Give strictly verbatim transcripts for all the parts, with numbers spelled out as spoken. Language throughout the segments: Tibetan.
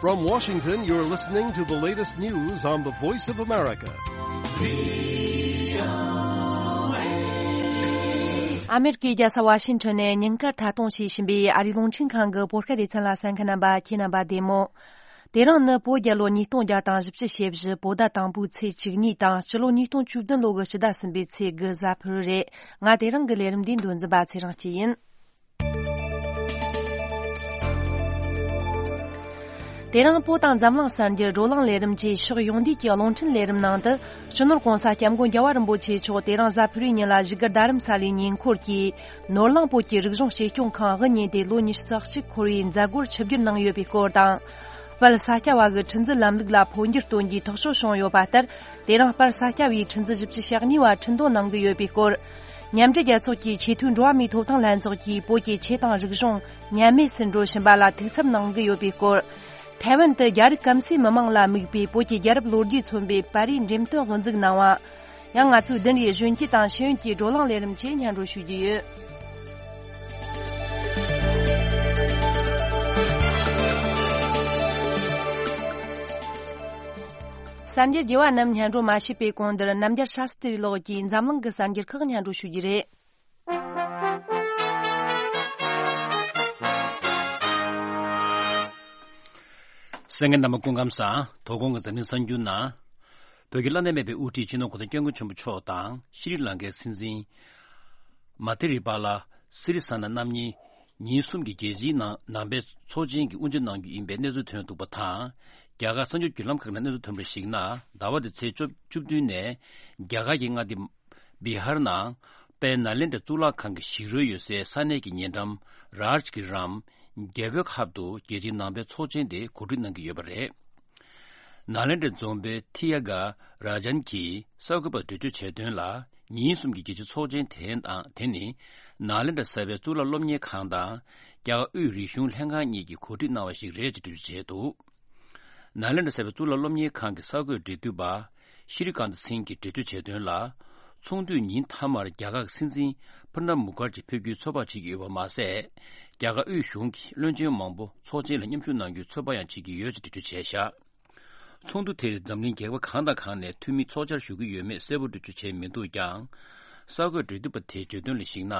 From Washington, you're listening to the latest news on the Voice of America. ཨ་མེ་རི་ཀའི་རྒྱལ་ས་ཝ་ཤིང་ཊོན་ནས་ཉིན་དཀར་མཐའ་སྟོངས་བྱེད་བཞིན་པའི་ཨ་རིའི་རླུང་འཕྲིན་ཁང་གི་བོད་སྐད་སྡེ་ཚན་ལ་གསན་མཁན་རྣམ་པ་ཁྱེད་རྣམ་པ་བདེ་མོ། དེ་རིང་ནི་བོད་རྒྱལ་ལོ་ཉིས་སྟོང་བརྒྱ་དང་བཞི་བཅུ་ཞེ་བཞི་བོད་ཟླ་དང་པོའི་ཚེས་བཅུ་གཉིས་དང་སྤྱི་ལོ་ཉིས་སྟོང་བཅུ་བདུན་ལོ་གི་སྤྱི་ཟླ་གསུམ་པའི་ཚེས་དགུ་གཟའ་ཕུར་བུ་རེད། ང་དེ་རིང་གི་ལས་རིམ་འདིའི་མདོ་འཛིན་པ་ཚེ་རིང་སྐྱིད་ཡིན། དེ་རིང་བོད་དང་འཛམ་གླིང་གསར་འགྱུར་བགྲོ་གླེང་ལས་རིམ་བཅས་ཕྱོགས་ཡོངས་བསྡུས་ཀྱི་རླུང་འཕྲིན་ལས་རིམ་ནང་དུ། སྤྱི་ནོར་༸གོང་ས་༸སྐྱབས་མགོན་རྒྱལ་བ་རིན་པོ་ཆེ་མཆོག་དེ་རིང་གཟའ་ཕུར་བུའི་ཉིན་ལ་བཞུགས་སྒར་རྡ་རམ་ས་ལའི་ཉེ་འཁོར་གྱི་ནོར་གླིང་བོད་ཀྱི་རིག་གཞུང་གཅེས་སྐྱོང་ཁང་དབུ་བརྙེས་ཏེ་ལོ་ཉི་ཤུ་རྩ་གཅིག་འཁོར་བའི་མཛད་སྒོར་ཆིབས་བསྒྱུར་གནང་ཡོད་པའི་སྐོར་དང་། དཔལ་ས་སྐྱ་བ་གི་ཁྲི་འཛིན་ལམ་ལུགས་ལ་འཕོ་འགྱུར་གཏོང་རྒྱུའི་ཐག་གཅོད་བྱུང་ཡོད་པ་ལྟར། དེ་རིང་དཔལ་ས་སྐྱ་བའི་ཁྲི་འཛིན་བཞི་བཅུ་ཞེ་གཉིས་པ་ཁྲི་འདོན་གནང་གི་ཡོད་པའི་སྐོར། མཉམ་འབྲེལ་རྒྱལ་ཚོགས་ཀྱི་ཆེས་མཐོའི་འགྲོ་བ་མིའི་ཐོབ་ཐང་ལྷན་ཚོགས་ཀྱིས་བོད་ཀྱི་ཆོས་དང་རིག་གཞུང་ཉམས་དམས་སུ་འགྲོ་བཞིན་པ་ལ་ཐུགས་འཚབ་གནང་གི་ཡོད་པའི་སྐོར། ཐའེ་ཝན་དུ་རྒྱ་རིགས་སྐམ་སའི་མི་མང་ལ་དམིགས་པའི་བོད་ཀྱི་རྒྱལ་རབས་ལོ་རྒྱུས་མཚོན་པའི་པར་རིས་འགྲེམས་སྟོན་དབུ་འཛུགས་གནང་བ། ཡང་ང་ཚོའི་བདུན་རེའི་གཞོན་སྐྱེས་དང་ཤེས་ཡོན་གྱི་བགྲོ་གླེང་ལས་རིམ་བཅས་སྙན་སྒྲོན་ཞུ་རྒྱུ་ཡོད། གསར་འགྱུར་རྒྱས་པ་རྣམས་སྙན་སྒྲོན་མ་བྱས་པའི་གོང་དུ། རྣམ་རྒྱལ་ཤཱ་སྟྲི་ལགས་ཀྱིས་འཛམ་གླིང་གི་གསར་འགྱུར་ཁག་སྙན་སྒྲོན་ཞུ་རྒྱུ་རེད། གསན་མཁན་རྣམ་པ་སྐུ་ཁམས་བཟང་། དོ་དགོང་གི་འཛམ་གླིང་གསར་འགྱུར་ནང་། བོད་ཀྱི་བླ་ན་མེད་པའི་དབུ་ཁྲིད་སྤྱི་ནོར་༸གོང་ས་༸སྐྱབས་མགོན་ཆེན་པོ་མཆོག་དང་ཤྲི་ལང་ཀའི་སྲིད་འཛིན་མ་ཐི་རི་པཱ་ལ་སི་རི་ས་ན་རྣམ་གཉིས་ཉིན་གསུམ་གྱི་རྒྱལ་སྤྱིའི་ནང་ནང་པའི་ཚོགས་ཆེན་གྱི་དབུ་འབྱེད་གནང་རྒྱུ་ཡིན་པའི་གནས་ཚུལ་ཐོན་འདུག་པ་དང་། རྒྱ་གར་གསར་འགྱུར་བརྒྱུད་ལམ་ཁག་ནས་གནས་ཚུལ་ཐོན་པར་གཞིགས་ན། ཟླ་བ་འདིའི་ཚེས་བཅུ་བདུན་ནས་རྒྱ་གར་གྱི་མངའ་སྡེ་བི་ཧར་ནང་དཔལ་ནཱ་ལེནྡྲ་གཙུག་ལག་ཁང་གི་ཞིག་རོའི་ཡོད་སའི་ས་གནས་ཀྱི་ཉེ་འགྲམ་རཱཇ་གི་རམ་རྒྱལ་པོའི་ཁབ་ཏུ་རྒྱལ་སྤྱིའི་ནང་པའི་ཚོགས་ཆེན་དེ་གོ་སྒྲིག་གནང་གི་ཡོད་པ་རེད། ནཱ་ལེནྡྲ་རྫོང་དཔོན་ཐི་ཡ་ག་རཱ་ཇན་གྱིས་གསར་འགོད་པར་འགྲེལ་བརྗོད་བྱས་དོན་ལ། ཉིན་གསུམ་གྱི་རྒྱལ་སྤྱིའི་ཚོགས་ཆེན་དེ་དང་དེ་ནི་ནཱ་ལེནྡྲ་གསར་པའི་གཙུག་ལག་སློབ་གཉེར་ཁང་དང་རྒྱ་གར་དབུས་རིག་གཞུང་ལྷན་ཁང་གཉིས་ཀྱིས་གོ་སྒྲིག་གནང་བ་ཞིག་རེད་ཅེས་འགྲེལ་བརྗོད་བྱས་འདུག་ནཱ་ལེནྡྲ་གསར་པའི་གཙུག་ལག་སློབ་གཉེར་ཁང་གི་གསར་འགོད་འབྲེལ་མཐུད་པ་ཤྲི་ཀཱནྟ་སིང་གིས་འགྲེལ་བརྗོད་བྱས་དོན་ལ། ཚོགས་འདུའི་ཉིན་མཐའ་མར་རྒྱ་གར་གྱི་སྲིད་འཛིན་པུར་ནབ་མུ་ཁར་ཇི་ཕེབས་རྒྱུའི་ཚོད་དཔག་བྱེད་ཀྱི་ཡོད་པ་མ་ཟད། རྒྱ་གར་དབུས་གཞུང་གི་བློན་ཆེན་མང་པོ་ཚོགས་ཆེན་ལ་མཉམ་ཞུགས་གནང་རྒྱུའི་ཚོད་དཔག་ཡང་བྱེད་ཀྱི་ཡོད་ཅེས་འགྲེལ་བརྗོད་བྱས་བཞག་ཚོགས་འདུ་དེར་འཛམ་གླིང་རྒྱལ་ཁབ་གང་དང་གང་ནས་འཐུས་མི་ཚོགས་བཅར་ཞུ་གི་ཡོད་མེད་གསལ་པོ་འགྲེལ་བརྗོད་བྱས་མི་འདུག་ཀྱང་། གསར་འགོད་འབྲེལ་མཐུད་པ་དེས་བརྗོད་དོན་ལ་གཞིགས་ན།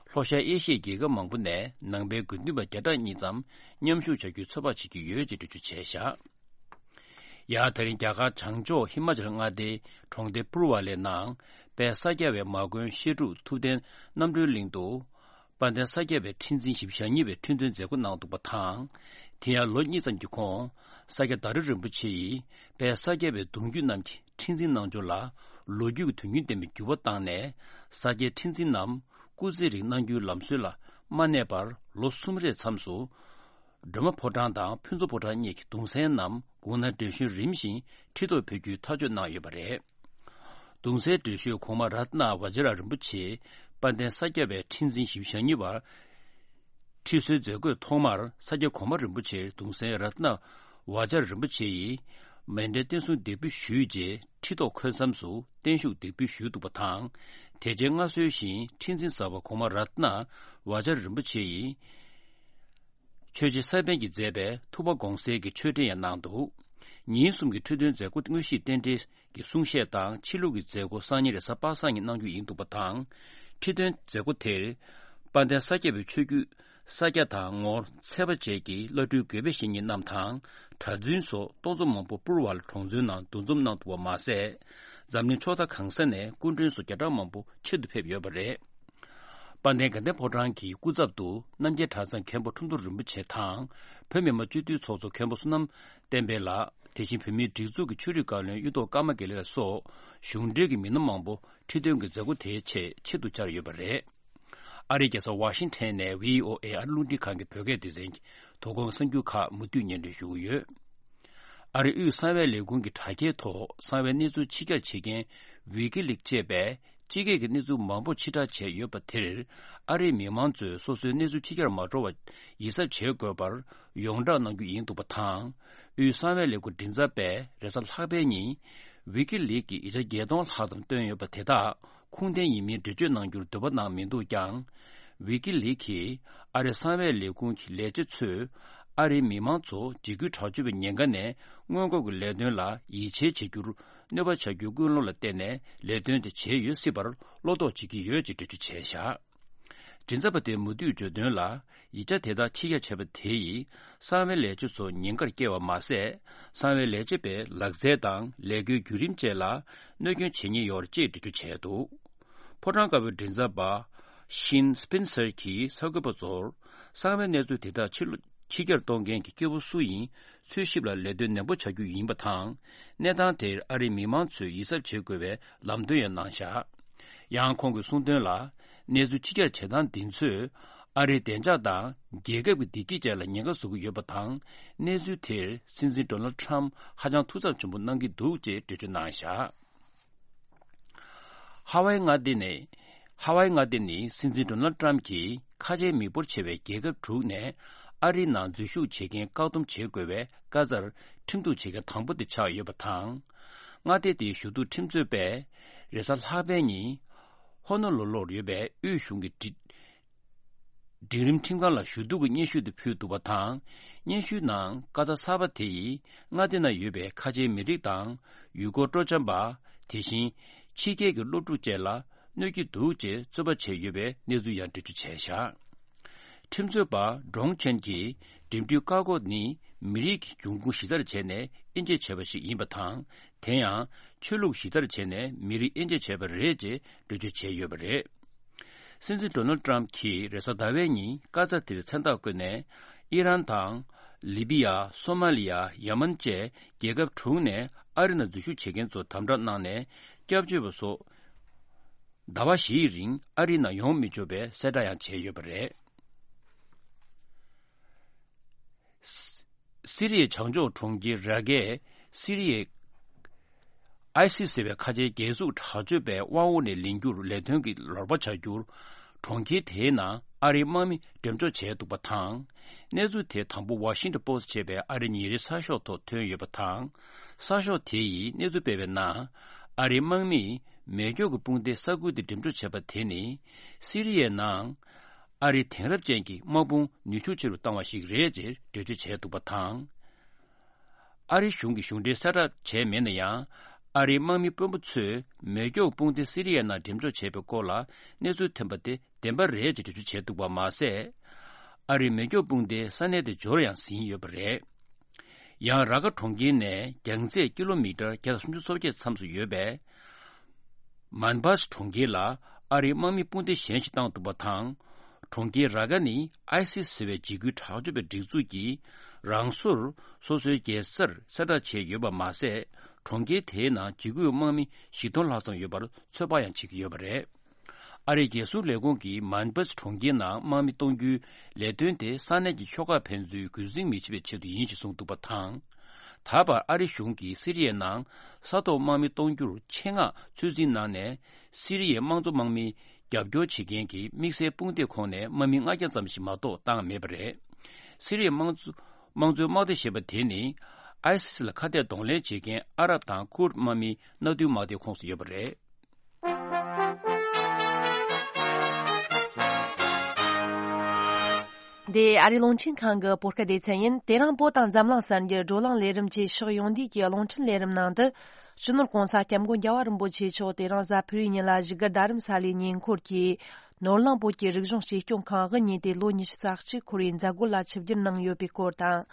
ལྷོ་ཤར་ཨེ་ཤི་ཡའི་རྒྱལ་ཁབ་མང་པོ་ནས་ནང་པའི་དགེ་འདུན་པ་བརྒྱ་ཕྲག་གཉིས་ཙམ་མཉམ་ཞུགས་བྱ་རྒྱུའི་ཚོད་དཔག་བྱེད་ཀྱི་ཡོད་ཅེས་འགྲེལ་བརྗོད་བྱས་བཞག་ཡང་དེ་རིང་རྒྱ་གར་བྱང་ཕྱོགས་ཧི་མ་ཅལ་མངའ་སྡེའི་གྲོང་སྡེ་པུར་ཝ་ལའི་ནང་དཔལ་ས་སྐྱ་པའི་མ་དགོན་བཤད་སྒྲུབ་ཐུབ་བསྟན་རྣམ་གྲོལ་གླིང་དུ། དཔལ་ལྡན་ས་སྐྱ་པའི་ཁྲི་འཛིན་བཞི་བཅུ་ཞེ་གཉིས་པའི་ཁྲི་འདོན་མཛད་སྒོ་གནང་འདུག་པ་དང་། དེ་ཡང་ལོ་གཉིས་ཙམ་གྱི་གོང་། ས་སྐྱ་ཟླ་རི་རིན་པོ་ཆེ་ཡིས་དཔལ་ས་སྐྱ་པའི་གདུང་རྒྱུད་རྣམས་ཀྱི་ཁྲི་འཛིན་གནང་སྦྱོར་ལ་ལོ་རྒྱུས་ཀྱི་དོན་རྐྱེན་ལྡན་པའི་འགྱུར་བ་བཏང་ནས། ས་སྐྱའི་ཁྲི་འཛིན་རྣམས་སྐུ་ཚེ་རིང་གནང་རྒྱུའི་ལམ་སྲོལ་ལ་མ་གནས་པར། ལོ་གསུམ་རེའི་མཚམས་སུ་སྒྲོལ་མ་ཕོ་བྲང་དང་ཕུན་ཚོགས་ཕོ་བྲང་གཉིས་ཀྱི་གདུང་སྲས་རྣམས་དགུང་ན་བགྲེས་གཞོན་རིམ་བཞིན་ཁྲི་ཐོག་ཕེབས་རྒྱུའི་ཐག་གཅོད་གནང་ཡོད་པ་རེད། གདུང་སྲས་བགྲེས་གཞོན་གོང་མ་རཏྣ་བཛྲ་རིན་པོ་ཆེ་དཔལ་ལྡན་ས་སྐྱ་པའི་ཁྲི་འཛིན་བཞི་བཅུ་ཞེ་གཉིས་པར་ཁྲི་གསོལ་མཛད་སྒོའི་ཐོག་མར་ས་སྐྱ་གོང་མ་རིན་པོ་ཆེར་གདུང་སྲས་རཏྣ་བཛྲ་རིན་པོ་ཆེ་ཡིས་མཎྜལ་རྟེན་གསུམ་འདེགས་འབུལ་ཞུས་རྗེས། ཁྲི་ཐོག་འཁོད་མཚམས་སུ་བརྟན་བཞུགས་འདེགས་འབུལ་ཞུས་འདུག་པ་དང་། དེ་རྗེས་མངའ་གསོལ་བཞིན་ཁྲི་འཛིན་གསར་པ་གོང་མ་རཏྣ་བཛྲ་རིན་པོ་ཆེ་ཡིས། ཆོས་རྗེ་ས་པཎ་གྱིས་མཛད་པའི་ཐུབ་པ་དགོངས་གསལ་གྱི་ཆོས་འབྲེལ་ཡང་གནང་འདུག་ཉིན་གསུམ་གྱི་ཁྲི་འདོན་མཛད་སྒོ་དངོས་གཞིའི་རྟེན་འབྲེལ་གྱི་གསུང་བཤད་དང་། ཕྱི་ལུགས་ཀྱི་མཛད་སྒོ་སང་ཉིན་རེས་གཟའ་པ་སངས་ཉིན་གནང་རྒྱུ་ཡིན་འདུག་པ་དང་། ཁྲི་འདོན་མཛད་སྒོ་དེར་དཔལ་ལྡན་ས་སྐྱ་པའི་ཆོས་བརྒྱུད་ས་སྐྱ་དང་ངོར་ཚེ་དཔག་བཅས་ཀྱི་བླ་སྤྲུལ་དགེ་བའི་བཤེས་གཉེན་རྣམས་དང་། གྲྭ་བཙུན་སོགས་སྟོང་ཚོ་མང་པོ་པུར་ཝ་ལ་གྲོང་ཚོའི་ནང་འདུ་འཛོམས་གནང་འདུག་པ་མ་ཟད། འཛམ་གླིང་ཕྱོགས་མཐའ་གང་ས་ནས་སྐུ་མགྲོན་སོགས་བརྒྱ་ཕྲག་མང་པོ་ཆེད་དུ་ཕེབས་ཡོད་པ་རེད། དཔལ་ལྡན་དགའ་ལྡན་ཕོ་བྲང་གི་སྐུ་ཚབ་ཏུ་རྣམ་རྒྱལ་གྲྭ་ཚང་མཁན་པོ་ཁྲོམ་ཐོར་རིན་པོ་ཆེ་དང་། བོད་མི་མང་སྤྱི་འཐུས་ཚོགས་གཙོ་མཁན་པོ་བསོད་ནམས་བསྟན་འཕེལ་ལགས། དེ་བཞིན་བོད་མིའི་སྒྲིག་འཛུགས་ཀྱི་ཆོས་རིག་བཀའ་བློན་གཡུ་ཐོག་ཀརྨ་དགེ་ལེགས་ལགས་སོགས་གཞུང་འབྲེལ་གྱི་མི་སྣ་མང་པོ་ཁྲི་འདོན་གྱི་མཛད་སྒོ་དེའི་ཆེད་ཆེད་དུ་བཅར་ཡོད་པ་རེད། ཨ་རིའི་རྒྱལ་ས་ཝ་ཤིང་ཐན་ནས་བྷི་ཨོ་ཨེ་ཨ་རི་རླུང་འཕྲིན་ཁང་གི་བོད་སྐད་སྡེ་ཚན་གྱི་དོ་དགོང་གསར་འགྱུར་ཁག་མུ་མཐུད་སྙན་སྒྲོན་ཞུ་གི་ཡོད། ཨ་རིའི་དབུས་གསང་བའི་ལས་ཁུངས་ཀྱི་དྲ་རྒྱའི་ཐོག་གསང་བའི་གནས་ཚུལ་ཕྱི་གྱར་བྱེད་མཁན་ཝི་ཀི་ལིག་ཅེས་པས། སྤྱི་སྒེར་གྱི་གནས་ཚུལ་མང་པོ་ཕྱིར་བསྒྲགས་བྱས་ཡོད་པ་དེར། ཨ་རིའི་མི་མང་ཚོས་སོ་སོའི་གནས་ཚུལ་ཕྱིར་གྱར་མ་འགྲོ་བ་ཡིད་གཟབ་བྱེད་དགོས་པར་ཡོངས་བསྒྲགས་གནང་རྒྱུ་ཡིན་འདུག་པ་དང་། དབུས་གསང་བའི་ལས་ཁུངས་མགྲིན་ཚབ་པས་རེས་གཟའ་ལྷག་པའི་ཉིན། ཝི་ཀི་ལིག་གིས་ཡིག་ཆ་བརྒྱད་སྟོང་ལྷག་ཙམ་བཏོན་ཡོད་པ་དེ་དག་ཁུངས་ལྡན་ཡིན་མིན་འགྲེལ་བརྗོད་གནང་རྒྱུར་འདོད་པ་གནང་མི་འདུག་ཀྱང་། ཝི་ཀི་ལིག་གིས་ཨ་རིའི་གསང་བའི་ལས་ཁུངས་ཀྱི་ལས་བྱེད་ཚོས། ཨ་རིའི་མི་མང་ཚོ་འཇིགས་སྐུལ་དྲག་སྤྱོད་པའི་ཉེན་ཁ་ནས་སྔོན་འགོག་གི་ལས་དོན་ལ་ཡིད་ཆེས་བྱེད་རྒྱུར་གནོད་པ་བྱ་རྒྱུའི་ཀུན་སློང་ལ་བརྟེན་ནས་ལས་དོན་དེ་བྱས་ཡོད་སྲིད་པར་བློ་དོགས་བྱེད་ཀྱི་ཡོད་ཅེས་འགྲེལ་བརྗོད་བྱས་བཞག་མགྲིན་ཚབ་པ་དེས་མུ་མཐུད་བརྗོད་དོན་ལ། ཡིག་ཆ་དེ་དག་ཕྱིར་བསྐྱར་བྱས་པ་དེ་ཡིས་གསང་བའི་ལས་བྱེད་ཚོ་ཉེན་ཁར་བསྐྱལ་བ་མ་ཟད། གསང་བའི་ལས་བྱེད་པའི་ལག་རྩལ་དང་ལས་སྒོའི་བརྒྱུད་རིམ་བཅས་ལ་གནོད་སྐྱོན་བྱེད་ཉེན་ཡོད་ཅེས་འགྲེལ་བརྗོད་བྱས་འདུག་ཕོ་བྲང་དཀར་པོའི་མགྲིན་ཚབ་པ་ཤིན་སྤེན་སར་གྱིས་གསར་འགོད་པ་ཚོར། གསང་བའི་གནས་ཚུལ་དེ་དག་ཕྱིར་ཕྱིར་བསྐྱར་གཏོང་མཁན་གྱི་སྐྱེ་བོ་སུ་ཡིན། འཚོལ་ཞིབ་ལ་ལས་དོན་ནན་པོ་བྱ་རྒྱུ་ཡིན་པ་དང་། གནས་སྟངས་དེར་ཨ་རིའི་མི་མང་ཚོས་ཡིད་གཟབ་བྱེད་དགོས་པའི་ལམ་སྟོན་ཡང་གནང་བཞག་ཡང་ཁོང་གིས་གསུངས་དོན་ལ། གནས་ཚུལ་ཕྱིར་བསྐྱར་བྱེད་སྟངས་འདི་ཚོས་ཨ་རིའི་བདེ་འཇགས་དང་རྒྱལ་ཁབ་ཀྱི་བདེ་སྐྱིད་བཅས་ལ་ཉེན་ཁ་བཟོ་གི་ཡོད་པ་དང་། གནས་ཚུལ་དེར་སྲིད་འཛིན་ཌོ་ནལ་ཁྲམ་ཧ་ཅང་ཐུགས་འཚབ་ཆེན་པོ་གནང་གི་འདུག་ཅེས་འགྲེལ་བརྗོད་གནང་བཞག་ཧ་ཝའི་མངའ་སྡེ་ནས། ཧ་ཝའི་མངའ་སྡེ་ནི་སྲིད་འཛིན་ཌོ་ནལ་ཏྲམ་གྱིས་ཁ་ཆེའི་མི་འབོར་ཆེ་བའི་རྒྱལ་ཁབ་དྲུག་ནས་ཨ་རིའི་ནང་འཛུལ་ཞུགས་བྱེད་མཁན་བཀག་སྡོམ་བྱེད་དགོས་པའི་བཀའ་རྩར་ཁྲིམས་གཏུག་བྱེད་མཁན་དང་པོ་དེ་ཆགས་ཡོད་པ་དང་། མངའ་སྡེ་དེའི་ཞུ་གཏུག་ཁྲིམས་རྩོད་པས་རེས་གཟའ་ལྷག་པའི་ཉིན་ཧོ་ནོ་ལུ་ལུར་ཡོད་པའི་དབུས་གཞུང་གི་སྒྲིག་སྒྲིག་རིམ་ཁྲིམས་ཁང་ལ་ཞུ་གཏུག་གི་སྙན་ཞུ་དེ་ཕུལ་འདུག་པ་དང་། སྙན་ཞུའི་ནང་བཀའ་རྩ་གསར་པ་དེ་ཡིས་མངའ་སྡེ་ནང་ཡོད་པའི་ཁ་ཆེའི་མི་རིགས་དང་ཡུལ་སྐོར་སྤྲོ་འཆམ་པ། དེ་བཞིན་ཕྱི་རྒྱལ་གྱི་སློབ་ཕྲུག་བཅས་ལ་གནོད་ཀྱི་འདུག་ཅེས་རྩོད་པ་བྱས་ཡོད་པའི་གནས་ཚུལ་ཡང་འགྲེལ་བརྗོད་བྱས་བཞག་ཁྲིམས་རྩོད་པ་ཀྲོང་ཆན་གྱིས་འགྲིམ་འགྲུལ་བཀག་འགོག་ནི་མི་རིགས་ཀྱི་འབྱུང་ཁུངས་གཞི་རྩར་བྱས་ནས་དབྱེ་འབྱེད་བྱས་པ་ཞིག་ཡིན་པ་དང་། དེ་ཡང་ཆོས་ལུགས་གཞི་རྩར་བྱས་ནས་མི་རིགས་དབྱེ་འབྱེད་བྱས་པ་རེད་ཅེས་འགྲེལ་བརྗོད་བྱས་ཡོད་པ་རེད། སྲིད་འཛིན་ཌོ་ནལ་ཏྲམ་གྱིས་རེས་གཟའ་ཟླ་བའི་ཉིན་བཀའ་རྩ་དེར་མཚན་རྟགས་བཀོད་ནས། ཨི་རན་དང་། ལི་བི་ཡ། སོ་མ་ལི་ཡ། ཡ་མན་བཅས་རྒྱལ་ཁབ་དྲུག་ནས་ཨ་རི་ནང་འཛུལ་ཞུགས་བྱེད་མཁན་ཚོ་དམ་དྲག་གནང་ནས་སྐྱབས་བཅོལ་བ་སོགས་ཟླ་བ་བཞིའི་རིང་ཨ་རི་ནང་ཡོང་མི་ཆོག་པའི་གསལ་བསྒྲགས་ཡང་བྱས་ཡོད་པ་རེད། སི་རི་ཡའི་བྱང་ཕྱོགས་གྲོང་ཁྱེར་ར་ཀའི་སི་རི་ཡའི་ཨའི་སི་ཟེར་བའི་ཁ་ཆེའི་རྒྱལ་སྲུང་དྲག་སྤྱོད་པའི་དབང་འོག་ནས་ལེན་རྒྱུར་ལས་དོན་གྱི་ལོག་པ་བྱ་རྒྱུར། གྲོང་ཁྱེར་དེའི་ནང་ཨ་རིའི་དམག་མི་འགྲེམས་འཇོག་བྱས་འདུག་པ་དང་། གནས་ཚུལ་དེ་དང་པོ་ཝ་ཤིང་ཊོན་པོ་སི་ཊི་ཞེས་པའི་ཨ་རིའི་ཉིན་རེའི་གསར་ཤོག་ཐོག་ཐོན་ཡོད་པ་དང་། གསར་ཤོག་དེ་ཡིས་གནས་ཚུལ་སྤེལ་བའི་ནང་། ཨ་རིའི་དམག་མིས་མེ་སྒྱོགས་ཀྱི་དཔུང་སྡེའི་ས་ཁུལ་དེ་འགྲེམས་འཇོག་བྱས་པ་དེ་ནི། སི་རི་ཡའི་ནང་། ཨ་རིའི་དེང་རབས་ཅན་གྱི་དམག་དཔུང་ནུས་ཤུགས་ཆེ་རུ་བཏང་བ་ཞིག་རེད་ཅེས་འགྲེལ་བརྗོད་བྱས་འདུག་པ་དང་། ཨ་རིའི་གཞུང་གིས་གཞུང་འབྲེལ་གསལ་བསྒྲགས་བྱས་མེད་ན་ཡང་། ཨ་རིའི་དམག་མི་དཔོན་པོ་ཚོས་མེ་སྒྱོགས་དཔུང་སྡེ་སི་རི་ཡའི་ནང་འགྲེམས་འཇོག་བྱས་པའི་སྐོར་ལ་གནས་ཚུལ་ཐོན་པ་དེ་བདེན་པ་རེད་ཅེས་འགྲེལ་བརྗོད་བྱས་འདུག་པ་མ་ཟད། ཨ་རིའི་མེ་སྒྱོགས་དཔུང་སྡེས་ས་གནས་དེ་འབྱོར་ཡང་ཟིན་ཡོད་པ་རེད། ཡང་ར་ཀ་གྲོང་ཁྱེར་ནས་རྒྱང་ཚད་ཀི་ལོ་མི་ཊར་བརྒྱ་དང་སུམ་ཅུ་སོ་བརྒྱད་མཚམས་སུ་ཡོད་པའི་མན་བཱས་གྲོང་ཁྱེར་ལ་ཨ་རིའི་དམག་མི་དཔུང་སྡེ་གཞན་ཞིག་བཏང་འདུག་པ་དང་། གྲོང་ཁྱེར་ར་ཀ་ནི་ཨའི་སི་ཟེར་བའི་འཇིགས་སྐུལ་དྲག་སྤྱོད་པའི་སྒྲིག་འཛུགས་ཀྱིས་རང་སོར་སོ་སོའི་རྒྱལ་སར་གསལ་བསྒྲགས་བྱས་ཡོད་པ་མ་ཟད། གྲོང་ཁྱེར་དེའི་ནང་འཇིགས་སྐུལ་དམག་མི་བཞི་སྟོང་ལྷག་ཙམ་ཡོད་པར་ཚོད་དཔག་ཡང་བྱེད་ཀྱི་ཡོད་པ་རེད། ཨ་རིའི་རྒྱལ་སྲུང་ལས་ཁུངས་ཀྱིས་མན་བཱས་གྲོང་ཁྱེར་ནང་དམག་མི་གཏོང་རྒྱུའི་ལས་དོན་དེ་ས་གནས་ཀྱི་ཤོག་ཁག་ཕན་ཚུན་རྒོལ་འཛིང་མི་བྱེད་པའི་ཆེད་དུ་ཡིན་ཞེས་གསུངས་འདུག་པ་དང་། ད་བར་ཨ་རི་གཞུང་གིས་སི་རི་ཡའི་ནང་ས་ཐོག་དམག་མི་གཏོང་རྒྱུར་ཆེད་མངགས་ཚོད་འཛིན་གནང་ནས། སི་རི་ཡའི་དམངས་གཙོ་དམག་མི་རྒྱབ་སྐྱོར་བྱེད་མཁན་གྱི་དམིགས་བསལ་དཔུང་སྡེ་ཁོངས་ནས་དམག་མི་ལྔ་བརྒྱ་ཙམ་ཞིག་མ་གཏོགས་བཏང་མེད་པ་རེད། སི་རི་ཡའི་དམངས་གཙོ་དམངས་གཙོའི་དམག་སྡེ་ཞེས་པ་དེ་ནི། ཨའི་སི་ལ་ཁ་གཏད་གདོང་ལེན་བྱེད་མཁན་ཨ་རབ་དང་ཁུར་དམག་མིའི་མནའ་མཐུན་དམག་སྡེའི་ཁོངས་སུ་ཡོད་པ་རེད། འདི་ཨ་རིའི་རླུང་འཕྲིན་ཁང་གི་བོད་སྐད་སྡེ་ཚན་ཡིན། དེ་རིང་བོད་དང་འཛམ་གླིང་གསར་འགྱུར་བགྲོ་གླེང་ལས་རིམ་གྱི་ཕྱོགས་ཡོངས་བསྡུས་ཀྱི་རླུང་འཕྲིན་ལས་རིམ་ནང་དུ། སྤྱི་ནོར་༸གོང་ས་༸སྐྱབས་མགོན་རྒྱལ་བ་རིན་པོ་ཆེ་མཆོག་དེ་རིང་གཟའ་ཕུར་བུའི་ཉིན་ལ་བཞུགས་སྒར་རྡ་རམ་ས་ལའི་ཉེ་འཁོར་གྱི་ནོར་གླིང་བོད་ཀྱི་རིག་གཞུང་གཅེས་སྐྱོང་ཁང་དབུ་བརྙེས་ཏེ་ལོ་ཉི་ཤུ་རྩ་གཅིག་འཁོར་བའི་མཛད་སྒོ་ལ་ཆིབས་བསྒྱུར་གནང་ཡོད་པའི་སྐོར་དང་།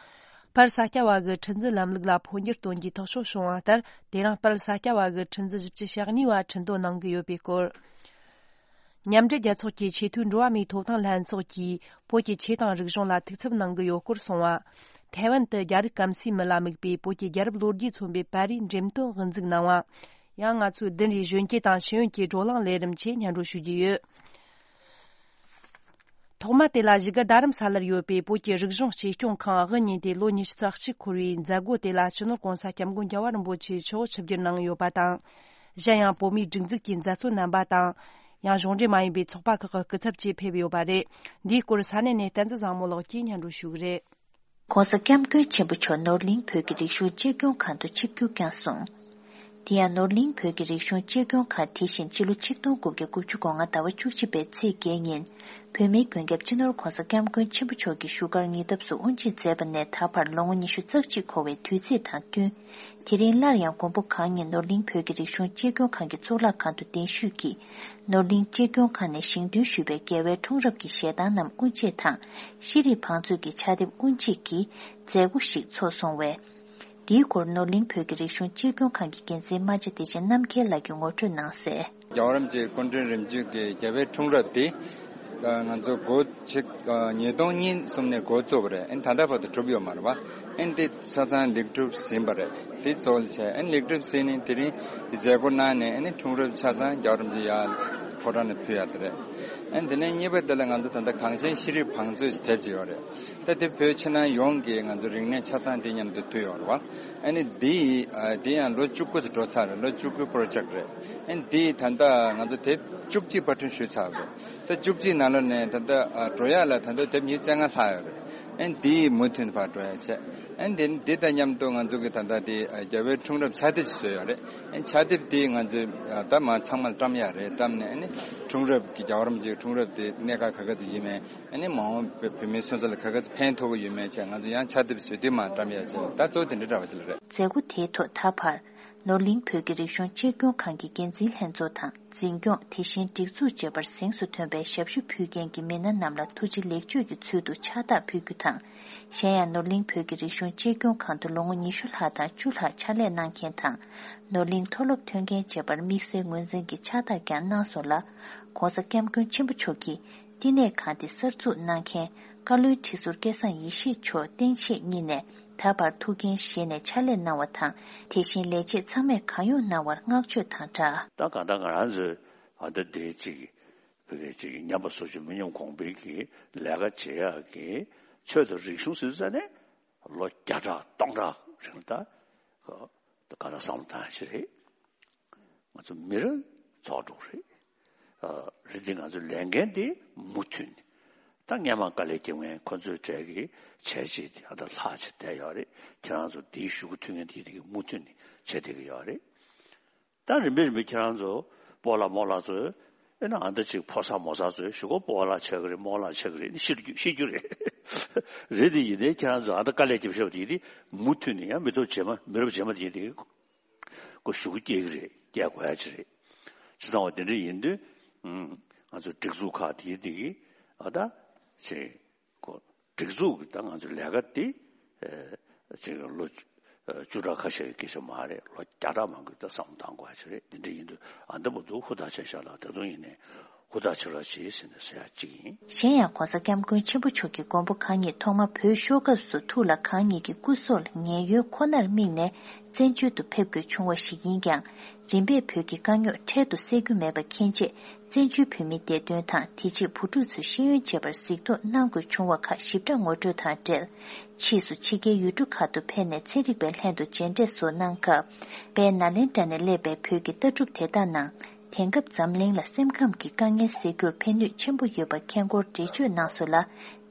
དཔལ་ས་སྐྱ་བ་གི་ཁྲི་འཛིན་ལམ་ལུགས་ལ་འཕོ་འགྱུར་གཏོང་རྒྱུའི་ཐག་གཅོད་བྱུང་བ་ལྟར། དེ་རིང་དཔལ་ས་སྐྱ་བ་གི་ཁྲི་འཛིན་བཞི་བཅུ་ཞེ་གཉིས་པ་ཁྲི་འདོན་གནང་གི་ཡོད་པའི་སྐོར། མཉམ་འབྲེལ་རྒྱལ་ཚོགས་ཀྱི་ཆེས་མཐོའི་འགྲོ་བ་མིའི་ཐོབ་ཐང་ལྷན་ཚོགས་ཀྱིས་བོད་ཀྱི་ཆོས་དང་རིག་གཞུང་ལ་ཐུགས་འཚབ་གནང་གི་ཡོད་སྐོར་གསུངས་བ། ཐའེ་ཝན་དུ་རྒྱ་རིགས་སྐམ་སའི་མི་ལ་དམིགས་པའི་བོད་ཀྱི་རྒྱལ་རབས་ལོ་རྒྱུས་མཚོན་པའི་པར་རིས་འགྲེམས་སྟོན་དབུ་འཛུགས་གནང་བ། ཡང་ང་ཚོའི་བདུན་རེའི་གཞོན་སྐྱེས་དང་ཤེས་ཡོན་གྱི་བགྲོ་གླེང་ལས་རིམ་ཆེད་སྙན་སྒྲོན་ཞུ་རྒྱུ་ཡོད། ཐོག་མ་དེ་ལ་བཞུགས་སྒར་རྡ་རམ་ས་ལར་ཡོད་པའི་བོད་ཀྱི་རིག་གཞུང་གཅེས་སྐྱོང་ཁང་དབུ་བརྙེས་ཏེ་ལོ་ཉི་ཤུ་རྩ་གཅིག་འཁོར་བའི་མཛད་སྒོ་དེ་ལ་སྤྱི་ནོར་༸གོང་ས་༸སྐྱབས་མགོན་རྒྱལ་བ་རིན་པོ་ཆེ་མཆོག་ཆིབས་བསྒྱུར་གནང་ཡོད་པ་དང་། གཞན་ཡང་བོད་མིའི་སྒྲིག་འཛུགས་ཀྱི་མཛད་གཙོ་རྣམ་པ་དང་། ཡང་གཞུང་འབྲེལ་མ་ཡིན་པའི་ཚོགས་པ་ཁག་གི་སྐུ་ཚབ་བཅས་ཕེབས་ཡོད་པ་རེད། འདིའི་སྐོར་ས་གནས་ནས་བསྟན་འཛིན་བཟང་མོ་ལགས་ཀྱིས་སྙན་སྒྲོན་ཞུ་གི་རེད། ༸གོང་ས་༸སྐྱབས་མགོན་ཆེན་པོ་མཆོག་ནོར་གླིང་བོད་ཀྱི་རིག་གཞུང་གཅེས་སྐྱོང་ཁང་དུ་ཆིབས་བསྒྱུར་བསྐྱངས་སོང་། དེ་ཡང་ནོར་གླིང་བོད་ཀྱི་རིག་གཞུང་གཅེས་སྐྱོང་ཁང་དེ་བཞིན་ཕྱི་ལོ་ཆིག་སྟོང་དགུ་བརྒྱ་དགུ་བཅུ་གོ་ལྔ་ཟླ་བ་བཅུ་གཅིག་པའི་ཚེས་བརྒྱད་ཉིན། བོད་མིའི་མགོན་སྐྱབས་སྤྱི་ནོར་༧གོང་ས་༧སྐྱབས་མགོན་ཆེན་པོ་མཆོག་གིས་བཞུགས་སྒར་ཉེ་འདབས་སུ་དབུ་འབྱེད་མཛད་པ་ནས་ད་བར་ལོ་ངོ་ཉི་ཤུ་རྩ་གཅིག་འཁོར་བའི་དུས་ཚིགས་དང་བསྟུན། དེ་རིང་སླར་ཡང་མགོན་པོ་གང་ཉིད་ནོར་གླིང་བོད་ཀྱི་རིག་གཞུང་གཅེས་སྐྱོང་ཁང་གི་གཙུག་ལག་ཁང་དུ་གདན་ཞུས་ཀྱིས། ནོར་གླིང་གཅེས་སྐྱོང་ཁང་ནས་བཞེངས་སྐྲུན་ཞུས་པའི་རྒྱལ་བའི་འཁྲུངས་རབས་ཀྱི་ཞལ་ཐང་རྣམས་དབུ་འབྱེད་དང་། ཤེས་རིག་བང་མཛོད་ཀྱི་ཕྱག་དེབ་དབུ་འབྱེད་ཀྱི་མཛད་སྒོ་ཞིག་ཚོགས་སོང་བས། འདིའི་སྐོར་ནོར་གླིང་བོད་ཀྱི་རིག་གཞུང་གཅེས་སྐྱོང་ཁང་གི་འགན་འཛིན་རྨ་བྱ་བདེ་ཆེན་རྣམ་རྒྱལ་ལགས་ཀྱིས་ངོ་སྤྲོད་གནང་གསལ། རྒྱལ་བ་རིན་པོ་ཆེ་སྐུ་ཕྲེང་རིམ་བྱོན་གྱི་རྒྱལ་བའི་འཁྲུངས་རབས་དེ། ད་ང་ཚོ་འགོ་ཆེ་ཉིས་སྟོང་གཉིས་གསུམ་ནས་འགོ་བཙུགས་པ་རེད། ཨ་ནི་ད་ལྟ་བར་དུ་གྲུབ་ཡོད་མ་རེད་བ། ཨ་ནི་དེ་ཆ་ཚང་ལེགས་གྲུབ་ཟིན་པ་རེད། དེ་གཙོ་བོ་བྱས་ཨ་ནི་ལེགས་གྲུབ་ཟིན་ནས་དེ་རིང་དེ་མཛད་སྒོ་གནང་ནས་ཨ་ནི་འཁྲུངས་རབས་ཆ་ཚང་རྒྱལ་བ་རིན་པོ་ཆེ་ཡར་ཕོ་བྲང་ནས་ཕུལ་ཡག་དེ་རེད། ཨ་ནི་དེ་ནས་གཉིས་པ་དེ་ལ་ང་ཚོ་ད་ལྟ་གངས་ཅན་ཤེས་རིག་བང་མཛོད་ཞེས་དེབ་ཅིག་ཡོད་རེད། ད་དེ་བོད་ཕྱི་ནང་ཡོངས་ཀྱི་ང་ཚོ་རིག་གནས་ཆ་ཚང་དེ་མཉམ་དུ་བསྡུས་ཡོད་རེད་བ། ཨ་ནི་འདི་ཡི་ཨ་འདི་ཡང་ལོ་བཅུ་དགུ་དུ་འགྲོ་ཚར་རེད། ལོ་བཅུ་དགུའི་པོ་རོ་ཇེག་རེད། ཨ་ནི་འདི་ཡི་ད་ལྟ་ང་ཚོ་དེབ་བཅུ་གཅིག་པར་སྐྲུན་ཞུས་ཚར་བ་རེད། ད་བཅུ་གཅིག་ནང་ལོགས་ནས་ད་ལྟ་ཨ་འགྲོ་ཡག་ལ་ད་ལྟ་དེབ་ཉིས་བརྒྱ་བཅོ་ལྔ་ལྷག་ཡོད་རེད། ཨ་ནི་འདི་ཡི་མུ་མཐུད་ནས་ཕར་འགྲོ་ཡག་བྱས། ཨ་ནི་འདི་འདི་དང་མཉམ་དུ་ང་ཚོ་གི་ད་ལྟ་དེ་ཨ་རྒྱལ་བའི་འཁྲུངས་རབས་ཕྱག་དེབ་ཅིག་བཟོས་ཡོད་རེད། ཨ་ནི་ཕྱག་དེབ་དེ་ང་ཚོས་ཨ་ད་མ་ཚང་མ་བཀྲམ་ཡག་རེད། བཀྲམ་ནས་ཨ་ནི་འཁྲུངས་རབས་ཀྱི་རྒྱལ་བ་རིན་པོ་ཆེའི་འཁྲུངས་རབས་དེ་གནད་འགག་ག་ག་ཚོད་ཡིན་མིན། ཨ་ནི་མ་འོངས་བོད་མིའི་སོན་རྩ་ལ་ག་ག་ཚོད་ཕན་ཐོགས་ཀྱི་ཡོད་མེད་བྱས་ང་ཚོ་ཡང་ཕྱག་དེབ་བཟོས་དུས་མར་བཀྲམ་ཡག་བྱས། ད་གཙོ་བོ་དེ་འདྲའི་འདྲ་བ་ཅིག་ལ་རེད། མཛད་སྒོ་དེའི་ཐོག་ད་བར་ནོར་གླིང་བོད་ཀྱི་རིག་གཞུང་གཅེས་སྐྱོང་ཁང་གི་འགན་འཛིན་ལྷན་ཚོགས་དང་འཛིན་སྐྱོང་དེ་བཞིན་སྒྲིག་འཛུགས་བཅས་པར་གཟེངས་སུ་ཐོན་པའི་ཞབས་ཞུ་ཕུལ་མཁན་གྱི་མི་སྣ་རྣམས་ལ་ཐུགས་རྗེ་ལེགས་བརྗོད་ཀྱི་ཚུལ་དུ་ཕྱག་རྟགས་ཕུལ་རྒྱུ་དང་། གཞན་ཡང་ནོར་གླིང་བོད་ཀྱི་རིག་གཞུང་གཅེས་སྐྱོང་ཁང་དུ་ལོ་ངོ་ཉི་ཤུ་ལྷག་དང་བཅུ་ལྷག་ཕྱག་ལས་གནང་མཁན་དང་། ནོར་གླིང་མཐོ་སློབ་ཐོན་མཁན་བཅས་པར་དམིགས་བསལ་ངོས་འཛིན་གྱི་ཕྱག་རྟགས་ཀྱང་གནང་སོང་ལ། ྋགོང་ས་ྋསྐྱབས་མགོན་ཆེན་པོ་མཆོག་གིས། བསྟི་གནས་ཁང་དེ་གསར་འཛུགས་གནང་མཁན་བཀའ་བློན་ཁྲི་ཟུར་སྐལ་བཟང་ཡེ་ཤེས་མཆོག་སྟེང་ཆེད་གཉིས་ནས་ད་བར་ཐུགས་འགན་བཞེས་ནས་ཕྱག་ལས་གནང་བ་དང་། དེ་བཞིན་ལས་བྱེད་ཚང་མས་གང་ཡོང་གནང་བར་བསྔགས་བརྗོད་དང་སྦྲགས། ད་གང་ལྟར་ང་རང་ཚོས་ཨ་ད་དེ་གཅིག་བོད་སྐད་ཅིག་ཉམས་པ་སོར་ཆུད་མི་ཉམས་གོང་འཕེལ་གྱི་ལས་ཀ་བྱེད་ཡག་གི་ཆེད་དུ་རིག་གཞུང་ཟེར་ཙ་ནས་ལོ་བརྒྱ་ཕྲག་སྟོང་ཕྲག་རིང་ད་ག་ད་ག་ལ་བསམ་བློ་བཏང་ཞིག་རེད། ང་ཚོ་མི་རབས་ཚོགས་དྲུག་རེད། ཨ་རེད་དེ་ང་ཚོ་ལས་འགན་དེ་མུ་མཐུད་ནས། ད་སྔན་མ་དཀའ་ལས་བརྒྱབ་མཁན་ཁོ་ཚོའི་གྲས་ཀྱི་བྱས་རྗེས་དེ་ཨ་ད་ལྷག་བྱས་བསྡད་ཡོད་རེད། ཁྱེད་རང་ཚོ་དེའི་ཞུ་སྐུལ་མཐུན་རྐྱེན་དེ་དེ་གི་མུ་མཐུད་ནས་བྱས་བསྡད་ཀྱི་ཡོད་རེད། ད་རིམ་པས་རིམ་པས་ཁྱེད་རང་ཚོ་སྤོ་ལགས་རྨོ་ལགས་ཚོས་ཨེ་ན་ཨ་ད་ཅིག་ཕོ་གསར་མོ་གསར་ཚོས་ཞུ་སྐུལ་སྤོ་ལགས་ཆགས་ཀྱི་རེད། རྨོ་ལགས་ཆགས་ཀྱི་རེད་ཤེས་རྒྱུ་ཤེས་རྒྱུ་རེད། རེད་དེ་ཡིན་ནའི་ཁྱེད་རང་ཚོ་ཨ་ད་དཀའ་ལས་བརྒྱབ་ཤག་དེ་དེ་མུ་མཐུད་ནས་ཡང་མི་ཐོག་རྗེས་མ་མི་རབས་རྗེས་མ་དེ་དེ། ཁོ་ཞུ་སྐུལ་སྐྱེལ་གྱི་རེད། སྐྱེལ་དགོས་ཡ་ཅིག་རེད། བྱས་ཙང་བ་དེ་འདྲ་ཡིན་དུས། ཨུམ། ང་ཚོ་སྒྲིག་འཛུགས་ཁག་དེའི་དེ་གི་ཨ་ད་ཅིག་ཁོ་སྒྲིག་འཛུགས་ཀྱི་ད་ང་ཚོ་ལས་ཀ་དེ་ཨེ་ཅིག་ལོ་ཨ་བཅུ་ཕྲག་ཁ་ཤས་ཀྱི་སྐད་ཆ་མ་རེད། ལོ་བརྒྱ་ཕྲག་མང་པོའི་ད་བསམ་བློ་བཏང་དགོས་ཡ་ཅིག་རེད། དེ་འདྲ་ཡིན་དུས་ཨ་ད་བར་དུ་ཧུར་ཐག་བྱས་ཤག་ལ་ད་དུང་ཡིན་ནའི་ཧུར་ཐག་བྱེད་རོགས་བྱེད་ཟེར་ནས་ཟེར་ཡ་གཅིག་ཡིན། གཞན་ཡང་ྋགོང་ས་ྋསྐྱབས་མགོན་ཆེན་པོ་མཆོག་གིས་མགོན་པོ་གང་ཉིད་ཐོག་མར་བོད་ཤོར་སྐབས་སུ་ཐུགས་ལ་གང་ཉིད་ཀྱི་སྐུ་སྲོག་ལ་ངན་གཡོལ་ཁོ་ནར་དམིགས་ནས་བཙན་བྱོལ་དུ་ཕེབས་དགོས་བྱུང་བ་ཞིག་ཡིན་ཀྱང་། རིམ་པས་བོད་ཀྱི་དཀའ་རྙོག་འཕྲལ་དུ་སེལ་རྒྱུ་མེད་པ་མཁྱེན་རྗེས། བཙན་བྱོལ་བོད་མིའི་བདེ་དོན་དང་དེ་རྗེས་བུ་ཕྲུག་ཚོའི་ཤེས་ཡོན་བཅས་པར་གཟིགས་རྟོག་གནང་དགོས་བྱུང་བ་ཁག་ཞིབ་ཕྲ་ངོ་སྤྲོད་དང་འབྲེལ། ཕྱིས་སུ་ཕྱི་རྒྱལ་ཡུལ་གྲུ་ཁག་ཏུ་ཕེབས་ནས་ཚན་རིག་པའི་ལྷན་དུ་མཇལ་འཕྲད་སོགས་གནང་སྐབས། དཔལ་ནཱ་ལེནྡྲ་ནས་སླེབས་པའི་བོད་ཀྱི་ལྟ་གྲུབ་དེ་དག་ནང་། དེང་སྐབས་འཛམ་གླིང་ལ་སེམས་ཁམས་ཀྱི་དཀའ་ངལ་སེལ་རྒྱུར་ཕན་ནུས་ཆེན་པོ་ཡོད་པ་མཁྱེན་སྐོར་འགྲེལ་བརྗོད་གནང་སོང་ལ།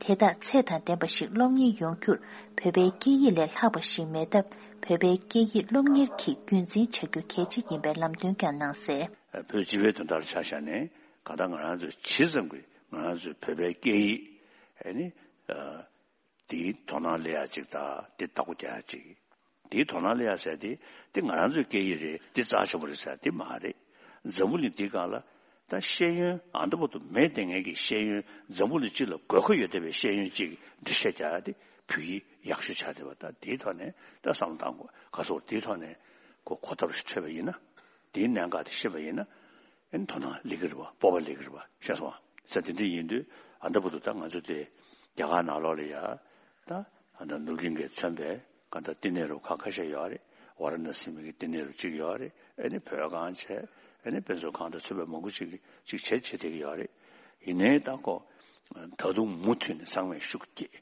དེ་དག་ཚད་དང་ལྡན་པ་ཞིག་སློབ་གཉེར་ཡོང་རྒྱུར་བོད་པའི་སྐད་ཡིག་ལས་ལྷག་པ་ཞིག་མེད་སྟབས། བོད་པའི་སྐད་ཡིག་སློབ་གཉེར་གྱིས་རྒྱུན་འཛིན་བྱ་རྒྱུ་གལ་ཆེ་ཡིན་པའི་ལམ་སྟོན་ཀྱང་གནང་གསལ། བོད་སྤྱི་པའི་དོན་དག་ལ་ཆ་བཞག་ནས་གང་ལྟར་ང་རང་ཚོས་ཇི་ཙམ་གྱིས་ང་རང་ཚོའི་བོད་པའི་སྐད་ཡིག་ཨ་ནི་ཨ། དེའི་དོ་སྣང་སླེབས་ཡ་གཅིག་དང་དེ་བདག་པོ་རྒྱག་ཡ་གཅིག་དེའི་དོ་སྣང་སླེབས་ཡ་ཟེར་དེ་དེ་ང་རང་ཚོའི་སྐད་ཡིག་རེད། དེ་རྩ་ཆེན་པོ་རེད་ཟེར་དེ་མ་རེད། འཛམ་བུ་གླིང་འདིའི་སྒང་ལ་ད་ཤེས་ཡོན་ཨ་ད་བར་དུ་མེད་བསྡད་མཁན་གྱི་ཤེས་ཡོན། འཛམ་བུ་གླིང་སྤྱི་ལ་དགོས་མཁོ་ཡོད་བསྡད་པའི་ཤེས་ཡོན་གཅིག་འགྲེལ་བཤད་རྒྱག་ཡ་དེ་བོད་ཡིག་ཡག་ཤོས་ཆགས་བསྡད་པ། ད་དེའི་ཐོག་ནས་ད་བསམ་བློ་བཏང་དགོས། ག་སོགས་དེའི་ཐོག་ནས་གོ་གོ་ཐབས་ཤིག་འཕྲོད་པ་ཡིན་ན། དེའི་གནད་འགག་དེ་ཤེས་པ་ཡིན་ན། ཨེ་དོ་སྣང་སླེབས་ཀྱི་རེད་བ། སྤོབས་པ་སླེབས་ཀྱི་རེད་བ། ཤེས་སོང་ང་། ས་དེ་འདྲ་ཡིན་དུས་ཨ་ད་བར་དུ་ད་ང་ཚོ་དེ་རྒྱ་གར་ནང་ལོགས་ལ་ཡ་ད་ཨ་ད་ནོར་གླིང་གིས་མཚོན་པའི་ག་ད་བསྟི་གནས་རུ་ཁག་ཁ་ཤས་ཡོད་རེད། ཝཱ་ར་ཎ་སི་མི་གི་བསྟི་གནས་རུ་གཅིག་ཡོད་རེད། ཨེ་ནི་བོད་ཁང་བྱས། ཨེ་ནི་དཔེ་མཛོད་ཁང་དང་མཚོན་པའི་མང་པོ་ཅིག་ཅིག་བྱས་བྱས་བསྡད་ཀྱི་ཡོད་རེད། ཡིན་ནའི་ད་ཁོ་ད་དུང་མུ་མཐུད་ནས་ཚང་མས་ཤུགས་བསྐྱེད།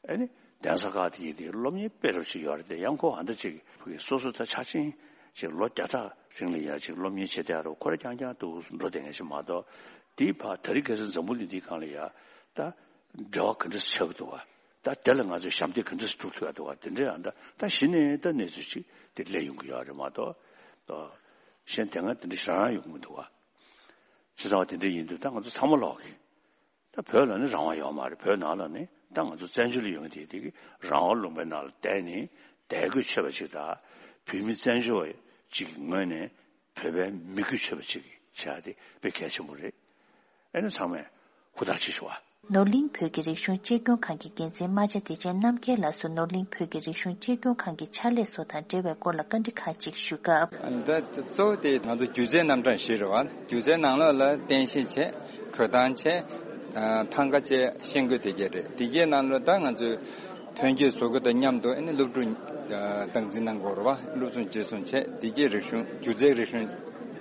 ཨ་ནི་གདན་ས་ཁག་དེ་ཡིན་དེ་སློབ་གཉེར་སྤེལ་རོགས་ཅིག་ཡོད་རེད་དེ། ཡང་ཁོ་ཨ་འདྲ་ཅིག་ཕ་གི་སོ་སོ་ད་ཆ་ཆེན་ཅིག་ལོ་བརྒྱ་ཕྲག་རིང་ལ་ཡ་ཅིག་སློབ་གཉེར་བྱེད་བསྡད་རོགས་ཁོ་ར་རྐྱང་རྐྱང་དུ་འགྲོ་བསྡད་མཁན་ཞིག་མ་གཏོགས། དེའི་ཕར་དེ་རིང་ཁ་སང་འཛམ་བུ་གླིང་འདིའི་སྒང་ལ་ཡ་ད་འབྲེལ་བ་ག་འདྲ་ཆགས་ཀྱི་འདུག་བ། ད་དེ་ལ་ང་ཚོས་ཞབས་འདེགས་ག་འདྲ་སྒྲུབ་ཐུབ་ཡ་འདུག་བ། དེ་འདྲ་ཡང་ད་ད་གཞི་ནས་ད་གནས་ཚུལ་ཅིག་དེ་སླེབས་ཡོང་གི་ཡོད་རེད་མ་གཏོགས། ཨོ། གཞན་དེ་སྔ་དེ་འདྲ་ཞེ་དྲག་ཡོང་གི་མི་འདུག་བ། བྱས་ཙང་བ་དེ་འདྲ་ཡིན་དུས་ད་ང་ཚོ་ཚང་མ་ལོག་གི། ད་བོད་ལ་ནི་རང་དབང་ཡོད་མ་རེད། བོད་ནང་ལ་ནི་ད་ང་ཚོ་བཙན་བྱོལ་ལ་ཡོང་དེ་དེ་གི་རང་དབང་ལུང་པའི་ནང་ལ་བསྡད་ནས་བསྡད་དགོས་ཆོད་པ་ཅིག་དང་། བོད་མི་བཙན་བྱོལ་བ་ཅིག་གི་ངོས་ནས་བོད་པའི་མི་དགོས་ཆོད་པ་ཅིག་བྱ་དེ་དཔེ་གལ་ཆེན་པོ་རེད། ཨེ་ནི་ཚང་མས་ཧུར་ཐག་བྱེད་ཤོག་ཨ། ནོར་གླིང་བོད་ཀྱི་རིག་གཞུང་གཅེས་སྐྱོང་ཁང་གི་འགན་འཛིན་རྨ་བྱ་བདེ་ཆེན་རྣམ་རྒྱལ་ལགས་སུ་ནོར་གླིང་བོད་ཀྱི་རིག་གཞུང་གཅེས་སྐྱོང་ཁང་གི་ཕྱག་ལས་སོགས་དང་འབྲེལ་བའི་སྐོར་ལ་བཀའ་འདྲི་ཁག་ཅིག་ཞུས་སྐབས། ད་གཙོ་བོ་དེ་ང་ཚོ་སྒྱུ་རྩལ་རྣམ་གྲངས་བཞི་རེད་བ། སྒྱུ་རྩལ་ནང་ལོགས་ལ་རྟེན་གཞི་བྱས། གོས་ཐང་བྱས། ཐང་ག་བཅས། ཤེལ་སྒོ་དེ་གས་རེད། དེ་གས་ནང་ལོགས་ད་ང་ཚོས་ཐོན་སྐྱེད་བཟོ་རྒྱུ་དང་མཉམ་དུ་ཨ་ནི་སློབ་ཕྲུག་སྟངས་འཛིན་གནང་དགོས་རེད་བ། སློབ་སྦྱོང་རྗེས་བཟུང་བྱས། དེ་གས་རིག་གཞུང་སྒྱུ་རྩལ་རིག་གཞུང་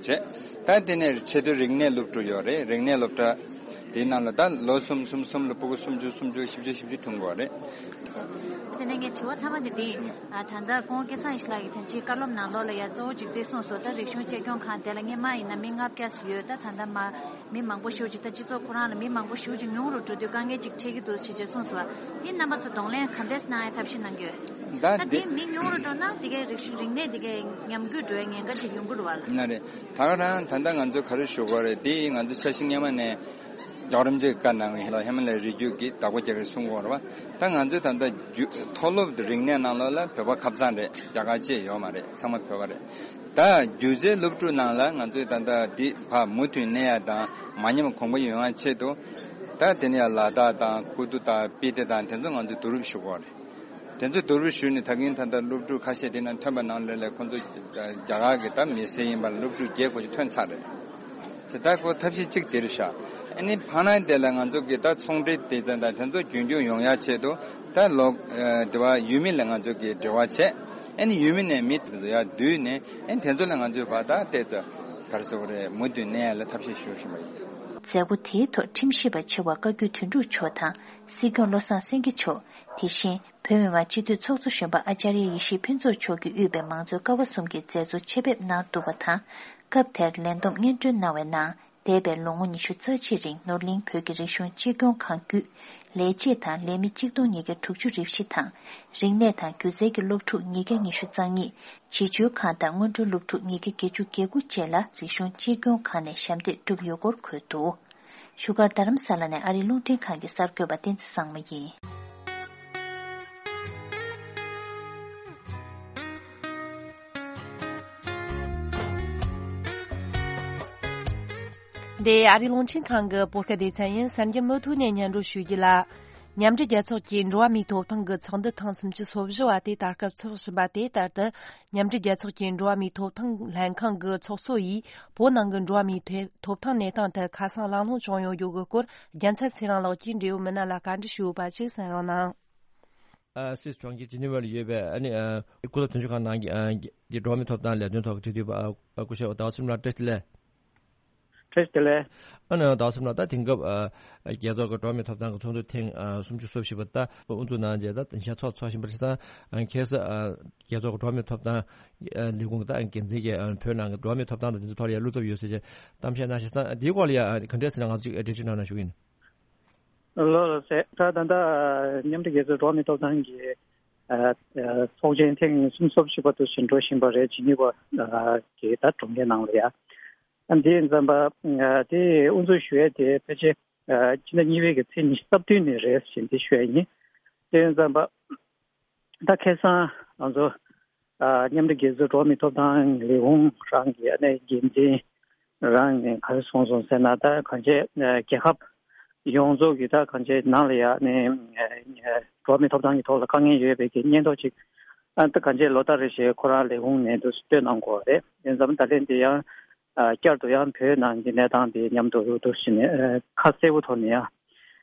བྱས། ད་དེ་ནས་ཆེད་དུ་རིག་གནས་སློབ་ཕྲུག་ཡོད་རེད། རིག་གནས་སློབ་གྲྭ་དེའི་ནང་ལ་ད་ལོ་གསུམ་གསུམ་གསུམ་ལ་ཕྲུ་གུ་སུམ་ཅུ། སུམ་ཅུ། བཞི་བཅུ། བཞི་བཅུ་ཐོན་དགོས་རེད། དེ་ནས་ངའི་དྲི་བ་ཚང་མ་དེ་དེ། ད་ལྟ་སྐུ་ངོ་སྐལ་བཟང་ཡེ་ཤེས་ལགས་ཀྱིས་ཐེངས་གཅིག་བཀའ་སློབ་ནང་ལོགས་ལ་ཡ་གཙོ་བོ་གཅིག་དེ་གསུངས་སོང་། ད་རིག་གཞུང་གཅེས་སྐྱོང་ཁང་དེ་ལ་སྔོན་མ་ཡིན་ན་མི་ལྔ་བརྒྱ་ཙམ་ཡོད། ད་ད་ལྟ་མ་མི་མང་པོ་ཞེ་པོ་ཅིག་ད་སྤྱི་ཚོགས་ཁོ་རང་ལ་མི་མང་པོ་ཞེ་པོ་ཅིག་ཉུང་རུ་འགྲོ་དུས་དཀའ་ངལ་ཅིག་འཕྲད་ཀྱི་འདུག་ཞེས་ཅིག་གསུངས་སོང་། དེ་རྣམ་པ་ཚོ་གདོང་ལེན་ག་འདྲས་གནང་ཡ་ཐབས་ཤེས་གནང་གི་ཡོད། ད་ད་དེ་དེ་མི་ཉུང་རུ་འགྲོ་ན་དེ་གའི་རིག་གཞུང་རིག་གནས་དེ་གའི་ཉམས་རྒུད་འགྲོ་ཡ་ཉེན་ཁ་ཅིག་ཡོང་གི་རེད་བ་ལ། ན་རེད། ད་ག་རང་ད་ལྟ་ང་ཚོ་ག་རེ་ཞུ་དགོས་རེད། དེ་ང་ཚོ་འཆར་གཞི་སྔོན་མ་ནས་རྒྱལ་བ་རིན་པོ་ཆེས་བཀའ་གནང་བའི་ལ་ཧི་མ་ལ་ཡའི་རི་རྒྱུད་ཀྱི་བདག་པོ་རྒྱག་གི་གསུང་གི་ཡོད་རེད་བ། ད་ང་ཚོས་ད་ལྟ་རྒྱུ་མཐོ་སློབ་རིག་གནས་ནང་ལོགས་ལ་བོད་པ་ཁབ་ཚང་རེད། རྒྱ་གར་བཅས་ཡོད་མ་རེད། ཚང་མ་བོད་པ་རེད། ད་སྒྱུ་རྩལ་སློབ་ཕྲུག་ནང་ལ་ང་ཚོས་ད་ལྟ་འདི་ཕར་མུ་མཐུད་གནས་ཡ་དང་མ་ཉམས་གོང་འཕེལ་ཡོང་ཡ་ཆེད་དུ། ད་དེ་ནས་ཡང་ལ་དྭགས་དང་ཁུ་ཏུ་དང་སྤི་ཏི་དང་དེ་ཚོ་ང་ཚོས་བསྡུ་རུབ་ཞུ་དགོས་རེད། དེ་ཚོ་བསྡུ་རུབ་ཞུས་ནས་ད་གིན་ད་ལྟ་སློབ་ཕྲུག་ཁ་ཤས་དེ་ནང་ཐོན་པ་ནང་ལས་ལས་ཁོ་ཚོ་རྒྱ་གར་གྱི་ད་མི་སེར་ཡིན་པ་ལ་སློབ་ཕྲུག་བརྒྱད་དགུ་ཅིག་ཐོན་ཚར་རེད། དེ་ད་ཁོ་ཐབས་ཤེས་གཅིག་དེ་རེད་ཤག་ཨ་ནི་ཕ་ནང་དེ་ལ་ང་ཚོ་གི་ད་ཚོང་འབྲེལ་དེ་ཚོ་ད་དེ་ཚོ་རྒྱུན་འཁྱོངས་ཡོང་ཡ་ཆེད་དུ་ད་ལོ་དེ་བ་ཡུལ་མི་ལ་ང་ཚོ་གི་འབྲེལ་བ་བྱས། ཨ་ནི་ཡུལ་མི་ནས་མི་དེ་ཚོ་ཡར་བསྡུས་ནས་ཨ་ནི་དེ་ཚོ་ལ་ང་ཚོས་བར་ཐག་ཏོག་ཙམ་ག་རེ་ཟེར་དགོས་རེད། མུ་མཐུད་གནས་ཡ་ལ་ཐབས་ཤེས་ཞུ་བཞིན་པ་ཡིན། མཛད་སྒོ་དེའི་ཐོག་ཁྲིམས་ཞིབ་པ་ཆེ་བ་བཀའ་བརྒྱུད་དོན་གྲུབ་མཆོག་དང་སྲིད་སྐྱོང་བློ་བཟང་སེང་གེ་མཆོག་དེ་བཞིན་བོད་མི་མང་སྤྱི་འཐུས་ཚོགས་གཙོ་གཞོན་པ་ཨ་ཅརྱ་ཡེ་ཤེས་ཕུན་ཚོགས་མཆོག་གིས་དབུས་པའི་མང་གཙོའི་ཀ་བ་གསུམ་གྱི་མཛད་གཙོ་ཆེད་ཕེབས་གནང་འདུག་པ་དང་། སྐབས་དེར་ལས་བསྡོམས་སྙན་སྒྲོན་གནང་བའི་ནང་། འདས་པའི་ལོ་ངོ་ཉི་ཤུ་རྩ་གཅིག་རིང་ནོར་གླིང་བོད་ཀྱི་རིག་གཞུང་གཅེས་སྐྱོང་ཁང་བརྒྱུད། ལས་བྱེད་དང་ལས་མི་གཅིག་སྟོང་ཉིས་བརྒྱ་དྲུག་ཅུ་རེ་བཞི་དང་། རིག་གནས་དང་སྒྱུ་རྩལ་གྱི་སློབ་ཕྲུག་ཉིས་བརྒྱ་ཉི་ཤུ་རྩ་གཉིས། བྱིས་བཅོལ་ཁང་དང་སྔོན་འགྲོའི་སློབ་ཕྲུག་ཉིས་བརྒྱ་བརྒྱད་ཅུ་གྱ་དགུ་བཅས་ལ་རིག་གཞུང་གཅེས་སྐྱོང་ཁང་ནས་ཞབས་འདེགས་བསྒྲུབས་ཡོད་སྐོར་འཁོད་འདུག་བཞུགས་སྒར་རྡ་རམ་ས་ལ་ནས་ཨ་རིའི་རླུང་འཕྲིན་ཁང་གི་གསར་འགོད་པ་བསྟན་འཛིན་བཟང་མོ་ཡིན། འདི་ཨ་རིའི་རླུང་འཕྲིན་ཁང་གི་བོད་སྐད་སྡེ་ཚན་ཡིན། གསར་འགྱུར་མུ་མཐུད་ནས་སྙན་སྒྲོན་ཞུ་རྒྱུ་ལ། མཉམ་འབྲེལ་རྒྱལ་ཚོགས་ཀྱི་འགྲོ་བ་མིའི་ཐོབ་ཐང་གི་ཚོགས་འདུ་ཐེངས་སུམ་ཅུ་སོ་བཞི་བ་དེ་ད་སྐབས་ཚོགས་བཞིན་པ་དེ་ལྟར་དུ། མཉམ་འབྲེལ་རྒྱལ་ཚོགས་ཀྱི་འགྲོ་བ་མིའི་ཐོབ་ཐང་ལྷན་ཁང་གི་ཚོགས་གཙོ་ཡིས་བོད་ནང་གི་འགྲོ་བ་མིའི་ཐོ་ཐོབ་ཐང་གནས་སྟངས་ཐད་ཁ་སང་གླེང་སློང་བྱུང་ཡོད་རྒྱུ་གི་སྐོར། རྒྱལ་མཚན་ཚེ་རིང་ལགས་ཀྱིས་འབྲེལ་ཡོད་མི་སྣ་ལ་བཀའ་འདྲི་ཞུས་ཡོད་པ་ཅིག་གསན་རོགས་གནང་། ཨ། སུད་སི་གྲོང་ཁྱེར་ཇི་ནི་ཝ་ལ་ཡོད་པའི་ཨ་ནི་ཨ། སྐུ་ཚབ་དོན་གཅོད་ཁང་ནང་གི་ཨ། འགྲོ་བ་མིའི་ཐོབ་ཐང་ལས་དོན་ཐོག་གི་འབྲེལ་མཐུད་པ་ཨ། སྐུ་ཞབས་ཟླ་བ་ཚེ་རིང་ལགས་བཀྲ་ཤིས་བདེ་ལེགས། བཀྲ་ཤིས་བདེ་ལེགས། ཨ་ནི་ཟླ་བ་ཚེ་རིང་ལགས། ད་དེང་སྐབས་ཨ། རྒྱལ་ཚོགས་ཀྱི་འགྲོ་བ་མིའི་ཐོབ་ཐང་གི་ཚོགས་འདུ་ཐེངས་ཨ། སུམ་ཅུ་སོ་བཞི་པ་ད་དབུ་འཛུགས་གནང་རྗེས་ད་གཞན་ཚོགས་ཚོགས་བཞིན་པ་རེད་ཙང་། ཨ། ཁ་སང་ཨ། རྒྱལ་ཚོགས་ཀྱི་འགྲོ་བ་མིའི་ཐོབ་ཐང་ཨ། ལས་ཁུངས་ཀྱི་ད་འགན་འཛིན་གྱིས་ཨ། བོད་ནང་གི་འགྲོ་བ་མིའི་ཐོབ་ཐང་དང་དེ་ཚོའི་ཐོག་ལ་ཡང་བློ་འཚབ་ཡོད་ཟེར་བྱས་གཏམ་བཤད་གནང་བཞིན་ཙང་། འདིའི་སྐོར་ལ་ཡང་ག་འདྲས་ཟེར་ན་ང་ཚོ་ཅིག་འགྲེལ་བརྗོད་གནང་ན་ཞུ་གི་ཡིན། ལགས་ལགས་སེ། ད་ད་ལྟ་མཉམ་འབྲེལ་རྒྱལ་ཚོགས་འགྲོ་བ་མིའི་ཐོབ་ཐང་གི་ཨ། ཨ། ཚོགས་ཆེན་ཐེངས་སུམ་ཅུ་སོ་བཞི་པ་དུ་ཕྱིན་འགྲོ་བཞིན་པ་རེད། ཇི་ནི་ཝ་ཨ། གི་ད་གྲོང་ཁྱེར་ནང་ལ་ཡ། ཨ། འདི་ཡིན་ཙམ་པ་ཨ། དེ་དབུ་འཛུགས་ཞུ་ཡས་དེ་ཕལ་ཆེར་ཨ། ཕྱི་ཟླ་གཉིས་པའི་གི་ཚེས་ཉི་ཤུ་རྩ་བདུན་ནས་རེད་ཟེར་འདི་ཞུ་ཡས་ཡིན། དེ་ཡིན་ཙམ་པ་ད་ཁ་སང་ང་ཚོ་ཨ། མཉམ་འབྲེལ་རྒྱལ་ཚོགས་འགྲོ་བ་མིའི་ཐོབ་ཐང་ལས་ཁུངས་རང་གི་ཨ་ནི་འགན་འཛིན་རང་ནས་ག་རེ་གསུངས་སོང་ཟེར་ན། ད་གང་ཅི་ཨ། རྒྱལ་ཁབ་ཡོངས་རྫོགས་ཀྱི་ད་གང་ཅི་ནང་ལ་ཡ་ནས་ཨ། འགྲོ་བ་མིའི་ཐོབ་ཐང་གི་ཐོག་ལ་དཀའ་ངལ་ཡོད་པའི་གི་སྙན་ཐོ་ཅིག་ཨ། ད་གང་ཅི་ལོ་ལྟར་རེ་བཞིན་ཁོ་རང་ལས་ཁུངས་ནས་འདུག་སེ་བཏོན་གནང་དགོས་པ་རེད། དེ་ཙམ་ད་ལན་དེ་ཡང་ཨ། བསྐྱར་དུ་ཡང་བོད་ནང་གི་གནས་སྟངས་དེ་མཉམ་དུ་འདུག་སེ་ནས་ཨ། ཁ་གསལ་པོ་ཐོག་ནས་ཡང་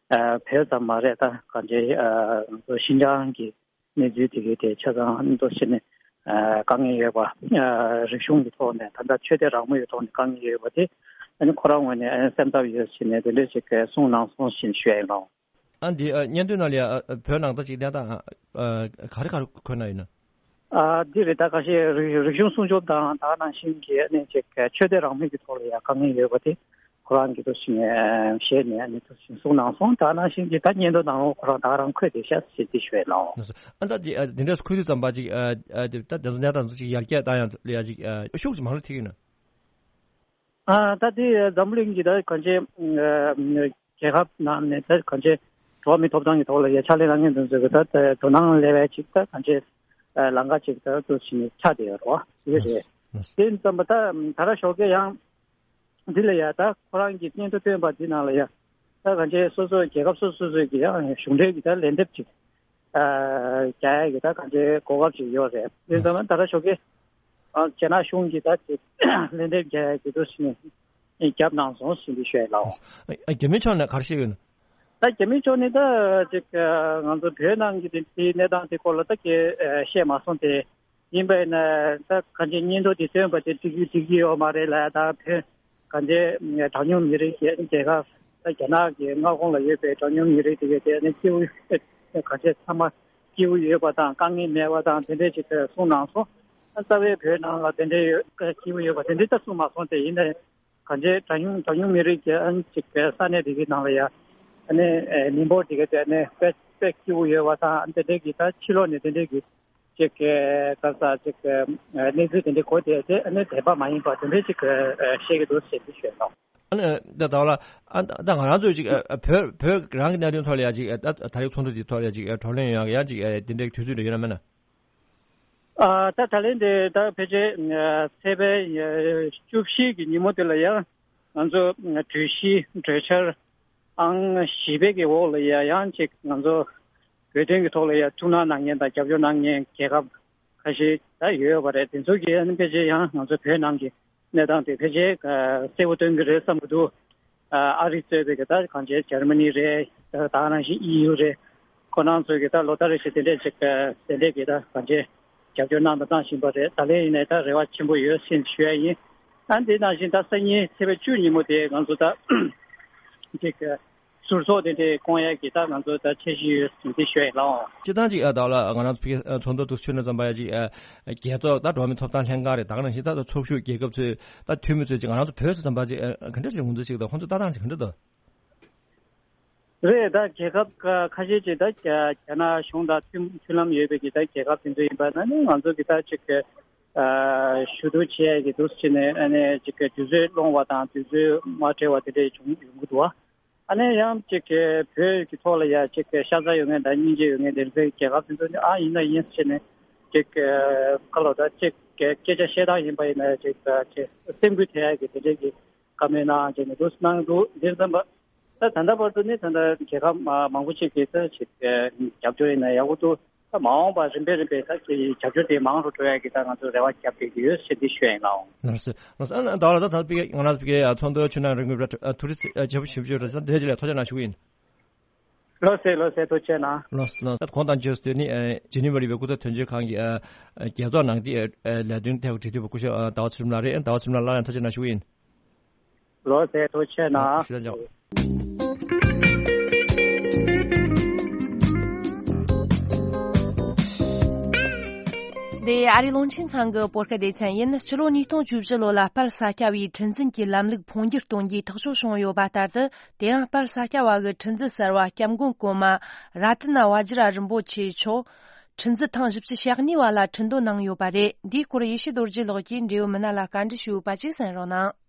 ཨ། བོད་ཙམ་མ་རེད། ད་གང་ཅི་ཨ། ཤིན་ཅང་གི་གནས་ཚུལ་དེ་གའི་ཐད་ཆ་ཚང་མདོ་ཕྱི་ནས་ཨ། དཀའ་ངལ་ཡོད་པ། ཨ། རིག་གཞུང་གི་ཐོག་ནས་ད་ལྟ་ཆོས་དད་རང་མོས་ཀྱི་ཐོག་ནས་དཀའ་ངལ་ཡོད་པ་དེ་ཨ་ནི་ཁོ་རང་ངོས་ནས་ཨ། སེམས་འཚབ་ཡོད་ཕྱིན་ནས་དེ་འདྲ་ཞིག་གསུངས་གནང་སོང་ཞེས་ཞུ་ཡ་ཡིན་ལགས། ཨ། འདི་ཨ། སྙན་ཐོའི་ནང་ལ་ཡ་ཨ། བོད་ནང་ད་ཅིག་གནས་སྟངས་ཨ། ག་རེ་ག་རེ་འཁོད་ན་ཡིན་ན། ཨ། འདི་རེད། ད་ཁ་ཤས་རིག་རིག་གཞུང་སྲུང་སྐྱོབ་དང་ད་ག་ནང་བཞིན་གྱི་ཨ་ནི་ཅིག་ཆོས་དད་རང་མོས་ཀྱི་ཐོག་ལ་ཡ་དཀའ་ངལ་ཡོད་པ་དེ། ཁོ་རང་གི་ཐུགས་ཞིག་ཞེས་ནས་ནི་ཐུགས་ཞིག་གསུང་གནང་སོང་། ད་ནང་བཞིན་གྱི་ད་སྙན་ཐོ་ནང་ལོགས་ཁོ་རང་ད་རང་འཁོད་དེ་ཤག་ཟེར་དེ་ཞུས་ལགས། ཨ་ད་དེ་ཨ་དེ་འདྲས་འཁོད་དུས་ཙམ་པ་ཅིག་ཨ་ཨ་དེ་ད་དེ་ཚོ་གནས་སྟངས་ཚོ་ཅིག་ཡར་རྒྱས་བཏང་ཡང་ལ་ཡ་ཅིག་ཨ་ཤུགས་ཅིག་མང་རུ་ཐེབས་ཀྱི་ན། ཨ་ད་དེ་འཛམ་བུ་གླིང་གི་ད་གང་ཅི་ཨ་རྒྱལ་ཁབ་ནང་ནས་ད་གང་ཅི་འགྲོ་བ་མིའི་ཐོབ་ཐང་གི་ཐོག་ལ་ཡ་ཕྱག་ལས་གནང་མཁན་དེ་ཚོ་གི་ད་དོ་སྣང་སླེབས་པའི་ཅིག་ད་གང་ཅི་ཨ་ལམ་ཁ་ཅིག་ད་དུ་ཕྱིན་ནས་ཆགས་བསྡད་ཡོད་རེད་བ། དེ་རེད། དེ་ཙམ་པ་ད་ད་ར་ཞོགས་ཀས་ཡང་། འདི་ལ་ཡ་ད་ཁོ་རང་གི་སྙན་ཐོ་བཏོན་པ་འདི་ནང་ལ་ཡ་ད་གང་ཅི་སོ་སོ་རྒྱལ་ཁབ་སོ་སོ་སོ་གི་ཡང་གཞུང་འབྲེལ་གྱི་ད་ལན་འདེབས་ཅིག་ཨ་རྒྱག་ཡ་གི་ད་གང་ཅི་གོ་སྐབས་ཅིག་ཡོད་རེད། དེ་ཙམ་ད་ར་ཞོགས་ཀས་ཨ་རྒྱ་ནག་གཞུང་གི་ད་ཅིག་ལན་འདེབས་རྒྱག་ཡ་གི་འདུག་ཟེར་ནས་རྒྱབ་གནང་སོང་ཟེར་འདི་ཤོད་ལགས། རྒྱ་མི་ཕྱོགས་ནས་ག་རེ་བཤད་ཡོད་ན། ད་རྒྱ་མི་ཕྱོགས་ནས་ད་ཅིག་ང་ཚོ་བོད་ནང་གི་དེ་དེའི་གནས་སྟངས་དེ་སྐོར་ལ་ད་གས་བཤད་མ་སོང་སྟེ། ཡིན་པས་ན་ད་གང་ཅི་སྙན་ཐོ་དེ་བཏོན་པ་དེ་འགྲིག་གི་འགྲིག་གི་ཡོད་མ་རེད་ལ། ད་བོད་གང་ཅི་གྲངས་ཉུང་མི་རིགས་ཀྱི་རྒྱལ་ཁབ་ད་རྒྱ་ནག་གི་མངའ་ཁོངས་ལ་ཡོད་པའི་གྲངས་ཉུང་མི་རིགས་དེ་གས་དེ་ནི་སྐྱིད་པོ་གང་ཅི་ཚང་མ་སྐྱིད་པོ་ཡོད་པ་དང་དཀའ་ངལ་མེད་པ་དང་དེ་འདྲས་ཅིག་གསུངས་གནང་སོང་། རྩ་བའི་བོད་ནང་ལ་དེ་འདྲས་ཡོད་སྐྱིད་པོ་ཡོད་པ་དེ་འདྲས་ད་གསུངས་མ་སོང་སྟེ། ཡིན་ནའི་གང་ཅི་གྲངས་ཉུང་གྲངས་ཉུང་མི་རིགས་ཀྱི་ཨ་ནི་ཅིག་ས་གནས་དེ་གའི་ནང་ལ་ཡ་ཨ་ནི་མི་འབོར་དེ་གའི་དེ་ཨ་ནི་དཔེ་དཔེ་སྐྱིད་པོ་ཡོད་པ་དང་དེ་འདྲའི་གི་ད་ཕྱི་ལོགས་ནས་དེ་འདྲའི་གི་ཅིག་ག་ས་ཅིག་གནས་ཚུལ་དེ་འདྲའི་གོ་དེ་དེ་ཨ་ནི་དད་པ་མ་ཡིན་པ་དེ་འདྲའི་ཅིག་བཤད་ཀྱི་འདུག་ཟེར་དེ་ཞུས་ནོ། ཨ་ནི་ད་ད་ལ་ཨ་ད་ང་རང་ཚོ་ཅིག་བོད་བོད་རང་གི་གནད་དོན་ཐོག་ལ་ཡ་ཅིག་ད་ད་རེས་ཚོགས་འདུ་དེ་ཐོག་ལ་ཡ་ཅིག་བགྲོ་གླེང་ཡོང་ཡ་ཅིག་དེ་འདྲའི་དུས་ཚོད་འདྲ་ཡོད་ན་མེད་ན། ཨ་ད་ད་ལན་དེ་ད་ཕལ་ཆེར་ཚེས་པའི་བཅུ་བཞི་གི་ཉིན་མོ་དེ་ལ་ཡང་ང་ཚོ་གྲོས་གཞི་གྲོས་འཆར་ཨང་བཞི་པའི་གི་འོག་ལ་ཡ་ཡང་ཅིག་ང་ཚོ་བོད་དོན་གྱི་ཐོག་ལ་ཡ་ཐུགས་སྣང་གནང་མཁན་དང་རྒྱབ་སྐྱོར་གནང་མཁན་རྒྱལ་ཁབ་ཁ་ཤས་ད་ཡོད་པ་རེད། དེ་ཚོ་གི་ཨ་ནི་ཕལ་ཆེར་ཡང་ང་ཚོ་བོད་ནང་གི་གནས་སྟངས་དེ་ཕལ་ཆེར་གསལ་པོ་སྟོན་གྱི་རེད་བསམ་གྱི་འདུག་ཨ་རི་གཙོས་པའི་གི་ད་གང་ཅི་འཇར་མ་ནི་རེད། ད་ནང་བཞིན་ཨི་ཡུ་རེད། ཁོ་རང་ཚོས་གི་ད་ལོ་ལྟར་རེ་བཞིན་དེ་འདྲས་ཅིག་དེ་འདྲས་གི་ད་གང་ཅི་རྒྱབ་སྐྱོར་གནང་དང་གནང་བཞིན་པ་རེད། ད་ལན་ཡིན་ནའི་ད་རེ་བ་ཆེན་པོ་ཡོད་ཟེར་ཞུ་ཡ་ཡིན། ཨ་འདི་ནང་བཞིན་ད་སང་ཉིན་ཚེས་པ་བཅུ་ཉིན་མོ་དེ་ང་ཚོ་ད་ཅིག་ཟུར་ཚོགས་དེ་འདྲས་བསྐོང་ཡ་གི་ད་ང་ཚོ་ད་འཆར་གཞི་ཡོད་ཟེར་འདི་ཞུ་ཡ་ཡིན་ལགས། སྤྱིར་བཏང་ཅིག་ཨ་ད་ལ་ང་རང་ཚོ་ཕ་གི་ཚོགས་འདུ་དུ་ཚུད་ན་ཙམ་པ་ཡ་ཅིག་ཨ་རྒྱལ་ཚོགས་ད་འགྲོ་བ་མིའི་ཐོབ་ཐང་ལྷན་ཁང་རེད། ད་ག་ནང་བཞིན་ད་ཚོགས་ཞུགས་རྒྱལ་ཁབ་ཚོས་ད་འཐུས་མི་ཚོས་ཅིག་ང་རང་ཚོ་བོད་ཚོ་ཙམ་པ་ཅིག་ཨ་ག་འདྲ་ཞིག་འོང་འདུག་ཅིག་ད་ཁོང་ཚོ་ལྟ་སྟངས་ཅིག་ག་འདྲ་འདུག་རེད། ད་རྒྱལ་ཁབ་ཁ་ཁ་ཤས་ཅིག་ད་རྒྱ་རྒྱ་ནག་གཞུང་དང་མཐུན་མཐུན་ལམ་ཡོད་པའི་གི་ད་རྒྱལ་ཁབ་དེ་ཚོ་ཡིན་པ་ན་ནི་ང་ཚོ་གི་ད་ཅིག་ཨ་ཞུ་གཏུག་བྱེད་ཡ་གི་འདུག་ཟེར་ནས་ཨ་ནི་ཅིག་གི་དུས་ཚོད་སློང་བ་དང་དུས་ཚོད་མ་འཕྲད་པ་དེ་འདྲ་བྱུང་ཡོང་གི་འདུག་བ། ཨ་ནི་ཡང་ཅིག་གི་བོད་ཀྱི་ཐོག་ལ་ཡ་ཅིག་གི་ཤ་ཚ་ཡོད་མཁན་དང་སྙིང་རྗེ་ཡོད་མཁན་དེ་ཚོའི་རྒྱལ་ཁབ་དེ་ཚོ་ནི་ཨ་ཡིན་ན་ཡིན་ཟེར་ནས་ཅིག་གི་ཁ་ལོ་ད་ཅིག་གི་སྐད་ཆ་བཤད་སྟངས་ཡིན་པ་ཡིན་ན་ཅིག་ཅིག་སེམས་འགུལ་ཐེབས་ཡ་གི་དེ་འདྲའི་གི་བཀའ་མོལ་གནང་བྱས་ནས་འདུག་གནང་འདུག་འདིར་ཙམ་པ། ད་ད་ལྟ་བར་དུ་ནི་ད་ལྟ་རྒྱལ་ཁབ་མ་མང་པོ་ཅིག་གིས་ད་ཅིག་རྒྱབ་སྐྱོར་ཡིན་ན་ཡག་པོ་འདུག་ད་མ་འོངས་པ་རིམ་པས་རིམ་པས་ད་ཅིག་རྒྱབ་སྐྱོར་དེ་མང་རུ་འགྲོ་ཡ་གི་ད་ང་ཚོ་རེ་བ་རྒྱབ་བསྡད་ཀྱི་ཡོད་ཟེར་འདི་ཞུ་ཡ་ཡིན་ལགས། ལགས་སོ། ལགས་སོ། ཨ་ནི་ད་ལ་ད་ད་པི་ང་རང་ཚོ་པི་ཨ་ཚོགས་འདུ་ཆུ་ནང་རིང་གི་ཐུགས་རྗེ་ཆེ་པོ་ཞེ་པོ་ཅིག་ཡོད་རེད། ད་དེ་རྗེས་ལ་ཐུགས་རྗེ་གནང་ཞུ་གི་ཡིན། ལགས་སོ་ལགས་སོ། ཐུགས་རྗེ་གནང་། ལགས་སོ་ལགས་སོ། ད་གོང་དང་རྗེས་སུ་དེ་ནི་ཨ་ཇི་ནི་ཝ་ལ་ཡོད་པའི་སྐུ་ཚབ་དོན་གཅོད་ཁང་གི་ཨ་རྒྱལ་ཚོགས་ནང་གི་ཨ་ལས་དོན་ཐད་ཀྱི་འབྲེལ་མཐུད་པ་སྐུ་ཞབས་ཨ་ཟླ་བ་ཚེ་རིང་ལགས་རེད། ཨ་ཟླ་བ་ཚེ་རིང་ལགས་སླར་ཡང་ཐུགས་རྗེ་གནང་ཞུ་གི་ཡིན། ལགས་སོ། ཐུགས་རྗེ་གནང་། ཞུ་དང་འཇོག་འདི་ཨ་རིའི་རླུང་འཕྲིན་ཁང་གི་བོད་སྐད་སྡེ་ཚན་ཡིན། ཕྱི་ལོ་ཉིས་སྟོང་བཅུ་བཞི་ལོ་ལ་དཔལ་ས་སྐྱ་བའི་ཁྲི་འཛིན་གྱི་ལམ་ལུགས་འཕོ་འགྱུར་གཏོང་རྒྱུའི་ཐག་གཅོད་བྱུང་ཡོད་པ་ལྟར་དུ། དེ་རིང་དཔལ་ས་སྐྱ་བ་གི་ཁྲི་འཛིན་གསར་བ་སྐྱབས་མགོན་གོང་མ་ར་ཏི་ན་བ་ཇི་ར་རིན་པོ་ཆེ་མཆོག་ཁྲི་འཛིན་ཐེངས་བཞི་བཅུ་ཞེ་གཉིས་པ་ལ་ཁྲི་འདོན་གནང་ཡོད་པ་རེད། འདིའི་སྐོར་ཡེ་ཤེས་རྡོ་རྗེ་ལགས་ཀྱིས་འབྲེལ་ཡོད་མི་སྣ་ལ་བཀའ་འདྲི་ཞུས་ཡོད་པ་ཅིག་གསན་རོགས་གནང་།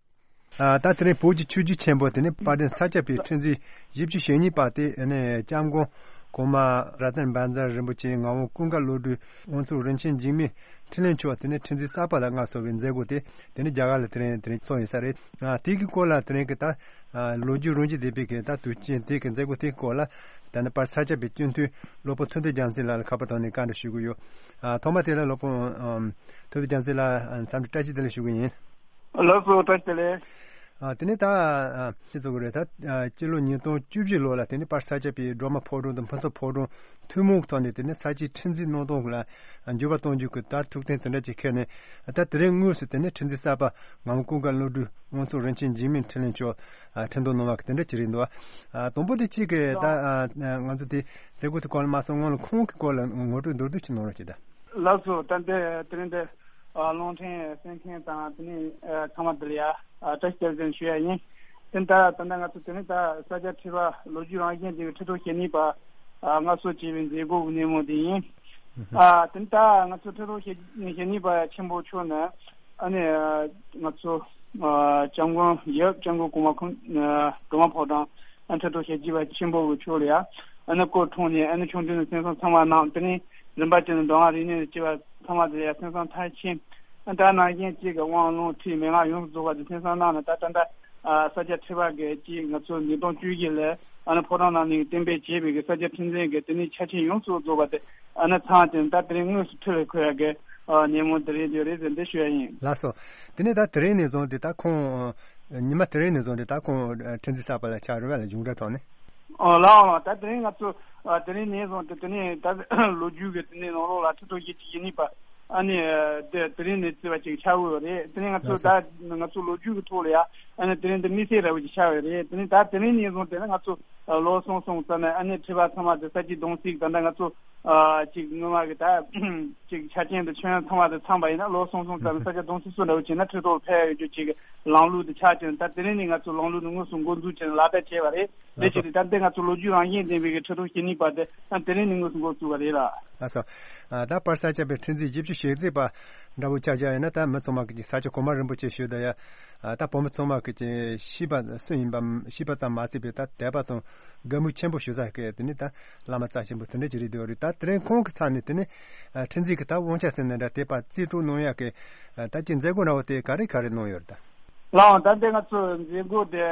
ཨ་ད་དེ་རིང་བོད་ཀྱི་ཆོས་བརྒྱུད་ཆེན་པོ་དེ་ནི་དཔལ་ལྡན་ས་སྐྱ་པའི་ཁྲི་འཛིན་བཞི་བཅུ་ཞེ་གཉིས་པ་དེ་ནི་སྐྱབས་མགོན་གོང་མ་ར་ཏན་བཛྲ་རིན་པོ་ཆེ་ངག་དབང་ཀུན་དགའ་བློ་གྲོས་དབང་ཕྱུག་རིན་ཆེན་འཇིགས་མེད་འཕྲིན་ལས་མཆོག་དེ་ནི་ཁྲི་འཛིན་གསར་པ་ལ་མངའ་གསོལ་བའི་མཛད་སྒོ་དེ་དེ་ནི་རྒྱ་གར་ལ་དེ་རིང་དེ་རིང་ཚོགས་ཡིན་ས་རེད། ཨ་དེ་གི་སྐོར་ལ་དེ་རིང་གི་ད་ཨ་ལོ་རྒྱུས་རིང་ཞིག་ལྡན་པའི་གི་ད་དུས་ཆེན་དེ་གི་མཛད་སྒོ་དེ་གི་སྐོར་ལ་ད་ནི་དཔལ་ས་སྐྱ་པའི་སྤྱི་འཐུས་སློབ་དཔོན་ཐུབ་བསྟན་རྒྱལ་མཚན་ལགས་ལ་ཁ་པར་ཐོག་ནས་བཀའ་འདྲི་ཞུ་གི་ཡོད། ཨ་ཐོག་མ་དེ་ལ་སློབ་དཔོན་ཨམ་ཐུབ་བསྟན་རྒྱལ་མཚན་ལགས་འཚམས་འདྲི་བཀྲ་ཤིས་བདེ་ལེགས་ཞུ་གི་ཡིན། ལགས་སོ། བཀྲ་ཤིས་བདེ་ལེགས། ཨ་དེ་ནས་ད་ཨ་ཅི་ཚོགས་ཀྱི་རེད། ད་ཨ་སྤྱི་ལོ་ཉིས་སྟོང་བཅུ་བཞི་ལོ་ལ་དེ་ནས་དཔལ་ས་སྐྱ་པའི་སྒྲོལ་མ་ཕོ་བྲང་དང་ཕུན་ཚོགས་ཕོ་བྲང་ཐུན་མོང་གི་ཐོག་ནས་དེ་ནས་ས་སྐྱའི་ཁྲི་འཛིན་གནང་སྟངས་ལ་འགྱུར་བ་གཏོང་རྒྱུ་གི་ད་ཐུགས་གཏན་དེ་འདྲ་ཅིག་འཁྱེར་ནས་ད་དེ་རིང་དངོས་སུ་དེ་ནས་ཁྲི་འཛིན་གསར་པ་ངག་དབང་ཀུན་དགའ་བློ་གྲོས་དབང་ཕྱུག་རིན་ཆེན་འཇིགས་མེད་འཕྲིན་ལས་མཆོག་ཨ་ཁྲི་འདོན་གནང་བ་གི་དེ་འདྲ་ཅིག་རེད་འདུག་ཨ་དང་པོ་དེ་གཅིག་གི་ད་ཨ་ང་ཚོ་དེ་མཛད་སྒོ་དེ་སྐོར་ལ་མ་སོང་སྔོན་ལ་ཁོང་གི་སྐོར་ལ་ངོ་སྤྲོད་མདོར་བསྡུས་ཅིག་གནང་རོགས་གྱིས་ད། ལགས་སོ། ད་ལྟའི་དེ་རིང་འདི་ཨ་རླུང་འཕྲིན་གསན་མཁན་དང་དེ་ནས་ཨ་ཚང་མ་འདི་ལ་ཡ་ཨ་བཀྲ་ཤིས་བདེ་ལེགས་ཞུ་ཡ་ཡིན། དེ་ད་ད་ལྟ་ང་ཚོ་དེ་ནི་ད་ས་སྐྱ་ཁྲི་པ་ལོ་རྒྱུས་རང་བཞིན་ལྡན་པའི་ཁྲི་ཐོག་ཞལ་ནས་པ་ཨ་སྔར་སྲོལ་བྱས་པའི་མཛད་སྒོ་གི་སྣེ་མོ་དེ་ཡིན། ཨ་དེ་ནི་ད་ང་ཚོ་ཁྲི་ཐོག་ཞལ་ཞལ་ནས་པ་ཆེན་པོ་མཆོག་ནི་ཨ་ནི་ང་ཚོ་ཨ་སྐྱབས་མགོན་ཡབ་སྐྱབས་མགོན་གོང་མ་ཁོང་ཨ་སྒྲོལ་མ་ཕོ་བྲང་ཨ་ཁྲི་ཐོག་ཞལ་གྱིས་པ་ཆེན་པོ་གི་ཕྱོགས་ལ་ཡ་ཨ་ནི་སྐུ་འཁྲུངས་ནས་ཨ་ནི་ཆོས་འབྲེལ་ནས་གསན་བསམ་ཚང་མ་གནང་། དེ་ནས་རིམ་པ་བྱས་ནས་མདོ་སྔགས་རིག་གནས་ནས་སྐྱེས་པ་ཚང་མ་དེ་ལ་ཡ་གསན་བསམ་མཐར་ཕྱིན། ཨ་ད་ནང་བཞིན་གཅིག་གི་དབང་ལུང་ཁྲིད་མན་ངག་ཡོངས་སུ་རྫོགས་པ་དེ་གསན་བསམ་གནང་ནས་ད་ད་ལྟ་ཨ་ས་སྐྱ་ཁྲི་པ་གིས་གཅིག་ང་ཚོ་ཉིས་སྟོང་བཅུ་བཞི་ལ་ཨ་ནི་ཕོ་བྲང་ནང་ནས་གཏན་འབེབས་བྱས་པའི་གི་ས་སྐྱ་ཁྲི་འཛིན་གི་དེ་ནས་ཆ་རྐྱེན་ཡོངས་སུ་རྫོགས་པ་དེ་ཨ་ནི་ཚང་ཅན་ད་དེ་རིང་དངོས་སུ་ཁྲི་ལ་འཁོད་ཡ་གི་ཨ་ཉིན་མོ་དེ་རིང་དེ་རེད་ཟེར་འདི་ཞུ་ཡ་ཡིན། ལགས་སོ། དེ་ནས་ད་དེ་རིང་ནས་བཟུང་སྟེ་ད་ཁོང་ཉི་མ་དེ་རིང་ནས་བཟུང་སྟེ་ད་ཁོང་ཁྲི་འཛིན་གསར་པ་ལ་ཆགས་རེད་པ་ལ་གཞུང་འབྲེལ་ཐོག་ནས། ཨོ་ལགས་ལགས། ད་དེ་རིང་ང་ཚོ་ཨ་དེ་རིང་ནས་བཟུང་སྟེ་དེ་ནས་ད་ལོ་རྒྱུས་ཀྱི་དེ་ནས་ནང་ལོགས་ལ་ཁྲི་ཐོག་ཞལ་གྱིས་བཞེས་ནས་པ་ཨ་ནི་དེ་དེ་རིང་ནས་བརྩི་བ་ཅིག་ཆགས་ཡོད་རེད། དེ་རིང་ང་ཚོ་ལགས་སོ། ད་ང་ཚོ་ལོ་རྒྱུས་ཀྱི་ཐོག་ལ་ཡ་ཨ་ནི་དེ་རིང་འདི་དམིགས་བསལ་འདྲ་བོ་ཅིག་ཆགས་ཡོད་རེད། དེ་རིང་ད་དེ་རིང་ནས་བཟུང་སྟེ་ནི་ང་ཚོ་ལོ་གསུམ་གསུམ་ཙམ་ནས་ཨ་ནི་ཁྲི་པ་ཚང་མ་དེ་ས་སྐྱའི་གདུང་སྲས་ད་ལྟ་ང་ཚོ་ཨ་ཅིག་སྔོན་མ་གི་ད་ཅིག་ཆ་རྐྱེན་དེ་ཁྱོན་ཚང་མ་དེ་ཚང་པ་ཡིན་ན་ལོ་གསུམ་གསུམ་ཙམ་ནས་ས་སྐྱ་གདུང་སྲས་སུ་འདྲ་བོ་བྱས་ན་ཁྲི་ཐོག་ལ་ཕེབས་ཡོད་རྒྱུ་ཅིག་གི་ལམ་ལུགས་དེ་ཆགས་བྱས་ནས་ད་དེ་རིང་ནས་ང་ཚོ་ལམ་ལུགས་དེ་དངོས་སུ་འགོ་འཛུགས་བྱས་ནས་ལག་བསྟར་བྱས་པ་རེད། དེ་ལགས་སོ། བྱས་ཏེ་ད་ལྟའི་ང་ཚོ་ལོ་རྒྱུས་རང་བཞིན་ལྡན་པའི་གི་ཁྲི་ཐོག་ཞལ་ནས་པ་དེ་ཨ་དེ་རིང་ནས་དངོས་སུ་འགོ་བཙུགས་པ་རེད་ལགས། ལགས་སོ། ཨ་ད་པར་ས་སྐྱ་པའི་ཁྲི་འཛིན་བཞི་བཅུ་ཞེ་གཅིག་པ་འདྲ་བོ་ཆགས་ཀྱང་ཡིན་ན་ད་མི་ཚང་མ་གི་ས་སྐྱ་གོང་མ་རིན་པོ་ཆེ་ཞུ་ད་ཡ། ཨ་ད་བོད་མི་ཚང་མ་གི་ཤེས་པ་སུ་ཡིན་པ་ཤེས་པ་ཙམ་མ་ཚད་པའི་ད་དད་པ་དང་དགའ་མོས་ཆེན་པོ་ཞུ་ས་གི་དེ་ནི་ད་བླ་མ་རྩ་ཆེན་པོ་དེ་འདྲ་ཅིག་རེད་འདུག་རེད། ད་དེ་རིང་ཁོང་གི་ཚབ་ནས་དེ་ནི་ཨ་ཁྲི་འཛིན་གི་ད་དབང་ཆ་ཟེར་ན་འདྲ་དེ་པར་རྩིས་སྤྲོད་གནང་ཡ་གི་ཨ་ད་ཅིག་མཛད་སྒོ་འདྲ་བོ་དེ་ག་རེ་ག་རེ་གནང་ཡོད་རེད་ད། ལགས་འོང་། ད་ལྟའི་ང་ཚོ་མཛད་སྒོ་དེ་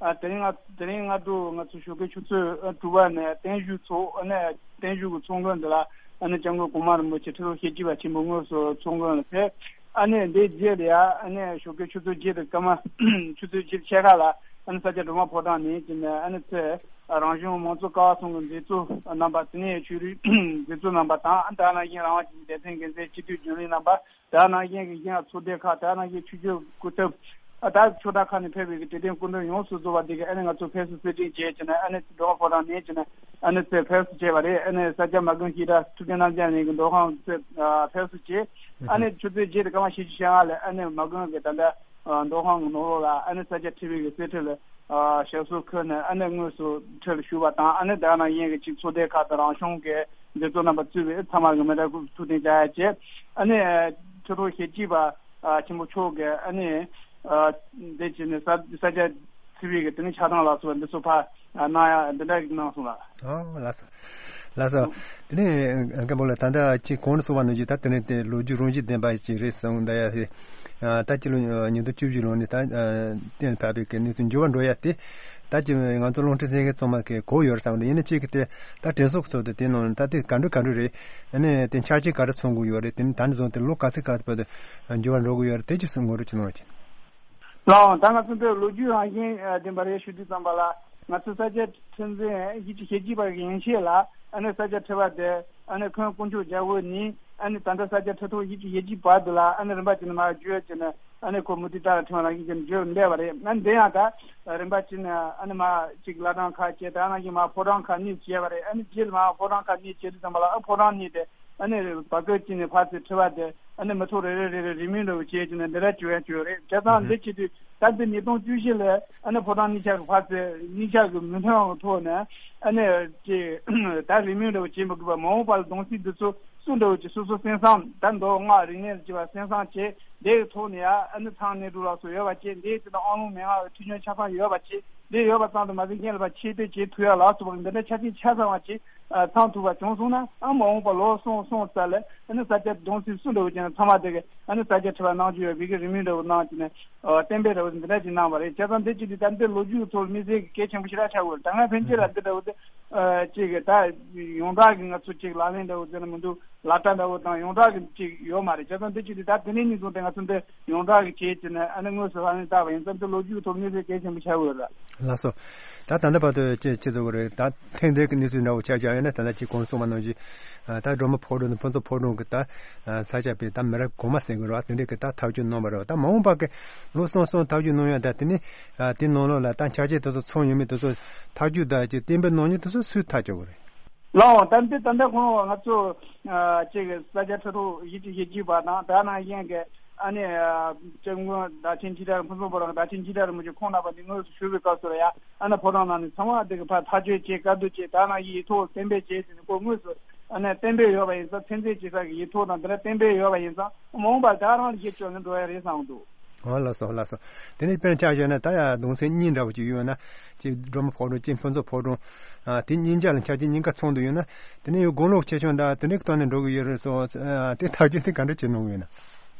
ཨ་དེ་རིང་ང་དེ་རིང་སྔ་དྲོ་ང་ཚོ་ཞོགས་ཀའི་ཆུ་ཚོད་ཨ་དྲུག་པ་ནས་བརྟན་བཞུགས་ཚོགས། ཨ་ནི་བརྟན་བཞུགས་ཀྱི་ཚོགས་མགོན་འདི་ལ་ཨ་ནི་སྐྱབས་མགོན་གོང་མ་རིན་པོ་ཆེ་ཁྲི་ཐོག་ཞལ་གྱིས་པ་ཆེན་པོ་དངོས་སུ་ཚོགས་མགོན་ལ་ཕེབས། ཨ་ནི་འདིའི་རྗེས་ལ་ཡ་ཨ་ནི་ཞོགས་ཀའི་ཆུ་ཚོད་བརྒྱད་དང་སྐར་མ་ཆུ་ཚོད་བརྒྱད་ཕྱེད་ཀ་ལ་ཨ་ནི་ས་སྐྱ་སྒྲོལ་མ་ཕོ་བྲང་ནས་ཀྱི་ནས་ཨ་ནི་ཚེ་རང་གཞུང་མང་གཙོ་ཀ་བ་གསུམ་གྱི་མཛད་གཙོ་རྣམ་པ་དེ་ནས་ཆོས་རིག་མཛད་གཙོ་རྣམ་པ་དང་ཨ་ད་ནང་བཞིན་རང་དབང་ཅན་གྱི་སྡེ་ཚན་འགན་འཛིན་སྤྱི་འཐུས་རྒྱུན་ལས་རྣམ་པ། དེ་ནང་བཞིན་གྱི་གཞན་ཚོགས་སྡེ་ཁག་དེ་ནང་བཞིན་ཆོས་བརྒྱུད་སྐུ་ཚབ་ཨ་ད་ཆོས་གྲྭ་ཁག་ནས་ཕེབས་པའི་གི་དད་ལྡན་སྐུ་མགྲོན་ཡོངས་སུ་རྫོགས་པ་འདི་གི་ཨ་ནི་ང་ཚོ་ཕེབས་བསུ་གསོལ་སྟོན་བྱས་ཀྱི་ནས་ཨ་ནི་སྒྲོལ་མ་ཕོ་བྲང་ནས་ཀྱི་ནས་ཨ་ནི་ཚེ་ཕེབས་བསུ་བྱས་པ་རེད། ཨ་ནི་ས་སྐྱ་མ་དགོན་ཤེས་རབ་ཐུབ་བསྟན་རྣམ་རྒྱལ་གླིང་གི་མདོ་ཁང་ཚེ་ཕེབས་བསུ་བྱས། ཨ་ནི་ཆུ་ཚོད་བརྒྱད་དང་སྐར་མ་བཞི་བཅུ་ཞེ་ལྔ་ལ་ཨ་ནི་མ་དགོན་གྱི་ད་ལྟ་མདོ་ཁང་གི་ནང་ལོགས་ལ་ཨ་ནི་ས་སྐྱ་ཁྲི་པའི་གི་གསེར་ཁྲི་ལ། ཨ་ཞབས་སོར་འཁོད་ནས་ཨ་ནི་དངོས་སུ་ཁྲི་ལ་བཞུགས་པ་དང་། ཨ་ནི་དེ་ནང་བཞིན་གྱི་གཅིག་ཚོགས་སྡེ་ཁག་དང་རང་གཞུང་གི་མཛད་གཙོ་རྣམ་པ་གཙོས་པའི་ཚང་མ་གི་མི་དྲག་ཐུགས་རྟེན་བཅའ་ཡ་བྱས། ཨ་ནི་ཁྲི་ཐོག་ཞལ་གྱིས་པ་ཨ་ཆེན་པོ་མཆོག་གིས་ཨ་ནི་ཨ་འདི་བྱས་ནས་ས་ས་སྐྱ་ཁྲི་པའི་གི་དེ་ནི་ཆགས་སྡང་ལ་སོགས་པ་འདི་ཚོ་ཕར་གནང་ཡ་འདི་འདྲ་གི་གནང་སོང་ལགས། ཨོ་ལགས་སོ། ལགས་སོ། དེ་ནས་མཁན་པོ་ལགས་ད་ལྟ་ཁྱེད་གོང་དུ་གསུངས་པ་ནང་བཞིན་ད་དེ་ནས་དེ་ལོ་རྒྱུས་རང་བཞིན་ལྡན་པ་ཞིག་རེད་གསུངས་ད་ཡ་ཧེ། ད་སྤྱི་ལོ་ཉིས་སྟོང་བཅུ་བཞི་ལོ་ནས་ད་གཏན་ཕབ་པའི་གི་གནས་ཚུལ་འགྱུར་བ་འགྲོ་ཡ་དེ། ད་ཅི་ང་ཚོ་རླུང་འཕྲིན་གསན་མཁན་ཚང་མ་གི་གོ་ཡོད་རེད་བསམ་གི་འདུག་ཡིན་ན་གཅིག་གི་དེ་ད་དྲན་གསོ་གི་ཚུལ་དུ་དེ་ནང་ད་དེ་ག་འདྲ་ག་འདྲ་རེད། ཨ་ནི་དེ་འཆར་ཅན་ག་རེ་ཚོགས་དགོས་ཡོད་རེད། དེ་ནི་ད་ནས་བཟུང་སྟེ་ལོ་ག་ཚོད་ག་ཚོད་བར་དུ་འགྱུར་བ་འགྲོ་དགོས་ཡོད་རེད། དེ་ཅི་སུ་ངོ་སྤྲོད་ཅི་གནང་བ་ཅིན། ལགས་འོང་། ད་ང་ཚོ་འདིར་ལོ་རྒྱུས་རང་བཞིན་ལྡན་པ་རེད་ཞུ་དུས་ཙམ་པ་ལ་ང་ཚོ་ས་སྐྱ་ཁྲི་འཛིན་ཞལ་གྱིས་པ་གི་ཡན་ཆད་ལ་ཨ་ནི་ས་སྐྱ་ཁྲི་པ་དེ་ཨ་ནི་འཁོན་དཀོན་མཆོག་རྒྱལ་པོ་ནས་ཨ་ནི་ད་ལྟ་ས་སྐྱ་ཁྲི་ཐོག་ཞལ་གྱིས་ཞལ་གྱིས་པ་དེ་ལ་ཨ་ནི་རིམ་པ་བྱས་ནས་མར་བརྒྱུད་བྱས་ནས་ཨ་ནི་ཁོ་མུ་ཏིག་ཏ་ལ་ཕྲེང་བ་རང་བཞིན་ཅན་བརྒྱུད་བསྡད་པ་རེད། ཨ་ནི་འདི་ཡང་ད་རིམ་པ་བྱས་ནས་ཨ་ནི་མར་ཅིག་བླ་བྲང་ཁག་བྱས། ད་ནང་བཞིན་མར་ཕོ་བྲང་ཁག་གཉིས་བྱས་པ་རེད། ཨ་ནི་རྗེས་ལ་མར་ཕོ་བྲང་ཁག་གཉིས་བྱས་དུས་ཙམ་པ་ལ་ཨ་ཕོ་བྲང་གཉིས་དེ་ཨ་ནི་བར་སྐབས་གཅིག་ནས་ཕར་ཚུར་འཁྲིལ་བ་དེ་ཨ་ནི་མི་ཐོག་རེ་རེ་རེ་རེ་རེས་མོས་འདྲ་བོ་བྱས་ཀྱི་ནས་འདི་འདྲ་བྱུང་ཡང་བྱུང་རེད། བྱས་ཙང་འདི་བྱེད་དུས་ད་འདི་ཉིས་སྟོང་བཅུ་བཞི་ལ་ཨ་ནི་ཕོ་བྲང་གཉིས་ཆ་གི་ཕར་ཚུར་གཉིས་ཆ་གི་མི་མཐུན་པའི་ཐོག་ནས་ཨ་ནི་ཅིག་ད་རེས་མོས་འདྲ་བོ་བྱེད་མི་དགོས་པར་མ་འོངས་པ་ལ་གདུང་སྲས་འདི་ཚོ་སུ་འདྲ་བོ་ཅིག་སོ་སོ་གསན་བསམ་ད་མདོ་སྔགས་རིག་གནས་ལ་བྱེད་པ་གསན་བསམ་བྱས་འདི་གི་ཐོག་ནས་ཡང་ཨ་ནི་ཚང་གནས་གྲུབ་ལ་སོགས་ཡོད་པ་བྱས། འདི་ཡི་ཚེ་ན་ཨ་ལུང་མན་ངག་གི་ཐུགས་ཉམས་ཆ་ཚང་ཡོད་པ་བྱས། འདི་ཡོད་པ་ཙམ་དུ་མ་ཟད་གཞན་ལ་ཕར་ཆེད་བསྟོད་བྱེད་ཐུབ་ཡ་ལ་སོགས་པ་འདི་འདྲ་ཆ་རྐྱེན་ཆ་ཚང་བ་ཅིག་ཨ་ཚང་ཐུབ་པ་བྱུང་སོང་ན་ཨ་མ་འོངས་པ་ལོ་གསུམ་གསུམ་ཙམ་ལ་ཨ་ནི་ས་སྐྱ་གདུང་སྲས་སུ་འདྲ་བོ་ཅན་ཚང་མ་དེ་གི་ཨ་ནི་ས་སྐྱ་ཁྲི་པ་གནང་རྒྱུ་ཡོད་པའི་གི་རེ་སྨོན་འདྲ་བོ་གནང་གི་ནས་ཨ་གཏན་འབེབས་འདྲ་བོ་འདི་འདྲ་ཅིག་གནང་བ་རེད། བྱས་ཙང་འདི་ཅིག་འདི་ད་འདི་ལོ་རྒྱུས་ཀྱི་ཐོག་ལ་དམིགས་བསལ་གྱི་གལ་ཆེན་པོ་ཞེ་དྲག་ཆགས་ཡོད་རེད། ད་སྔ་ཕན་ཆད་ལ་འདི་འདྲ་བོ་འདི་ཨ་ཅིག་གི་ད་ཡོངས་གྲགས་ཀྱི་ང་ཚོ་ཅིག་ལག་ལེན་འདྲ་བོ་འདི་ནི་མི་འདུག་ལག་བསྟར་འདྲ་བོ་དང་ཡོངས་གྲགས་ཀྱི་ཅིག་ཡོད་མ་རེད། བྱས་ཙང་འདི་ཅིག་འདི་ད་དེ་ནས་ནས་བཟུང་སྟེ་ང་ཚོ་འདི་ཡོངས་གྲགས་ཀྱི་བྱས་ཀྱི་ནས་ཨ་ནི་དངོས་སུ་ལག་ལེན་བསྟར་བ་ཡིན་ཙང་འདི་ལོ་རྒྱུས་ཀྱི་ཐོག་དམིགས་བསལ་གལ་ཆེན་པོ་ཆགས་ཡོད་རེད། ལགས་སོ། ད་ད་ལྟ་བར་དུ་ཅི་ཅི་ཟེར་དགོས་རེད། ད་ཐེངས་འདིའི་གི་གནས་ཚུལ་འདྲ་བོ་ཆ་བཞག་ཡོད་ན་ད་ལྟ་ཅིག་གོང་གསུངས་པ་ནང་བཞིན་ད་སྒྲོལ་མ་ཕོ་བྲང་དང་ཕུན་ཚོགས་ཕོ་བྲང་གི་ད་ས་སྐྱ་པའི་ད་མི་རབས་གོང་མ་ཟེར་དགོས་རེད་བ། དེ་འདྲའི་གི་ད་ཐག་གཅོད་གནང་བ་རེད་བ། ད་མ་འོངས་པ་གི་ལོ་གསུམ་གསུམ་ཐག་གཅོད་གནང་ཡ་ད་དེ་ནི་དེ་ནང་ལོགས་ལ་ད་འཆར་ཅན་དེ་ཚོ་ཚང་ཡོད་མེད་དེ་ཚོ་ཐག་གཅོད་ད་ཅིག་གཏན་འབེབས་གནང་མཁན་དེ་ཚོ་སུས་ཐག་གཅོད་དགོས་རེད། ལགས་འོང་། ད་འདི་ད་ལྟ་ཁོང་ང་ཚོ་ཨ་ཅིག་ས་སྐྱ་ཁྲི་ཐོག་ཞལ་གྱིས་ཞལ་གྱིས་པ་དང་དེ་ནང་བཞིན་གྱི་ ཨ་ནི་ཨ་སྐྱབས་མགོན་བདག་ཆེན་ཁྲི་ཀྲ་རིན་ཕུན་ཚོགས་ཕོ་བྲང་བདག་ཆེན་ཁྲི་ཀྲ་རིན་པོ་ཆེ་ཁོང་རྣམ་པ་འདི་དངོས་སུ་བཞུགས་པའི་སྐབས་སུ་ལ་ཡ། ཨ་ནི་ཕོ་བྲང་ནང་ནས་ཚང་མ་དེ་གི་ཕར་ཐག་གཅོད་བྱེད། བཀའ་བསྡུར་བྱེད། ད་ནང་ཡིག་ཐོག་གཏན་འབེབས་བྱེད་ཟེར་ནས་ཁོ་དངོས་སུ་ཨ་ནི་གཏན་འབེབས་ཡོད་པ་ཡིན་ཙང་། ཐོན་རྫས་བྱེད་ས་གི་ཡིག་ཐོག་དང་དེ་འདྲ་གཏན་འབེབས་ཡོད་པ་ཡིན་ཙང་། མ་འོངས་པར་ད་རང་ལ་ཞིབ་དཔྱོད་ནས་འགྲོ་ཡ་རེད་བསམ་འདུག། ཨོ་ལགས་སོ། ལགས་སོ། དེ་ནས་དཔེར་ན་ཆ་བཞག་ན་ད་ཡ་གདུང་སེམས་གཉིས་འདྲ་བོ་ཅིག་ཡོད་ན། གཅིག་སྒྲོལ་མ་ཕོ་བྲང་། གཅིག་ཕུན་ཚོགས་ཕོ་བྲང་། ཨ་དེ་གཉིས་ཆ་ལ་ཆ་རྐྱེན་གཉིས་ཀ་ཚང་དུ་ཡོད་ན། དེ་ནས་ཡང་དགུང་ལོ་ཆེ་ཆུང་དང་དེ་འདྲའི་ཐོག་ནས་འགྲོ་གི་ཡོད་རེད་སོ། ཨ་དེ་ཐག་གཅོད་དེ་ག་འདྲ་བྱེད་གནང་གི་ཡོད་ན།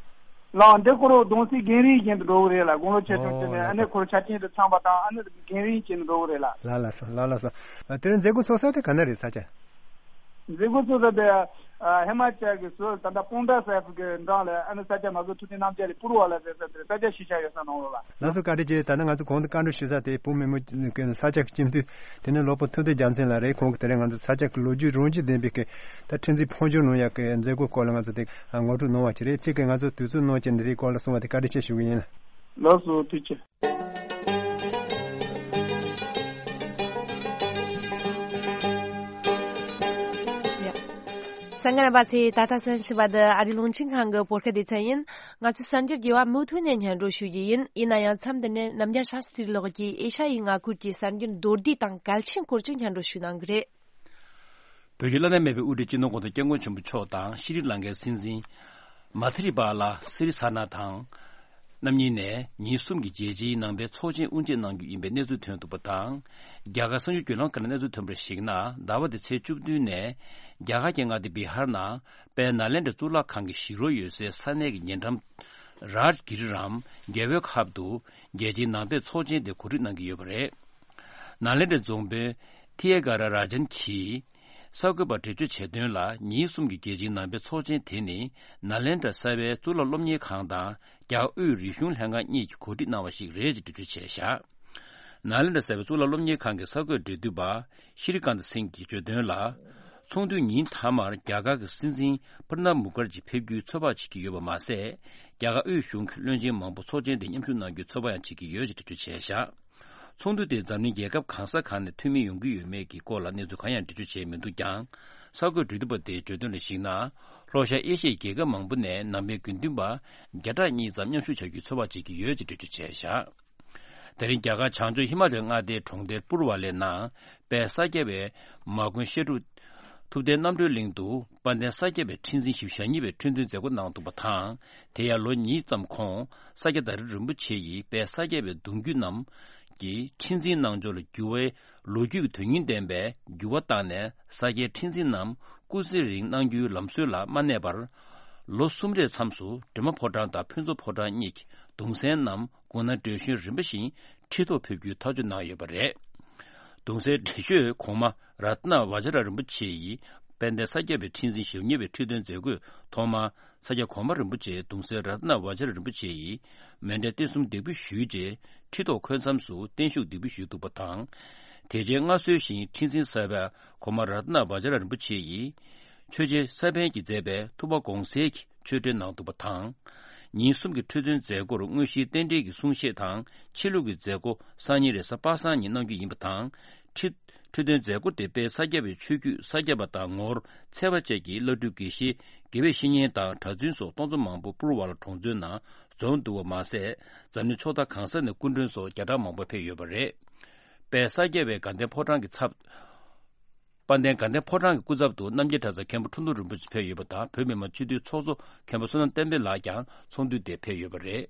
ལགས། འདི་ཁོ་རང་གདུང་སེམས་རྒན་རིམ་བཞིན་དུ་འགྲོ་གི་རེད་ལ། དགུང་ལོ་ཆེ་ཆུང་བྱས་ནས། ཨོ་ལགས་སོ། ཨ་ནི་ཁོ་རང་ཆ་རྐྱེན་དང་འཚམས་པ་དང་། ཨ་ནི་རྒན་རིམ་བཞིན་དུ་འགྲོ་གི་རེད་ལ། ལགས་ལགས་སོ། ལགས་ལགས་སོ། ཨ་དེ་ནས་མཛད་སྒོ་ཚོགས་ས་དེ་ག་ན་རེད། ས་ཆ། མཛད་སྒོ་ཚོགས་ས་དེ་ཨ་ཧི་མ་ཅལ་གྱི་ཟུར་ད་ལྟ་པོན་ཊ་སཱ་ཧིབ་གི་འགྲམ་ལ། ཨ་ནི་ས་སྐྱ་མ་སྐྱེས་ཐུབ་བསྟན་རྣམ་རྒྱལ་གྱི་པུར་བ་ལ་ཟེར་ས་དེར་ས་སྐྱ་གཞིས་ཆགས་ཡོད་ས་ནང་ལོགས་ལ། ལགས་སོ། བཀའ་དྲིན་ཆེ། ད་ནི་ང་ཚོ་གོང་དུ་བཀའ་འདྲི་ཞུ་ས་དེ་བོད་མི་མང་ས་སྐྱ་གི་སྤྱི་འཐུས། དེ་ནི་ལོ་པོ་ཐུབ་བསྟན་རྒྱལ་མཚན་ལགས་རེད། ཁོང་གིས་དེ་རིང་ང་ཚོ་ས་སྐྱ་གི་ལོ་རྒྱུས་རང་བཞིན་ལྡན་པའི་གི་ད་ཁྲི་འཛིན་ཕོ་བྲང་ནང་ཡག་གི་མཛད་སྒོ་སྐོར་ལ་ང་ཚོ་དེ་ངོ་སྤྲོད་གནང་བ་ཅིག་རེད། གཅིག་གིས་ང་ཚོ་དུས་ཚོད་གནང་བྱས་ནས་དེའི་སྐོར་ལ་གསུང་བ་དེ་བཀའ་དྲིན་ཆེ་ཞུ་གི་ཡིན། ལགས་སོ། ཐུགས་རྗེ་ཆེ། གསན་མཁན་རྣམ་པ་ཚོས་ད་ལྟ་གསན་བཞིན་པ་འདི་ཨ་རིའི་རླུང་འཕྲིན་ཁང་གི་བོད་སྐད་སྡེ་ཚན་ཡིན། ང་ཚོའི་གསར་འགྱུར་རྒྱས་པ་མུ་མཐུད་ནས་སྙན་སྒྲོན་ཞུ་རྒྱུ་ཡིན། ཡིན་ན་ཡང་མཚམས་འདི་ནས་རྣམ་རྒྱལ་ཤཱ་སྟྲི་ལགས་ཀྱིས་ཨེ་ཤ་ཡའི་མངའ་ཁུལ་གྱི་གསར་འགྱུར་མདོར་བསྡུས་དང་གལ་ཆེན་སྐོར་ཅིག་སྙན་སྒྲོན་ཞུ་གནང་གི་རེད། བོད་ཀྱི་བླ་ན་མེད་པའི་དབུ་ཁྲིད་སྤྱི་ནོར་གོང་ས་སྐྱབས་མགོན་ཆེན་པོ་མཆོག་དང་། ཤྲི་ལང་ཀའི་སྲིད་འཛིན་མ་ཐི་རི་པ་ལ་སི་རི་ས་ན་དང་། རྣམ་གཉིས་ནས་ཉིན་གསུམ་གྱི་རྒྱལ་སྤྱིའི་ནང་པའི་ཚོགས་ཆེན་དབུ་འབྱེད་གནང་རྒྱུ་ཡིན་པའི་གནས་ཚུལ་ཐོན་འདུག་པ་དང་། རྒྱ་གར་གསར་འགྱུར་བརྒྱུད་ལམ་ཁག་ནས་གནས་ཚུལ་ཐོན་པར་གཞིགས་ན། ཟླ་བ་འདིའི་ཚེས་བཅུ་བདུན་ནས་རྒྱ་གར་གྱི་མངའ་སྡེ་བི་ཧར་ནང་དཔལ་ནཱ་ལེནྡྲ་གཙུག་ལག་ཁང་གི་ཞིག་རོགས་ཡོད་སའི་ས་གནས་ཀྱི་ཉེ་འགྲམ་རཱཇ་གིར་རམ་རྒྱལ་པོའི་ཁབ་ཏུ་རྒྱལ་སྤྱིའི་ནང་པའི་ཚོགས་ཆེན་དེ་གོ་སྒྲིག་གནང་གི་ཡོད་པ་རེད། ནཱ་ལེནྡྲ་རྫོང་དཔོན་ཐི་ཡེ་ག་ར་ར་ཇན་གྱིས་གསར་འགོད་པར་འགྲེལ་བརྗོད་བྱས་དོན་ལ། ཉིན་གསུམ་གྱི་རྒྱལ་སྤྱིའི་ནང་པའི་ཚོགས་ཆེན་དེ་ནི་ནཱ་ལེནྡྲ་གསར་པའི་གཙུག་ལག་སློབ་གཉེར་ཁང་དང་རྒྱ་དབུས་རིག་གཞུང་ལྷན་ཁང་གཉིས་ཀྱིས་གོ་སྒྲིག་གནང་བ་ཞིག་རེད་ཅེས་འགྲེལ་བརྗོད་བྱས་བཞག། ནཱ་ལེནྡྲ་གསར་པའི་གཙུག་ལག་སློབ་གཉེར་ཁང་གི་གསར་འགོད་འབྲེལ་མཐུད་པ་ཤྲི་ཀཱནྟ་སིང་གིས་བརྗོད་དོན་ལ། ཚོགས་འདུའི་ཉིན་མཐའ་མར་རྒྱ་གར་གྱི་སྲིད་འཛིན་པྲ་ནབ་མུ་ཁར་ཇི་ཕེབས་རྒྱུའི་ཚོད་དཔག་བྱེད་ཀྱི་ཡོད་པ་མ་ཟད། རྒྱ་གར་དབུས་གཞུང་གི་བློན་ཆེན་མང་པོ་ཚོགས་ཆེན་དེར་མཉམ་ཞུགས་གནང་རྒྱུའི་ཚོད་དཔག་ཡང་བྱེད་ཀྱི་ཡོད་ཅེས་འགྲེལ་བརྗོད་བྱས་བཞག། ཚོགས་འདུ་དེར་འཛམ་གླིང་རྒྱལ་ཁབ་གང་ས་གང་ནས་འཐུས་མི་ཡོང་གི་ཡོད་མེད་ཀྱི་སྐོར་ལ་གནས་ཚུལ་གང་ཡང་འགྲེལ་བརྗོད་བྱས་མི་འདུག་ཀྱང་། གསར་འགོད་འབྲེལ་མཐུད་པ་དེས་བརྗོད་དོན་ལ་གཞིགས་ན། ལྷོ་ཤར་ཨེ་ཤི་ཡའི་རྒྱལ་ཁབ་མང་པོ་ནས་ནང་པའི་དགེ་འདུན་པ་བརྒྱ་ཕྲག་གཉིས་ཙམ་མཉམ་ཞུགས་བྱ་རྒྱུའི་ཚོད་དཔག་བྱེད་ཀྱི་ཡོད་ཅེས་འགྲེལ་བརྗོད་བྱས་བཞག། དེ་རིང་རྒྱ་གར་བྱང་ཕྱོགས་ཧི་མ་ལའི་མངའ་སྡེའི་གྲོང་རྡལ་པུར་བ་ལའི་ནང་དཔལ་ས་སྐྱ་པའི་མ་དགོན་བཤད་སྒྲུབ་ཐུབ་བསྟན་རྣམ་གྲོལ་གླིང་དུ་དཔལ་ལྡན་ས་སྐྱ་པའི་ཁྲི་འཛིན་བཞི་བཅུ་ཞེ་གཉིས་པའི་ཁྲི་འདོན་མཛད་སྒོ་གནང་འདུག་པ་དང་། དེ་ཡང་ལོ་གཉིས་ཙམ་གོང་ས་སྐྱ་དྭ་རི་རིན་པོ་ཆེ་ཡིས་དཔལ་ས་སྐྱ་པའི་གདུང་བརྒྱུད་རྣམས་ཀྱི་ཁྲི་འཛིན་གནང་ཕྱོགས་ལ་འགྱུར་བའི་ལོ་རྒྱུས་ཀྱི་དོན་སྙིང་ལྡན་པའི་འགྱུར་བ་བཏང་ནས། ས་སྐྱའི་ཁྲི་འཛིན་རྣམས་སྐུ་ཚེ་རིང་གནང་རྒྱུའི་ལམ་སྲོལ་ལ་མ་གནས་པར། ལོ་གསུམ་རེའི་མཚམས་སུ་འབྲས་མོ་ཕོ་བྲང་དང་ཕུན་ཚོགས་ཕོ་བྲང་གཉིས་ཀྱི་གདུང་སྲས་རྣམས་སྐུ་ན་བགྲེས་གཞོན་རིམ་པ་བཞིན་ཁྲི་ཐོག་ཕེབས་རྒྱུའི་ཐག་གཅོད་གནང་ཡོད་པ་རེད། གདུང་སྲས་བགྲེས་ཤོས་གོང་མ་རཏྣ་བཛྲ་རིན་པོ་ཆེ་ཡིས་དཔལ་ལྡན་ས་སྐྱ་པའི་ཁྲི་འཛིན་ཞེ་གཉིས་པའི་ཁྲི་འདོན་མཛད་སྒོའི་ཐོག་མར། ས་སྐྱ་གོང་མ་རིན་པོ་ཆེ་གདུང་སྲས་རཏྣ་བཛྲ་རིན་པོ་ཆེ་ཡིས་མཎྜལ་རྟེན་གསུམ་འདེགས་འབུལ་ཞུས་རྗེས། ཁྲི་ཐོག་འཁོད་མཚམས་སུ་བརྟན་བཞུགས་འདེགས་འབུལ་ཞུས་འདུག་པ་དང་། དེ་རྗེས་སྔར་སྲོལ་བཞིན་ཁྲི་འཛིན་གསར་པ་གོང་མ་རཏྣ་བཛྲ་རིན་པོ་ཆེ་ཡིས་ཆོས་རྗེ་ས་པཎ་གྱིས་མཛད་པའི་ཐུབ་པ་དགོངས་གསལ་གྱི་ཆོས་འབྲེལ་གནང་འདུག་པ་དང་། ཉིན་གསུམ་གྱི་ཁྲི་འདོན་མཛད་སྒོར་དངོས་གཞིའི་རྟེན་འབྲེལ་གྱི་གསུང་བཤད་དང་། ཕྱི་ལུགས་ཀྱི་མཛད་སྒོ་སང་ཉིན་རེས་གཟའ་པ་སངས་ཉིན་གནང་རྒྱུ་ཡིན་པ་དང་། ཁྲི་ཁྲི་འདོན་མཛད་སྒོ་དེ་དཔལ་ས་སྐྱ་པའི་ཆོས་བརྒྱུད་ས་སྐྱ་པ་དང་ངོར་ཚད་པ་བཅས་ཀྱི་བླ་སྤྲུལ་དགེ་བཤེས། དགེ་བའི་བཤེས་གཉེན་དང་གྲྭ་བཙུན་སོགས་སྟོང་ཚོ་མང་པོ་པུར་བ་ལ་གྲོང་ཚོའི་ནང་འཛོམས་འདུག་པ་མ་ཟད། འཛམ་གླིང་ཕྱོགས་མཐའ་གང་ས་ནས་སྐུ་མགྲོན་སོགས་བརྒྱ་ཕྲག་མང་པོ་ཕེབས་ཡོད་པ་རེད། དཔལ་ས་སྐྱ་པའི་དགའ་ལྡན་ཕོ་བྲང་གི་ཚབ། དཔལ་ལྡན་དགའ་ལྡན་ཕོ་བྲང་གི་སྐུ་ཚབ་ཏུ་རྣམ་རྒྱལ་གྲྭ་ཚང་མཁན་པོ་ཁྲོ་ཐུང་རིན་པོ་ཆེ་ཕེབས་ཡོད་པ་དང་། བོད་མི་མང་སྤྱི་འཐུས་ཚོགས་གཙོ་མཁན་པོ་བསོད་ནམས་བསྟན་འཕེལ་ལགས་ཀྱང་ཚོགས་འདུ་དེར་ཕེབས་ཡོད་པ་རེད།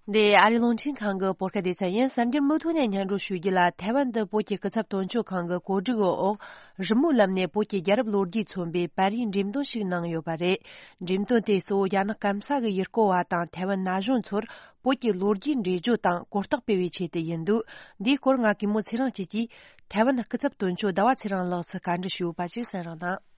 འདི་ཨ་རིའི་རླུང་འཕྲིན་ཁང་གི་བོད་སྐད་སྡེ་ཚན་ཡིན། གསར་འགྱུར་མུ་མཐུད་ནས་སྙན་སྒྲོན་ཞུ་རྒྱུ་ལ། ཐའེ་ཝན་དུ་བོད་ཀྱི་སྐུ་ཚབ་དོན་གཅོད་ཁང་གི་གོ་སྒྲིག་འོག་རི་མོའི་ལམ་ནས་བོད་ཀྱི་རྒྱལ་རབས་ལོ་རྒྱུས་མཚོན་པའི་པར་རིས་འགྲེམས་སྟོན་ཞིག་གནང་ཡོད་པ་རེད། འགྲེམས་སྟོན་དེ་གཙོ་བོ་རྒྱ་ནག་སྐམ་ས་གི་ཡུལ་སྐོར་བ་དང་ཐའེ་ཝན་ན་གཞོན་ཚོར་བོད་ཀྱི་ལོ་རྒྱུས་འགྲེལ་བརྗོད་དང་གོ་རྟོགས་སྤེལ་བའི་ཆེད་དུ་ཡིན་འདུག། འདིའི་སྐོར་ང་གུས་མོ་ཚེ་རིང་སྐྱིད་ཀྱིས་ཐའེ་ཝན་སྐུ་ཚབ་དོན་གཅོད་ཟླ་བ་ཚེ་རིང་ལགས་སུ་བཀའ་འདྲི་ཞུས་པ་ཞིག་གསན་རོགས་གནང་།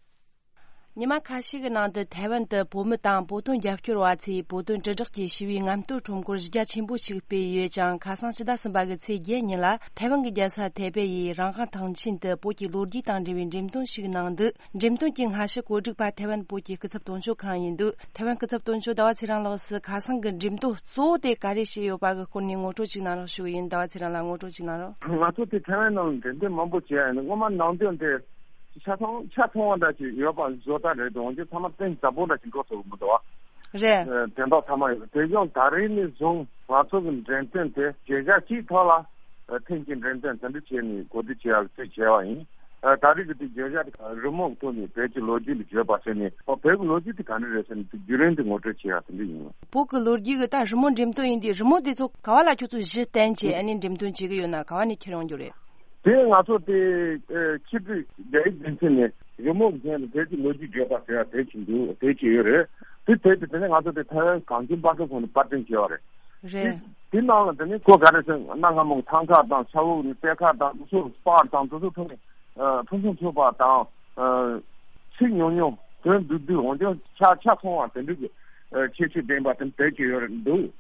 ཉི་མ་ཁ་ཤས་ཀྱི་ནང་དུ་ཐའེ་ཝན་དུ་བོད་མི་དང་བོད་དོན་རྒྱབ་སྐྱོར་བ་ཚོས་བོད་དོན་དྲིལ་བསྒྲགས་ཀྱི་ཞི་བའི་རྔམ་སྟོན་ཁྲོམ་སྐོར་གཞི་རྒྱ་ཆེན་པོ་ཞིག་སྤེལ་ཡོད་ཅིང་། ཁ་སང་ཕྱི་ཟླ་གསུམ་པ་གི་ཚེས་བརྒྱད་ཉིན་ལ་ཐའེ་ཝན་གྱི་རྒྱལ་ས་ཐའེ་པེ་ཡི་རང་དབང་ཐང་ཆེན་དུ་བོད་ཀྱི་ལོ་རྒྱུས་དང་འབྲེལ་བའི་འགྲེམས་སྟོན་ཞིག་གནང་འདུག། འགྲེམས་སྟོན་གྱི་སྔ་ཕྱི་གོ་སྒྲིག་པ་ཐའེ་ཝན་བོད་ཀྱི་སྐུ་ཚབ་དོན་གཅོད་ཁང་ཡིན་འདུག། ཐའེ་ཝན་སྐུ་ཚབ་དོན་གཅོད་ཟླ་བ་ཚེ་རིང་ལགས་སུ་ཁ་སང་གི་འགྲེམས་སྟོན་གཙོ་བོ་དེ་ག་རེ་བྱས་ཡོད་པ་གི་སྐོར་ནས་ངོ་སྤྲོད་ཅིག་གནང་རོགས་ཞུ་གི་ཡིན། ཟླ་བ་ཚེ་རིང་ལགས་ངོ་སྤྲོད་ཅིག་གནང་རོགས། ང་ཚོ་དེ་ཐའེ་ཝན་ནང་འགྲེམས་སྟོན་མང་པོ་བྱས་ཡིན། སྔོན་མ་ནང་དོན་དེ་ ཆ་ཚང་ཆ་ཚང་བ་འདྲ་ཞིག་ཡོད་པ་བཟོ་ལྟ་རེད་དོ། འོན་ཀྱང་ཚང་མ་གཏིང་ཟབ་པོ་འདྲ་ཞིག་འགྲོ་ཐུབ་ཀྱི་མི་འདུག་བ། རེད། ཨ། དེ་འདྲ་ཚང་མ་ཡོད། དེ་ཡང་ད་རེས་ནས་བཟུང་ང་ཚོ་གི་འགྲེམས་སྟོན་དེ་བརྗོད་བྱ་གཅིག་ཐོག་ལ་ཐེངས་གཅིག་འགྲེམས་སྟོན་དེ་འདྲ་བྱས་ནས་གོ་སྒྲིག་བྱས་ཡག་གི་ཚུལ་བྱས་པ་ཡིན། ཨ། ད་རེས་ཀྱི་དེ་བརྗོད་བྱ་དེ་རི་མོ་གི་ཐོག་ནས་བོད་ཀྱི་ལོ་རྒྱུས་ལ་བརྗོད་པ་ཟེར་ནས། ཨོ། བོད་ཀྱི་ལོ་རྒྱུས་དེ་ག་འདྲ་རེད་ཟེར་ནས་དེ་བརྒྱུད་རིམ་དེ་ངོ་སྤྲོད་བྱས་ཡག་དེ་འདྲ་ཡིན། བོད་ཀྱི་ལོ་རྒྱུས་ཀྱི་ད་རི་མོ་འགྲེམས་སྟོན་ཡིན་དུས། རི་མོ་དེ་ཚོ་ག་བ་ལ་ཁྱོད་ཚོས་གཞི་བསྟན་བྱས་ཨ་ནི་འགྲེམས་སྟོན་བྱེད་ཀྱི་ཡོད་ན། ག་བ་ནས་ཁྱེར་ཡོང་རྒྱུ་རེད། དེ་ང་ཚོ་དེ་ཨ་ཆིག་སྒྲིལ་རྒྱ་ཡིག་སྡེ་ཚན་ནས་རི་མོ་གི་ཐད་ནས་བོད་ཀྱི་ལོ་རྒྱུས་བརྗོད་པ་ཟེར་ཡག་དེ་བྱེད་འདུག་དེ་བྱས་ཡོད་རེད། དེ་དེ་དེ་དེ་ནས་ང་ཚོ་དེ་ཐའེ་ཝན་གངས་ཅན་པ་སངས་ཁོངས་ནས་པར་སྐྲུན་བྱས་པ་རེད། རེད། དེ་དེ་ནང་ལ་དེ་ནས་ཁོ་ག་རེ་ཟེར་ན། གནའ་སྔ་མོ་གི་ཐང་ཁ་དང་ས་འོག་ནས་གཏེར་ཁ་དང་དེ་ཚོ་པར་དང་དེ་ཚོ་ཐོག་ནས་ཨ་ཕུན་སུམ་ཚོགས་པ་དང་། ཨ། ཚིག་ཉུང་ཉུང་དོན་བསྡུས་བསྡུས། འོན་ཀྱང་ཆ་ཆ་ཚང་བ་དེ་འདྲ་གི་ཨ་ཁྱད་ཆོས་ལྡན་པ་དེ་དེ་བྱས་ཡོད་འདུག་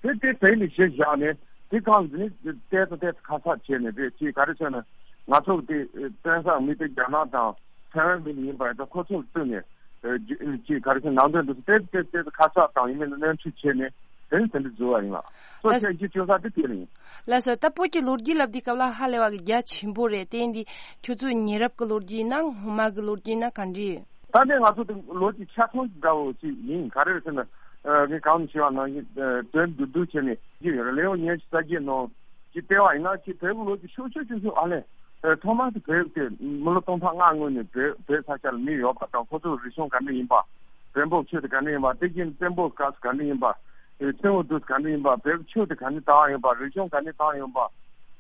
དེ་དེ་དེ་ནས་གཞི་བཞག་ནས་དེ་གང་ཟིན་ནས་ཏོག་ཙམ་ཏོག་ཙམ་ཁ་གསབ་བྱས་ནས། དེ་ཅིག་ག་རེ་ཟེར་ན། ང་ཚོ་དེ་བཙན་བྱོལ་མི་དེ་རྒྱ་ནག་དང་ཐའེ་ཝན་མི་ཡིན་པ་ཡིན་ཙང་། ཁོ་ཚོ་ལ་བསྟུན་ནས་ཨ་ཅིག་ག་རེ་ཟེར། ནང་དོན་དེ་ཏོག་ཙམ་ཏོག་ཙམ་ཁ་གསབ་དང་ཡིན་མིན་ལ་སྣོན་འཕྲི་བྱས་ནས་དེ་ནས་དེ་འདྲ་བཟོས་པ་ཡིན་ལགས། གཙོ་ཆེ་རྒྱུ་བཅོལ་ས་དེ་དེ་ཡིན། ལགས་སོ། ད་བོད་ཀྱི་ལོ་རྒྱུས་ལབ་དུས་སྐབས་ལ་ཧ་ལས་པ་གི་རྒྱ་ཆེན་པོ་རེད། དེ་ཡིན་དུས་ཁྱོད་ཚོའི་ཉེ་རབས་ཀྱི་ལོ་རྒྱུས་ཡིན་ན། སྔོན་མ་གི་ལོ་རྒྱུས་ཡིན་ན་ག་འདྲ་ཡིན། ད་ནི་ང་ཚོ་དེ་ལོ་རྒྱུས་ཆ་ཚང་འདྲ་བོ་ཞིག་ཡིན། ག་རེ་རེད་ཟེར་ན། ཨ། ངས་གོང་ནས་ཞུས་པ་ནང་བཞིན། ཨ། དོན་བསྡུས་བསྡུས་བྱས་ནས་བྲིས་ཡོད་རེད། ལེའུ་ཉི་ཤུ་རྩ་བརྒྱད་ནང་ཅིག་བལྟས་པ་ཡིན་ན། ཅིག་བོད་ཀྱི་ལོ་རྒྱུས་ཤུགས་ཆེ་ཤུགས་ཆེ། ཨ་ལས། ཨ། ཐོག་མར་དེ་བོད་དེ་མི་ལོ་སྟོང་ཕྲག་ལྔ་སྔོན་ནས་བོད་བོད་ས་ཆ་ལ་མི་ཡོད་པ་དང་། ཁོ་ཚོའི་རིག་གཞུང་ག་འདྲ་ཡིན་པ། བོན་པོ་ཆོས་དེ་ག་འདྲ་ཡིན་པ། དེ་བཞིན་བཙན་པོའི་སྐབས་སུ་ག་འདྲ་ཡིན་པ། ཨེ། བཙན་པོའི་དུས་སུ་ག་འདྲ་ཡིན་པ། བོད་ཀྱི་ཆོས་དེ་ག་འདྲ་དར་ཡོད་པ། རིག་གཞུང་ག་འདྲ་དར་ཡོད་པ།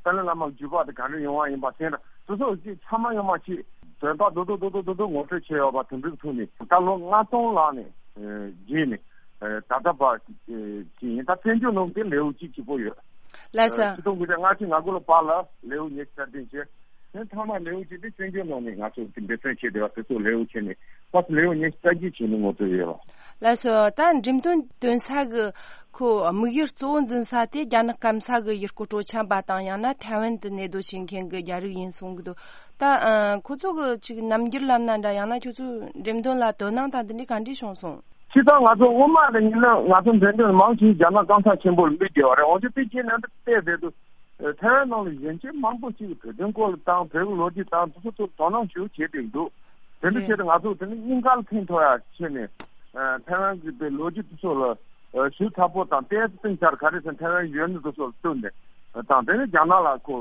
ཏཱ་ལའི་བླ་མ་བརྒྱུད་པ་དེ་ག་འདྲ་ཡོང་བ་ཡིན་པ། དེ་འདྲ་དེ་ཚོ་ཅིག་ཚང་མ་ཡོང་མ་ཅིག་དོན་དག་རྡོག་རྡོག་རྡོག་རྡོག་རྡོག་རྡོག་ངོ་སྤྲོད་བྱས་ཡོད་པ་དེ་འདྲའི་ཐོག་ནས། ད་ལོ་ལྔ་སྟོང་ལྷག་ནས་ཨེ་རྗེས་ནས། ཨེ། ད་ལྟ་བར་ཅིག་ཡིན། ད་བཙན་བྱོལ་ནང་དེ་ལེའུ་གཅིག་གཅིག་པོ་ཡོད། ལགས་སོ། ཨེ། ཆིག་སྟོང་དགུ་བརྒྱ་ལྔ་བཅུ་ང་དགུ་ལོ་བར་ལ་ལེའུ་ཉི་ཤུ་རྩ་བདུན་བྱས། དེ་ཐ་མ་ལེའུ་གཅིག་དེ་བཙན་བྱོལ་ནང་ནས་ང་ཚོ་འབད་བརྩོན་བྱས་བསྡད་པ་དེ་ཚོ་ལེའུ་བྱས་ནས། ཕར་ལེའུ་ཉི་ཤུ་རྩ་བརྒྱད་བྱས་ནས་ངོ་སྤྲོད་ཡོད་ལ། ལགས་སོ། ད་འགྲེམས་སྟོན་སྟོན་ས་གི་ཁོ་དམིགས་ཡུལ་གཙོ་བོ་འཛིན་ས་དེ་རྒྱ་ནག་སྐམ་ས་གི་ཡུལ་སྐོར་སྤྲོ་འཆམ་པ་དང་། ཡང་ན་ཐའེ་ཝན་དུ་གནས་སྡོད་བྱེད་མཁན་གྱི་རྒྱ་རིགས་ཡིན་གསུང་གི་འདུག་ད་ཨ་ཁོ་ཚོ་གི་ཅིག་རྣམ་འགྱུར་ལབ་ན་འདྲ། ཡང་ན་ཁྱོད་ཚོའི་འགྲེམས་སྟོན་ལ་དོ་སྣང་དང་དེ་འདྲའི་ག་འདྲ་བྱུང་སོང་། སྤྱིར་བཏང་ང་ཚོ་སྔོན་མ་ནས་ཡིན་ན་ང་ཚོ་འགྲེམས་སྟོན་མང་ཆེ་རྒྱ་ནག་སྐམ་ས་ཆེན་པོ་ལ་འབུལ་བསྡད་པ་རེད། འོན་ཀྱང་དེ་རྗེས་ནས་འདི་བལྟས་བསྡད་དུས། ཨ། ཐའེ་ཝན་ནང་ལ་གཞོན་སྐྱེས་མང་པོ་ཞིག་གིས་བོད་དོན་སྐོར་ལ་དང་། བོད་ཀྱི་ལོ་རྒྱུས་དང་དེ་ཚོ་ཐོག་དོ་སྣང་ཞེ་པོ་བྱེད་བསྡད་འདུག་དེ་འདྲ་བྱས་ཏེ་ང་ཚོ་དེ་ནི་སྙིང་ག་ལ་ཕན་ཐོགས་ཡག་ཆེད་ནས། ཨ། ཐའེ་ཝན་གྱི་དེ་ལོ་རྒྱུས་དེ་ཚོ་ལ་ཨ་ཞིབ་ཚགས་པོ་དང་། ཏོག་ཙམ་ཅིག་ག་རེ་ཟེར་ན། ཐའེ་ཝན་གཞོན་ནུ་དེ་ཚོ་ལ་བསྟུན་ནས་དང་། དེ་ནས་རྒྱ་ནག་ལ་ཁོ།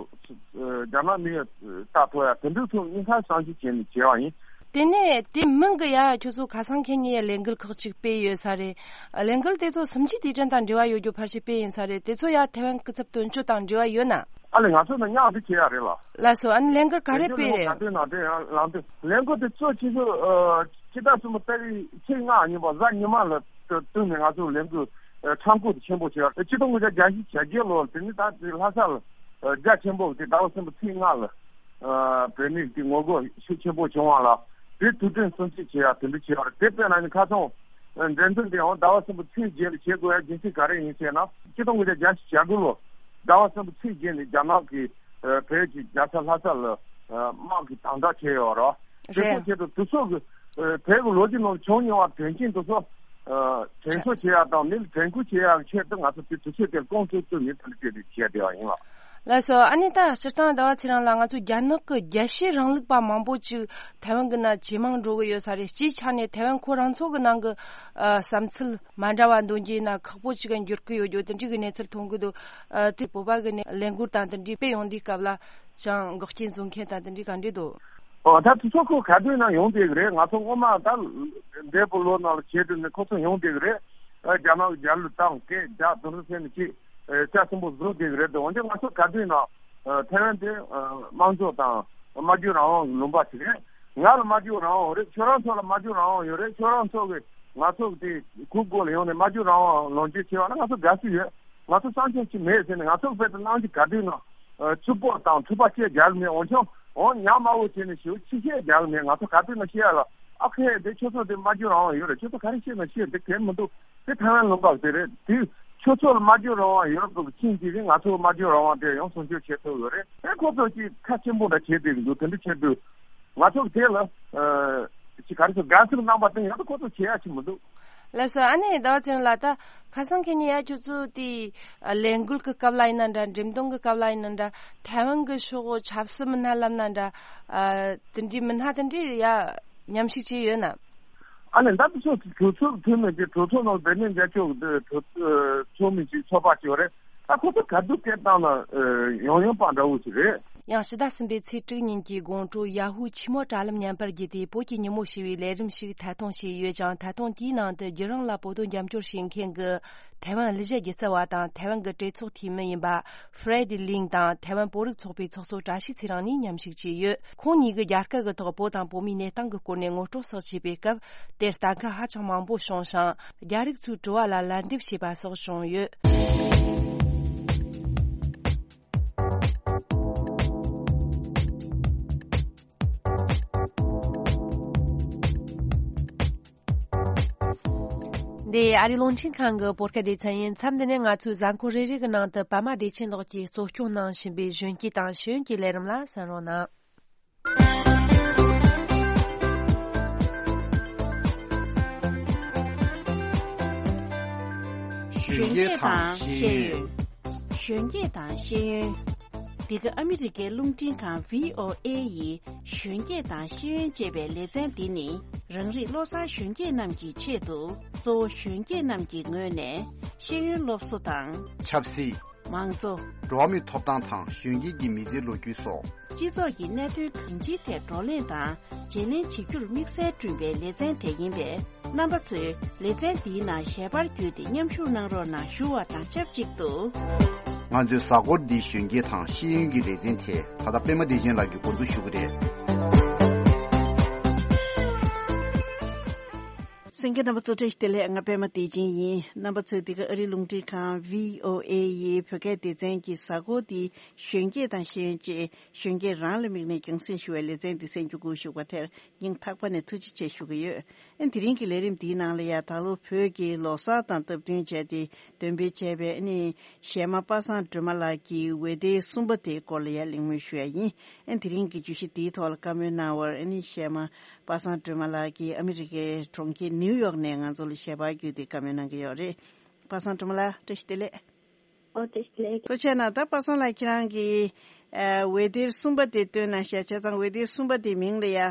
ཨ། རྒྱ་ནག་མི་ཡ་ལྟ་ཐུབ་ཡག་དེ་འདྲའི་ཐོག་སྙིང་ག་བསམ་ཤེས་བྱས་ནས་བྱས་པ་ཡིན། དེ་ནས་དེ་མིན་གྱི་ཡ་ཁྱོད་ཚོ་ཁ་སང་ཁེ་ཉིན་ལས་འགུལ་ཁག་ཅིག་སྤེལ་ཡོད་ས་རེད། ལས་འགུལ་དེ་ཚོ་སུམ་ཅུའི་དུས་དྲན་དང་འབྲེལ་བ་ཡོད་རྒྱུ་ཕལ་ཆེར་སྤེལ་ཡིན་ས་རེད། དེ་ཚོ་ཡ་ཐའེ་ཝན་སྐུ་ཚབ་དོན་གཅོད་དང་འབྲེལ་བ་ཡོད་ན། ཨ་ལས། ང་ཚོ་ནི་མཉམ་དུ་བྱེད་ཡག་རེད་ལ། ལགས་སོ། ཨ་ནི་ལས་འགུལ་ག་རེ་སྤེལ་རེད། ལས་འགུལ་ནང་དེ་ཡང་ལངས་དུས། ལས་འགུལ་དེ་གཙོ་ཆེ་ཤོས་ཨ་སྤྱི་ཟླ་གསུམ་པའི་ཏ་རིག་ཚེས་ལྔ་ཉིན་པ་གཟའ་ཉི་མ་ལ་བསྟུན་ནས་ང་ཚོ་ལས་འགུལ་ཨ་ཁྲིམས་བཀོད་དེ་ཆེན་པོ་བྱས་པ་རེད། ཆིག་སྟོང་དགུ་བརྒྱ་གྱ་བཞི་གྱ་བརྒྱད་ལོར་དེ་ནི་ད་དེ་ལྷ་ས་ལ་ཨ་རྒྱ་ཆེན་པོ་དེ་ཟླ་བ་གསུམ་པའི་ཚེས་ལྔ་ལ། ཨ་བོད་མིའི་དེ་ངོ་རྒོལ་ཤུགས་ཆེན་པོ་བྱུང་བ་ལ། དེ་དུས་དྲན་སྲུང་བརྩི་བྱེད་ཡག་དེ་འདྲ་བྱས་པ་རེད། དེ་དཔེར་ན་ནི་ཁ་སང་འགྲེམས་སྟོན་དེའང་ཟླ་བ་གསུམ་པའི་ཚེས་བརྒྱད་ལ་བྱེད་དགོས་ཡག་རྒྱུ་མཚན་ག་རེ་ཡིན་ཟེར་ན། ཆིག་སྟོང་དགུ་བརྒྱ་གྱ་བཞི་གྱ་དགུ་ལོ་ཟླ་བ་གསུམ་པའི་ཚེས་བརྒྱད་ནས་རྒྱ་ནག་གིས་ཨ་བོད་ཀྱི་རྒྱལ་ས་ལྷ་ས་ལ་ཨ་དམག་གིས་དམ་དྲག་བྱས་ཡོད་རེད། དེ་ཚོ་རེད། ཆེད་དུ་དེ་ཚོ་གི་ཨ་བོད་ཀྱི་ལོ་རྒྱུས་ནང་བྱུང་མྱོང་བ་དོན་རྐྱེན་དེ་ཚོ་ཨ་དྲན་གསོ་བྱེད་ཡག་དང་། མི་ལ་དྲན་སྐུལ་བྱེད་ཡག་གི་ཆེད་དུ་ང་ཚོ་དེ་དུས་ཚོད་དེར་ཀོང་ཀྲོའུ་བཙུགས་ནས་དེ་འདྲ་བྱས་ཏེ་བྱས་བསྡད་པ་ཡིན་ལགས། ལགས་སོ། ཨ་ནི་ད་སྤྱིར་བཏང་ཟླ་བ་ཚེ་རིང་ལགས། ང་ཚོ་རྒྱ་ནག་གི་རྒྱལ་གཅེས་རིང་ལུགས་པ་མང་པོ་ཅིག་ཐའེ་ཝན་གྱི་ནང་ཇེ་མང་འགྲོ་གི་ཡོད་ས་རེད། སྤྱིའི་ཆ་ནས་ཐའེ་ཝན་ཁོ་རང་ཚོ་གི་ནང་གི་ཨ་བསམ་ཚུལ་མ་འདྲ་བ་འདོན་རྒྱུ་ཡིན་ན་ཁག་པོ་ཅིག་ག་འགྱུར་གི་ཡོད་རྒྱུ་དེ་འདྲའི་གི་གནས་ཚུལ་མཐོང་གི་འདུག་ཨ་དེ་བོད་པ་གི་ནས་ལས་འགུལ་དང་དེ་འདྲའི་སྤེལ་ཡོང་དུས་སྐབས་ལ་ཅང་འགོག་རྐྱེན་བཟོ་མཁན་དང་དེ་འདྲའི་ག་འདྲ་འདུག་ཨོ། ད་དེ་ཚོ་ཁོ་ག་དུས་ན་ཡོང་བསྡད་གི་རེད། ང་ཚོ་སྔོན་མ་ད་འདས་པའི་ལོ་ནང་ལ་བྱས་དུས་ནས་ཁོ་ཚོ་ཡོང་བསྡད་གི་རེད། ཨ་རྒྱ་ནག་གི་རྒྱལ་གླུ་བཏང་། སྐད་རྒྱག་དེ་ཚོ་བྱས་ནས་ཅིག་ཨ་རྒྱ་ཆེན་པོ་བཟོ་བསྡད་གི་རེད་དོ། འོན་ཀྱང་ང་ཚོ་ག་དུས་ན་ཨ་ཐའེ་ཝན་དེ་ཨ་དམངས་གཙོ་དང་སྨྲ་བརྗོད་རང་དབང་གི་ལུང་པ་ཞིག་རེད། ང་ལ་སྨྲ་བརྗོད་རང་དབང་ཡོད་རེད། ཁྱོད་རང་ཚོ་ལ་སྨྲ་བརྗོད་རང་དབང་ཡོད་རེད། ཁྱོད་རང་ཚོ་གིས་ང་ཚོ་གི་དེ་གུག་སྒོ་ལ་ཡོང་ནས་སྨྲ་བརྗོད་རང་དབང་ལོངས་སྤྱོད་བྱས་པ་ན་ང་ཚོ་དགའ་བསུ་ཡོད། ང་ཚོ་བསམ་ཤེས་ཅིག་མེད་ཟེར་ནས། ང་ཚོ་དཔེ་དེ་གནང་གི་ག་དུས་ན་ཨ་རྩུབ་པོ་དང་འཁྲུག་པ་སྐད་རྒྱག་གི་མེད། འོན་ཀྱང་འོ་ཉག་དམར་པོ་བྱས་ནས་ཞེ་པོ་ཕྱི་བཤད་རྒྱག་གི་མེད། ང་ཚོ་ག་དུས་ན་བཤད་ཡ་ལ། ཨ་ཁེ་དེ་ཁྱོད་ཚོ་དེ་སྨྲ་བརྗོད་རང་དབང་ཡོད་རེད། ཁྱོད་ཚོ་ག་རེ་བཤད་ན་བཤད། དེ་གལ་མི་འདུག་དེ་ཐའེ་ཝན་ལུང་པ་དེ་རེད། དེ་ཁྱོད་ཚོ་ལ་སྨྲ་བརྗོད་རང་དབང་ཡོད་པའི་རྐྱེན་གྱིས་ང་ཚོ་སྨྲ་བརྗོད་རང་དབང་དེ་ཡང་སྲུང་སྐྱོབ་བྱེད་ཐུབ་ཡོད་རེད། ཨེ་ཁོ་ཚོ་ཅིག་ཁ་ཆེན་པོ་འདྲ་བྱེད་བསྡད་ཀྱི་འདུག་དེ་འདྲ་བྱེད་དུས་ང་ཚོ་དེ་ལ་ཨ་ཅིག་ག་རེ་ཟེར། དགའ་བསུ་གནང་པ་དེ་ཡང་ད་ཁོ་ཚོ་བྱེད་ཡ་ཅིག་མི་འདུག་ལགས་སོ། ཨ་ནི་ཟླ་བ་ཚེ་རིང་ལགས། ད་ཁ་སང་ཁེ་ཉིན་ཡ་ཁྱོད་ཚོ་དེ་ཨ་ལས་འགུལ་གྱི་སྐབས་ལ་ཡིན་ན་འདྲ། འགྲེམས་སྟོན་གྱི་སྐབས་ལ་ཡིན་ན་འདྲ། ཐའེ་ཝན་གྱི་ཕྱོགས་ཆབ་སྲིད་མི་སྣ་ལབ་ན་འདྲ། ཨ་དེ་འདྲའི་མི་སྣ་དེ་འདྲའི་ཡ་མཉམ་ཞུགས་བྱས་ཡོད་ན། ཨ་ལས་ད་དེ་ཚོ་གྲོས་ཚོགས་འཐུས་མི་གི་གྲོས་ཚོགས་ནང་འབད་མེད་རྒྱ་ཆོག་གི་གྲོས་ཚོགས་མི་གཅིག་ཚོགས་པ་གཅིག་ཡོད་རེད། ད་ཁོ་ཚོ་ག་དུས་སྐད་བཏང་ན་ཡང་ཡང་པ་འདྲ་བོ་ཞིག་རེད། ཡང་ཕྱི་ཟླ་གསུམ་པའི་ཚེས་དྲུག་ཉིན་གྱི་དགོང་དྲོ་ཡ་ཧུ་ཆེས་མོ་དྲ་ལམ་བརྙན་པར་བརྒྱུད་དེ་བོད་ཀྱི་ཉིན་མོ་ཞེས་པའི་ལས་རིམ་ཞིག་ཐད་གཏོང་བྱས་ཡོད་ཅིང་། ཐད་གཏོང་དེའི་ནང་དུ་བརྒྱུད་རིམ་ལ་བོད་དོན་རྒྱབ་སྐྱོར་བྱེད་མཁན་གྱི་ཐའེ་ཝན་གླུ་གཞས་སྒྱུ་རྩལ་བ་དང་ཐའེ་ཝན་གྱི་གྲོས་ཚོགས་འཐུས་མི་ཡིན་པ་Fred Ling དང་ཐའེ་ཝན་བོད་རིགས་ཚོགས་པའི་ཚོགས་གཙོ་བཀྲ་ཤིས་ཚེ་རིང་གཉིས་མཉམ་ཞུགས་བྱས་ཡོད། ཁོང་གཉིས་ཀྱིས་རྒྱ་སྐད་ཀྱི་ཐོག་བོད་དང་བོད་མིའི་གནས་སྟངས་ཀྱི་སྐོར་ནས་ངོ་སྤྲོད་སོགས་བྱས་པའི་སྐབས། དེར་ལྟ་མཁན་ཧ་ཅང་མང་པོ་བྱུང་ཞིང་། རྒྱ་རིགས་ཚོའི་དྲི་བ་ལ་ལན་འདེབས་བྱས་པ་སོགས་བྱུང་ཡོད། འདི་ཨ་རིའི་རླུང་འཕྲིན་ཁང་གི་བོད་སྐད་སྡེ་ཚན་ཡིན། མཚམས་འདི་ནས་ང་ཚོའི་གཟའ་འཁོར་རེ་རེ་གི་ནང་དུ་པད་མ་བདེ་ཆེན་ལགས་ཀྱིས་གཙོ་སྐྱོང་གནང་བཞིན་པའི་གཞོན་སྐྱེས་དང་ཤེས་ཡོན་གྱི་ལས་རིམ་ལ་གསན་རོགས་གནང་། གཞོན་སྐྱེས་དང་ཤེས་ཡོན། གཞོན་སྐྱེས་དང་ཤེས་ཡོན། འདི་ག་ཨ་མི་རི་ཀའི་རླུང་འཕྲིན་ཁང་V O A ཡི་གཞོན་སྐྱེས་དང་ཤེས་ཡོན་ཅེས་པའི་ལེ་ཚན་འདི་ནི། རང་རིགས་བློ་བཟང་གཞོན་སྐྱེས་རྣམས་ཀྱི་ཆེད་དུ། གཙོ་བོ་གཞོན་སྐྱེས་རྣམས་ཀྱི་ངོས་ནས་ཤེས་ཡོན་སློབ་གསོ་དང་། ཆབ་སྲིད། མང་གཙོ། འགྲོ་བ་མིའི་ཐོབ་ཐང་དང་གཞོན་སྐྱེས་ཀྱི་མི་ཚེའི་ལོ་རྒྱུས་སོགས། སྤྱི་ཚོགས་ཀྱི་གནད་དོན་གང་ཅིའི་ཐད་བགྲོ་གླེང་དང་བརྗེ་ལེན་བྱེད་རྒྱུར་དམིགས་བསལ་བསྐྲུན་པའི་ལེ་ཚན་དེ་ཡིན་པས། རྣམ་པ་ཚོས་ལེ་ཚན་འདིའི་ནང་ཞལ་པར་བརྒྱུད་དེ་མཉམ་ཞུགས་གནང་རོགས་གནང་ཞུ་བ་དང་ཆབས་ཅིག་ཏུ། ང་ཚོའི་གཟའ་འཁོར་འདིའི་གཞོན་སྐྱེས་དང་ཤེས་ཡོན་གྱི་ལེ་ཚན་དེ་ད་ལྟ་པད་མ་བདེ་ཆེན་ལགས་ཀྱིས་འགོ་འཛུགས་ཞུ་གི་རེད། གསན་མཁན་རྣམ་པ་ཚོ་བཀྲ་ཤིས་བདེ་ལེགས། ང་པད་མ་བདེ་ཆེན་ཡིན། རྣམ་པ་ཚོས་འདི་ག་ཨ་རིའི་རླུང་འཕྲིན་ཁང་V O A ཡི་བོད་སྐད་སྡེ་ཚན་གྱི་གཟའ་འཁོར་འདིའི་གཞོན་སྐྱེས་དང་ཤེས་ཡོན་ཅེས་གཞོན་སྐྱེས་རང་ལ་དམིགས་ནས་རྒྱང་སྲིང་ཞུ་བའི་ལེ་ཚན་འདི་གསན་རྒྱུ་འགོ་ཞུགས་པ་དེར་སྙིང་ཐག་པ་ནས་ཐུགས་རྗེ་ཆེ་ཞུ་གི་ཡོད། ཨ་དེ་རིང་གི་ལས་རིམ་འདིའི་ནང་ལ་ཡ་ད་ལོ་བོད་ཀྱི་ལོ་གསར་དང་སྟབས་བསྟུན་བྱས་ཏེ་འདོན་སྤེལ་བྱས་པའི་ཨ་ནི་གཞས་མ་པ་སངས་སྒྲོལ་མ་ལགས་ཀྱི་འོད་སྡེར་གསུམ་པ་དེའི་སྐོར་ལ་ཡ་གླེང་མོལ་ཞུ་ཡ་ཡིན། ཨ་དེ་རིང་གི་བརྗོད་གཞི་འདིའི་ཐོག་ལ་བཀའ་མོལ་གནང་བར་ཨ་ནི་གཞས་མ་པ་སངས་སྒྲོལ་མ་ལགས་ཀྱིས་ཨ་མི་རི་ཀའི་གྲོང་ཁྱེར་ནིའུ་ཡོག་ནས་ང་ཚོ་ལ་ཞལ་པར་བརྒྱུད་དེ་བཀའ་མོལ་གནང་གི་ཡོད་རེད། པ་སངས་སྒྲོལ་མ་ལགས་བཀྲ་ཤིས་བདེ་ལེགས། ཨོ་བཀྲ་ཤིས་བདེ་ལེགས། ཐུགས་རྗེ་གནང་། ད་པ་སངས་ལགས་ཁྱེད་རང་གིས་ཨ་འོད་སྡེར་གསུམ་པ་དེ་བཏོན་གནང་ཤག་བྱས་ཙང་འོད་སྡེར་གསུམ་པ་དེ་མིང་ལ་ཡ་ཨ་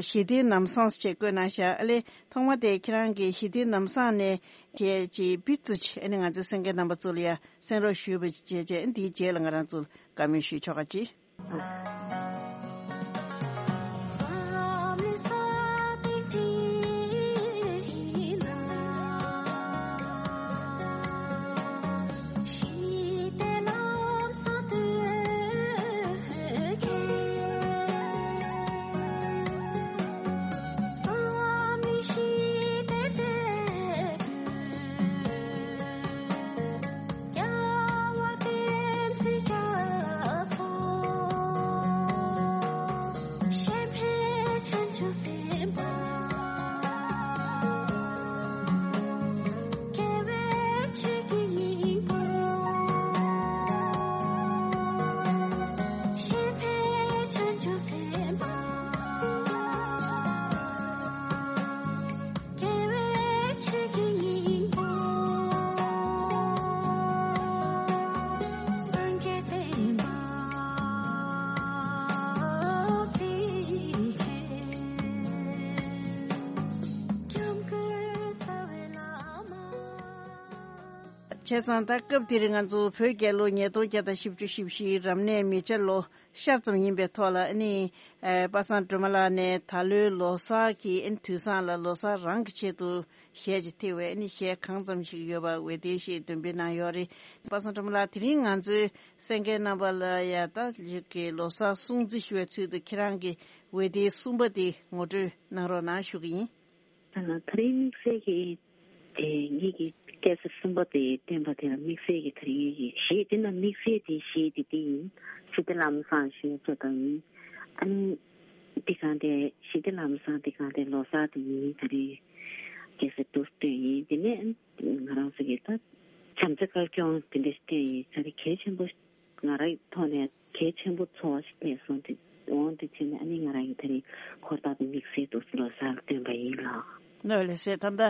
ཞི་བདེའི་ལམ་བཟང་ཞེས་བཀོད་གནང་ཤག་ཨ་ལས་ཐོག་མ་དེ་ཁྱེད་རང་གིས་ཞི་བདེའི་ལམ་བཟང་ནས་བྱས་ཅིག་བི་ཙུ་ཅི་ཨ་ནི་ང་ཚོའི་གསན་མཁན་རྣམ་པ་ཚོ་ལ་ཡ་གསན་རོགས་ཞུས་པ་བྱས་བྱས་ཨ་ནི་དེའི་རྗེས་ལ་ང་རང་ཚོ་བཀའ་མོལ་ཞུས་ཆོག་ག་ཅིག་བྱས་ཙང་ད་སྐབས་འདིར་ང་ཚོ་བོད་རྒྱལ་ལོ་ཉིས་སྟོང་བརྒྱ་དང་བཞི་བཅུ་ཞེ་བཞིའི་རབ་གནས་མེ་བྱ་ལོ་ཤར་ཙམ་ཡིན་པའི་ཐོག་ལ་ཨ་ནི་ཨ་པ་སངས་སྒྲོལ་མ་ལགས་ནས་ད་ལོའི་ལོ་གསར་གྱི་ཨ་ནི་དུས་བཟང་ལ་ལོ་གསར་རང་གི་ཆེད་དུ་གཞས་ཅིག་ཐེ་བའི་ཨ་ནི་གཞས་གང་ཙམ་ཞིག་ཡོད་པ་འོད་སྡེར་ཞེས་འདོན་སྤེལ་གནང་ཡོད་རེད། པ་སངས་སྒྲོལ་མ་ལགས་དེ་རིང་ང་ཚོའི་གསན་མཁན་རྣམ་པ་ལ་ཡ་ད་ལོ་གསར་སྲུང་བརྩི་ཞུ་བའི་ཚུལ་དུ་ཁྱེད་རང་གི་འོད་སྡེར་གསུམ་པ་དེ་ངོ་སྤྲོད་གནང་རོགས་གནང་ཞུ་གི་ཡིན། ད་རིང་དམིགས་བསལ་གྱི་དེ་ངེད་ཀྱི་སྐྱ་སེར་གསུམ་པ་དེ་བསྟན་པ་དེ་ལ་དམིགས་བསལ་གྱི་དེ་རིང་གི་གཞས་དེ་ན་དམིགས་བསལ་དེ་གཞས་དེ་དེ་ཡིན། ཞི་བདེ་ལམ་བཟང་ཞུ་ཡ་ཆེད་དུ་ཡིན། ཨ་ནི་དེ་གང་དེ་ཞི་བདེ་ལམ་བཟང་དེ་གང་དེ་ལོ་གསར་དེ་ཡིན། དེ་རིང་སྐྱ་སེར་དུ་བསྟན་ཡིན། དེ་ནས་ང་རང་ཚོ་གི་ད་བྱམས་བརྩེ་དཀར་སྐྱོང་དེ་འདྲ་བསྟན་ཡིན། དེ་རིང་གལ་ཆེན་པོ་ང་རའི་ཐོག་ནས་གལ་ཆེན་པོ་ཚོར་བ་ཞིག་སླེབས་སོང་། དེ་འོང་དུས་ཕྱིན་ནས་ཨ་ནི་ང་རང་གིས་དེ་རིང་འཁོར་ཐག་དེ་དམིགས་བསལ་དུ་ལོ་གསར་ལ་བཏོན་པ་ཡིན་ལགས། ལགས་ལགས་སེ། ད་ལྟ་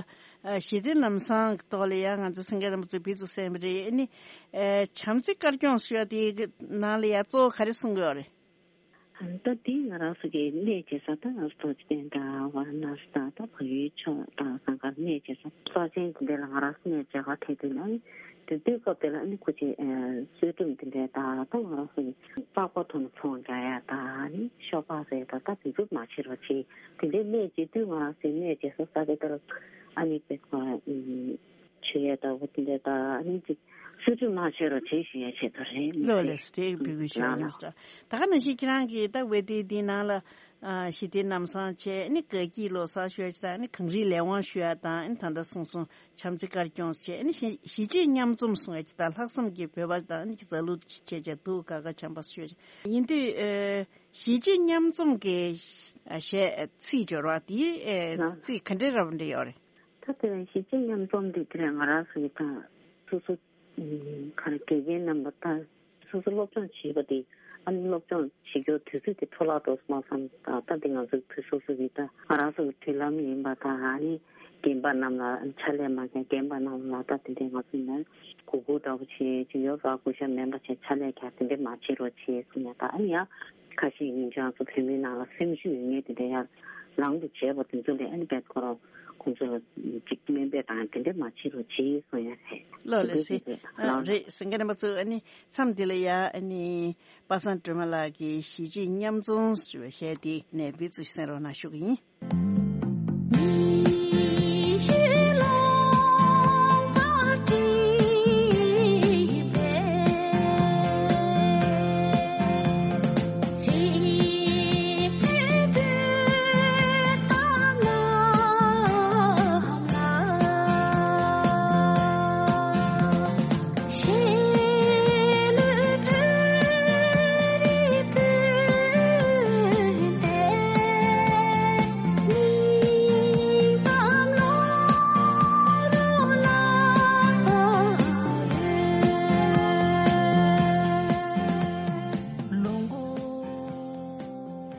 ཨ་ཞི་བདེ་ལམ་བཟང་གི་ཐོག་ལ་ཡང་ང་ཚོ་སེང་གེ་རིན་པོ་ཆེ་འབུ་ཚུགས་གསན་པ་རེད། ཨ་ནི་ཨ་བྱམས་བརྩེ་དཀར་སྐྱོང་ཞུ་བ་དེའི་ནང་ལ་ཡང་གཙོ་བོ་ག་རེ་གསུང་གི་ཡོད་རེད། ད་འདི་ང་རང་ཚོ་གི་གནས་བྱེད་ས་ད་ང་ཚོ་རྡོ་རྗེ་གདན་དང་ཝཱ་ར་ཎ་སི་དང་ད་བལ་ཡུལ་ཕྱོགས་དང་ཟངས་དཀར་གནས་བྱེད་ས་ས་ཆེན་དེ་འདྲ་ལ་ང་རང་ཚོ་གནས་བྱེད་ག་ཐད་དུ་ནི་དེ་དུས་སྐབས་དེ་ལ་ནི་ཁོ་ཆེ་གསོལ་སྒྲོམ་དེ་འདྲ་དང་ད་ང་རང་ཚོ་གི་པགས་པ་ཐོག་ནས་ཚོང་རྒྱག་ཡ་དང་ནི་ཤོ་སྦག་རེད་ད་ད་དེ་ཚོ་མ་བྱེད་རོགས་བྱེད། དེ་འདྲའི་གནས་བྱེད་དུས་ང་རང་ཚོའི་གནས་བྱེད་ས་ས་དེ་ལྟར་ཨ་ནི་དཔེ་ཁོ་ཆོས་ཡ་ད་འོ་དེ་འདྲ་ད་ཨ་ནི་ཅིག་སུ་ཅུ་མ་ཤེས་རོ་བྱེད་ཞུ་ཡ་ཆེད་དུ་རེད། ལོ་ལེ་སི་དེ་བི་གུ་ཤོ་ལ་ལ་ལ་ལ། ད་ག་ནང་བཞིན་ཁྱེད་རང་གིས་ད་ཝེ་ཏེ་འདི་ནང་ལ་ཨ་ཞི་བདེ་ལམ་བཟང་བྱས་ཨ་ནི་དགའ་སྐྱིད་ལོ་གསར་ཞུ་ཡ་ཅིག་དང་ཨ་ནི་གངས་རིའི་ལས་དབང་ཞུ་ཡ་དང་ཨ་ནི་ད་ལྟ་གསུངས་སོང་བྱམས་བརྩེ་དཀར་སྐྱོང་བྱས་ཨ་ནི་གཞིས་གཞིས་བྱེས་མཉམ་འཛོམས་གསུང་ཡ་ཅིག་དང་ལྷག་བསམ་གྱི་བོད་པ་དང་ཨ་ནི་རྩ་ལུགས་བྱས་བྱས་འདུག་ག་ག་བྱམས་པ་ཞུ་ཡ་ཅིག་ཡིན་དུས་ཨ་གཞིས་བྱེས་མཉམ་འཛོམས་ཀྱི་ཨ་གཞས་ཚིག་སྦྱོར་བ་དེ་ཨ་ཚིག་ག་འདྲའི་རབ་འདྲ་ཡོད་རེད། ད་དེ་རིང་གཞིས་བྱེས་མཉམ་འཛོམས་འདི་དེ་རིང་ང་རང་ཚོ་ཡི་ད་སོ་སོ་ག་རེ་དགེ་རྒན་རྣམ་པ་ད་སོ་སོ་སློབ་སྦྱོང་བྱེད་པ་དེ་ཨ་ནི་སློབ་སྦྱོང་བྱེད་རྒྱུ་དུས་ཚོད་དེ་འཕྲོ་བརླག་འགྲོ་སོང་བསམ། ད་ད་དེ་ང་ཚོ་དུས་སོ་སོ་གི་ད་ང་རང་ཚོ་གི་མཐུན་ལམ་ཡིན་པ་དང་ཨ་ནི་རྒན་པ་རྣམས་ལ་ཕྱག་ལས་མ་བྱས་རྒན་པ་རྣམས་ལ་ད་དེ་འདྲའི་ང་ཚོ་ནས་གུས་བཀུར་འདྲ་པོ་བྱེད་ཀྱི་ཡོད་པ་གུས་ཞབས་མེད་པ་བྱས་ཕྱག་ལས་རྒྱག་དེ་འདྲའི་མ་བྱེད་རོགས་བྱེད་གསུངས་ཡ། ད་ཨ་ནི་ཡང་ཁ་ཤས་ཡིན་ཀྱང་ཚོ་བོད་མི་ནང་ལ་སེམས་ཤུགས་ཡོད་ངེས་དེ་འདྲ་ཡང་ལང་དུ་བྱས་པ་དེ་ཚོ་ལས་ཨ་ནི་བེད་ཁོ་རང་ཁོང་ཚོ་ལ་ཅིག་སྨན་པས་དང་དེ་འདྲ་མ་བྱེད་རོགས་བྱེད་གསུང་ཡ་རེད། ལོ་ལེ་སེ། དེ་འདྲ་ཨ་རེད་སེང་གེ་རིན་པོ་ཆེ། ཨ་ནི་མཚམས་འདི་ལ་ཡ་ཨ་ནི་པ་སངས་སྒྲོལ་མ་ལགས་ཀྱིས་གཞིས་བྱེས་མཉམ་འཛོམས་ཞེས་པའི་གཞས་དེ་ནས་འབུ་ཚུགས་གསན་རོགས་གནང་ཞུ་གི་ཡིན།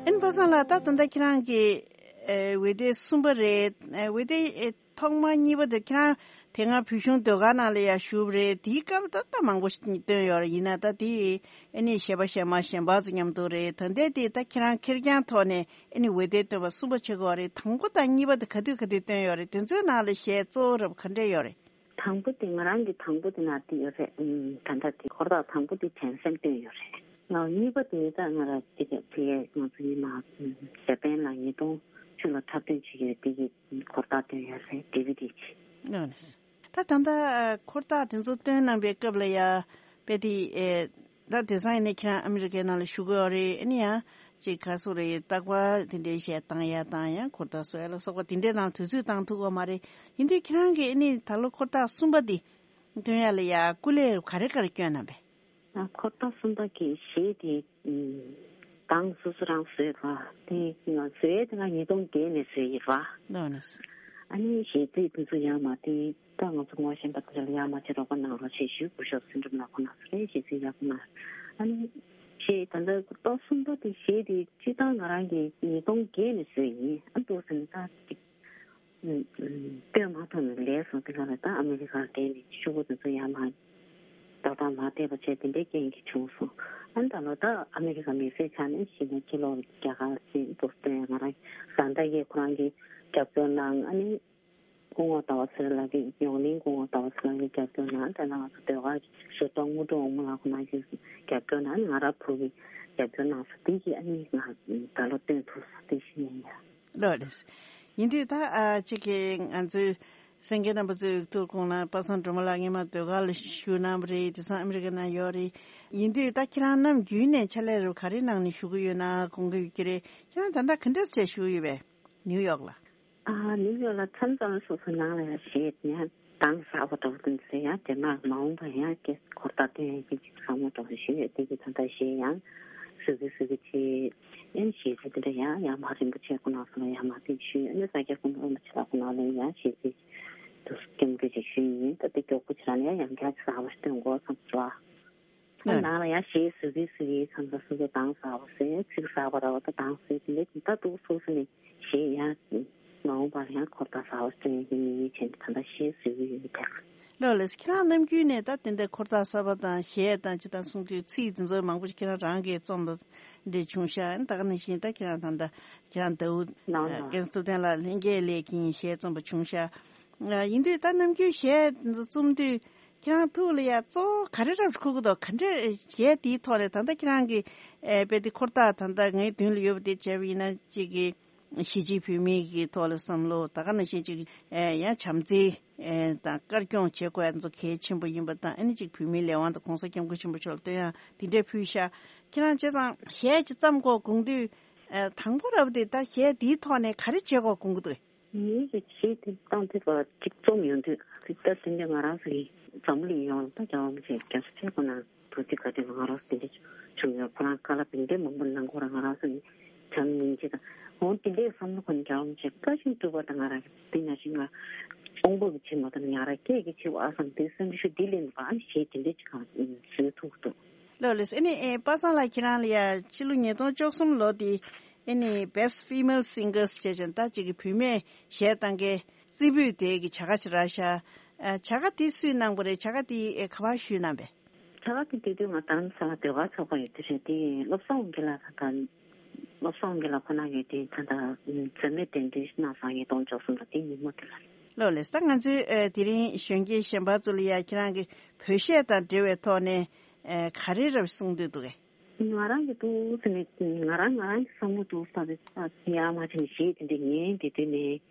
ཨན་པ་སངས་ལགས། ད་ད་ལྟ་ཁྱེད་རང་གི་ཨེ་ཝེ་ཏེ་གསུམ་པ་རེད། ཨེ་ཝེ་ཏེ་ཨེ་ཐོག་མ་གཉིས་པ་དེ་ཁྱེད་རང་དེ་སྔ་བོད་གཞུང་ཟློས་གར་ནང་ལ་ཡང་ཞུགས་པ་རེད། དེའི་སྐབས་ད་ལྟ་མང་པོ་ཞིག་བཏོན་ཡོད་རེད། ཡིན་ན་ད་དེ་ཨ་ནི་གཞས་པ་གཞས་མ་གཞན་པ་ཚོ་མཉམ་དུ་རེད། ད་ལྟའི་དེ་ད་ཁྱེད་རང་ཁེར་རྐྱང་ཐོག་ནས་ཨ་ནི་ཝེ་ཏེ་བཏོན་པ་གསུམ་པ་བྱེད་དགོས་རེད། དང་པོ་དང་གཉིས་པ་དེ་ག་དུས་ག་དུས་བཏོན་ཡོད་རེད། དེ་ཚོའི་ནང་ལ་གཞས་གཙོ་བོ་རབ་ག་འདྲས་ཡོད་རེད། དང་པོ་དེ་ང་རང་གི་དང་པོ་དེ་ན་དེ་ཡོད་རེད། ཨུམ། ད་ལྟ་དེ་འཁོར་ཐག་དང་པོ་དེ་དྲན་གསོ་བཏོན་ཡོད་རེད། ང་གཉིས་པ་དེ་ད་ང་རང་དེ་ག་དེ་ང་ཚོ་ཡིན་ན་ཨུམ་ཇ་པན་ལ་ཉིས་སྟོང་བཅུ་ལ་འཁྲབ་སྟོན་བྱེད་ཀྱི་ཡོད། དེ་གི་འཁོར་ཐག་བཏོན་ཡོད་རེད། ཌི་ཝི་ཌི་ཅིག་ཨ་ནི། ད་ད་ལྟ་འཁོར་ཐག་དེ་ཚོ་བཏོན་གནང་པའི་སྐབས་ལ་ཡ་དཔེ་དེ་ཨེ། ད་དེང་སང་ཡིན་ནའི་ཁྱེད་རང་ཨ་མི་རི་ཀའི་ནང་ལ་བཞུགས་ཀྱི་ཡོད་རེད། ཨ་ནི་ཡང་ཅིག་ག་སོ་རེད། རྟག་པར་དེ་འདྲའི་གཞས་བཏང་ཡ་དང་ཡང་འཁོར་ཐག་བཟོ་ཡ་ལ་སོགས་པ་དེ་འདྲའི་ནང་དུས་ཚོད་བཏང་ཐུབ་ཀྱི་ཡོད་མ་རེད། ཡིན་དུས་ཁྱེད་རང་གིས་ཨ་ནི་ད་ལོ་འཁོར་ཐག་གསུམ་པ་འདི་བཏོན་ཡ་ལ་ཡ་སྐུ་ལས་ག་རེ་ག་རེ་བསྐྱོན་གནང་པས། ཨ་འཁོར་ཐག་གསུམ་པ་གི་གཞས་དེ་ཨུམ་གདངས་སོ་སོ་རང་བཟོས་པ་དེ་ང་བཟོས་དེ་ང་ཉིས་སྟོང་བརྒྱད་ནས་བཟོས་ཡིན་པ། ལོ་ནས། ཨ་ནི་གཞས་ཚིག་དེ་ཚོ་ཡང་མ་དེ། ད་ང་ཚོ་ངོ་ཤེས་པ་དེ་ལ་ཡར་མར་ཅིག་རོགས་པ་གནང་རོགས་ཞེས་ཞུས། སྐུ་ཞབས་སེང་སྒྲོལ་མ་ལགས་ཁོང་རྣམ་ཚོ་ལ་གཞས་ཚིག་ཡག་པོ་གནང་། ཨ་ནི་གཞས་ད་ལྟ་ཏོག་གསུམ་པ་དེ་གཞས་དེ་སྤྱིར་བཏང་ང་རང་གིས་ཉིས་སྟོང་བརྒྱད་ནས་བཟོས་ཡིན། ཨ་འདུག་ཟེར་ན་ད་ཅིག་སྟོན་མ་ཐུབ་ནས་ལས་སོང་། དེ་ག་ལ་ད་ཨ་མི་རི་ཀར་བསྡད་ནས་ཤོག་བུ་དེ་ཚོ་ཡར་མར་ཏག་ཏག་མ་བལྟས་པ་བྱས་དེ་འདྲའི་རྐྱེན་གྱིས་བྱུང་སོང་། ཨ་ནི་ད་ལོ་ད་ཨ་མི་རི་ཀ་མི་སེར་ཆགས་ནས་གཞི་ནས་ཕྱི་ལོགས་རྒྱ་གར་ཕྱིན་འདུག་སྟོན། ང་རང་བཟའ་ཟླ་གིས་ཁོ་རང་གིས་རྒྱབ་སྐྱོར་གནང་། ཨ་ནི། སྐུ་ངོ་ཟླ་བ་ཚེ་རིང་ལགས་ཀྱིས་ཡོངས་གླིང་སྐུ་ངོ་ཟླ་བ་ཚེ་རིང་ལགས་ཀྱིས་རྒྱབ་སྐྱོར་གནང་། དེ་ནས་ང་ཚོ་ཟློས་གར་གཞས་གཏོང་དངོས་གྲུབ་དབང་མོ་ལགས་ཁོང་རྣམ་ཚོས་རྒྱབ་སྐྱོར་གནང་། ང་རང་བུ་གིས་རྒྱབ་སྐྱོར་གནང་སོང་། དེ་གིས་ཨ་ནི་ང་ད་ལོ་སྟོན་ཐུབ་སོང་། དེ་བཞིན་ཡིན་ཡ། ལགས་རེད། ཡིན་དུས་ད་ཨ་གཅིག་གིས་ང་ཚོའི་སེང་གེ་རྣམ་པ་ཚོའི་ཐུགས་དགོངས་ལ་པ་སངས་སྒྲོལ་མ་ལགས་སྔོན་མ་ཟློས་གར་ལ་ཞུགས་གནང་བ་རེད། དེང་སང་ཨ་མི་རི་ཀ་ནང་ཡོད་རེད། ཡིན་དུས་ད་ཁྱེད་རང་ནམ་རྒྱུན་ནས་ཕྱག་ལས་རུ་ག་རེ་གནང་ནས་བཞུགས་ཀྱི་ཡོད་ན་དགོངས་ཀྱི་ཡོད་ཀྱི་རེད། ཁྱེད་རང་ད་ལྟ་ག་འདྲས་བྱས་བཞུགས་ཡོད་པས་ནིའུ་ཡོག་ལ། ཨ་ནིའུ་ཡོག་ལ་མཚམས་མཚམས་སོ་སོ་ནང་ལ་ཡང་གཞས་ཡང་གདངས་གསར་པ་འདྲ་པོ་འདུག་ཟེར། ཡང་རྗེས་མ་མ་འོངས་པ་ཡང་སྐད་འཁོར་ཐག་སྟོན་ཡག་གི་ཅིག་བསམ་བློ་འདྲ་པོ་ཞིག་ཡོད། དེ་གི་ད་ལྟ་གཞས་ཡང་བཟོ་གི་བཟོ་གི་བྱས། ཨེ་གཞས་ཚིག་དེ་འདྲ་ཡང་ཡང་མ་རིན་པོ་ཆེ་ཁོ་ན་ཚོ་ལ་ཡང་མ་དེ་ཞུས། ཨེ་ས་སྐྱ་ཀུན་སློང་རིན་པོ་ཆེ་ལགས་ཁོ་ན་ལ་ཡང་གཞས་ཚིག་དུ་སྐྱོན་གི་ཅིག་ཞུས་ཡིན། ད་དེ་མགྱོགས་པོ་ཆེ་རང་ལ་ཡང་ཡང་བསྐྱར་ཅིག་གསར་པ་ཞིག་སྟོན་དགོས་བསམ་སོང་། ཨ་ནང་ལ་ཡང་གཞས་བཟོ་གི་བཟོ་གི་མཚམས་མཚམས་སོ་སོ་གདངས་གསར་པ་བཟོས། ཚིག་གསར་པ་འདྲ་པོ་ད་གདངས་བཟོས། དེ་འདྲ་ད་འདུག་སོ་སོ་ནས་གཞས་ཡང་ མ་འོངས་པར་ཡང་འཁོར་ཐག་གསར་པ་བརྩི་ཡག་གི་དམིགས་ཡུལ་བྱས་ནས་ད་ལྟ་གཞས་བཟོས་ཀྱི་ཡོད་ཀྱང་། ལགས་ལགས། ཁྱེད་རང་ནམ་རྒྱུན་ནས་ད་དེ་འདྲའི་འཁོར་ཐག་གསར་པ་དང་གཞས་དང་ཅི་དང་གསུང་དུས་ཚིག་འདི་ཚོ་མང་པོ་ཞིག་ཁྱེད་རང་རང་གིས་རྩོམ་པ་འདྲ་བྱུང་ཤག་ད་ག་ནང་བཞིན་ད་ཁྱེད་རང་ད་ལྟ་ཁྱེད་རང་ཟླ་བོ་ནང་ལ་རྒན་ཐུབ་བསྟན་ལགས་ལྷན་རྒྱས་ལས་ཀྱིན་གཞས་རྩོམ་པ་བྱུང་ཤག་ཡིན་དུས་ད་ནམ་རྒྱུན་གཞས་འདི་ཚོ་རྩོམ་དུས་ཁྱེད་རང་ཐུགས་ལ་ཡ་གཙོ་བོ་ག་རེ་རབ་འཁོར་གི་འདུག་ག་འདྲ་གཞས་འདིའི་ཐོག་ནས་ད་ལྟ་ཁྱེད་རང་གི་ཨེ་དཔེ་དེ་འཁོར་ཐག་ད་ལྟ་ངའི་མདུན་ལ་ཡོད་པ་དེ་བྱས་པ་ཡིན་ན་གཅིག་གི་གཞིས་བྱེས་བོད་མིའི་གི་ཐོག་ལ་བསམ་བློ་ད་ག་ནང་བཞིན་ཅིག་ཨེ་ཡང་བྱམས་བརྩེ་ཨེ་དང་དཀར་སྐྱོང་བྱེད་དགོས་ཡ་ཚོ་གལ་ཆེན་པོ་ཡིན་པ་དང་ཨ་ནི་ཅིག་བོད་མིའི་ལས་དབང་དང་གོང་ས་སྐྱབས་མགོན་ཆེན་པོ་མཆོག་ལ་བསྟོད་དབྱངས་དེ་འདྲས་ཕུལ་ཤག་ཁྱེད་རང་བྱས་ཙང་གཞས་ཅིག་བརྩམ་དགོས་དགོངས་དུས་ཨེ་དང་པོ་རབ་དེ་ད་གཞས་འདིའི་ཐོག་ནས་ག་རེ་བྱེད་དགོས་དགོངས་ཀྱི་འདུག་ངའི་གི་གཞས་དེ་བཏང་ཐུབ་པ་གཅིག་རྩོམ་ཡོང་དུས་ད་དེ་འདྲ་ང་རང་ཚོ་གི་འཛམ་བུ་གླིང་ཡོངས་ལ་ད་རྒྱལ་བ་རིན་པོ་ཆེ་རྒྱལ་སྲས་ཆེན་པོ་ནང་དུ་ཅིག་ག་དུས་ང་རང་ཚོ་དེ་འདྲ་བྱུང་ཡོད། ཁོ་རང་བཀའ་སློབ་དེ་འདྲའི་མང་པོ་གནང་ཁོ་རང་ང་རང་ཚོ་གི་བྱམས་སྙིང་རྗེ་དང་འོ་དེ་འདྲའི་བསམ་བློ་ཁོ་ནས་རྒྱལ་བ་རིན་པོ་ཆེ་བཀའ་བཞིན་སྒྲུབ་པ་དང་ང་རང་དེ་ནང་བཞིན་ང་དཔོན་པོ་གི་ཆེ་མ་དང་ང་རང་སྐད་ཀྱི་ཆེ་བ་ཨ་བསམ་དེ་བསམ་ཤུགས་དེ་ལེན་པ་ཨ་ནི་གཞས་དེ་འདྲའི་ཅིག་གང་བཟོས་ཐུབ་ཀྱི་འདུག་ལགས་ལགས། ཨ་ནི་ཨེ་པ་སངས་ལགས་ཁྱེད་རང་ལ་ཡ་ཕྱི་ལོ་ཉིས་སྟོང་བཅུ་གསུམ་ལོ་དེ་ཨ་ནི་Best Female Singers བྱས་ཙང་ད་ཅིག་གི་བུད་མེད་གཞས་བཏང་མཁན་རྩེ་ཕུད་དེ་གི་བྱ་དགའ་ཅིག་རག་ཤག་ཨ་བྱ་དགའ་དེ་སུས་གནང་པ་རེད། བྱ་དགའ་དེ་ཨེ་ག་པར་ཞུས་གནང་པས། བྱ་དགའ་དེ་དེ་དུས་ང་རྡ་རམ་ས་ལ་ཟློས་གར་ཚོགས་པ་ཡོད་དུས་རེད་དེ་བློ་བཟང་དབང་རྒྱལ་ལགས་དང་བློ་བཟང་དབང་རྒྱལ་ལགས་ཁོ་ན་གིས་དེ་ད་ལྟ་མཛད་མེད་གདན་འདྲེན་གནང་སོང་ཉིས་སྟོང་བཅུ་གསུམ་ལོ་དེ་ཉིན་མོ་དེ་ལ། ལགས་ལགས། ད་ང་ཚོའི་ཨེ་དེ་རིང་གཞོན་སྐྱེས་གཞན་པ་ཚོ་ལ་ཡ་ཁྱེད་རང་གི་བོད་གཞས་དང་འབྲེལ་བའི་ཐོག་ནས་ཨེ་ག་རེ་རབ་གསུང་འདོད་འདུག་གས། ང་རང་གི་འདུག་ཟེར་ནས་ང་རང་ང་རང་གི་བསམ་བློ་འདུག་ས་རེད། ཡ་མ་བྱས་ནས་གཞས་དེ་འདྲ་ཉན་དེ་དུས་ནས་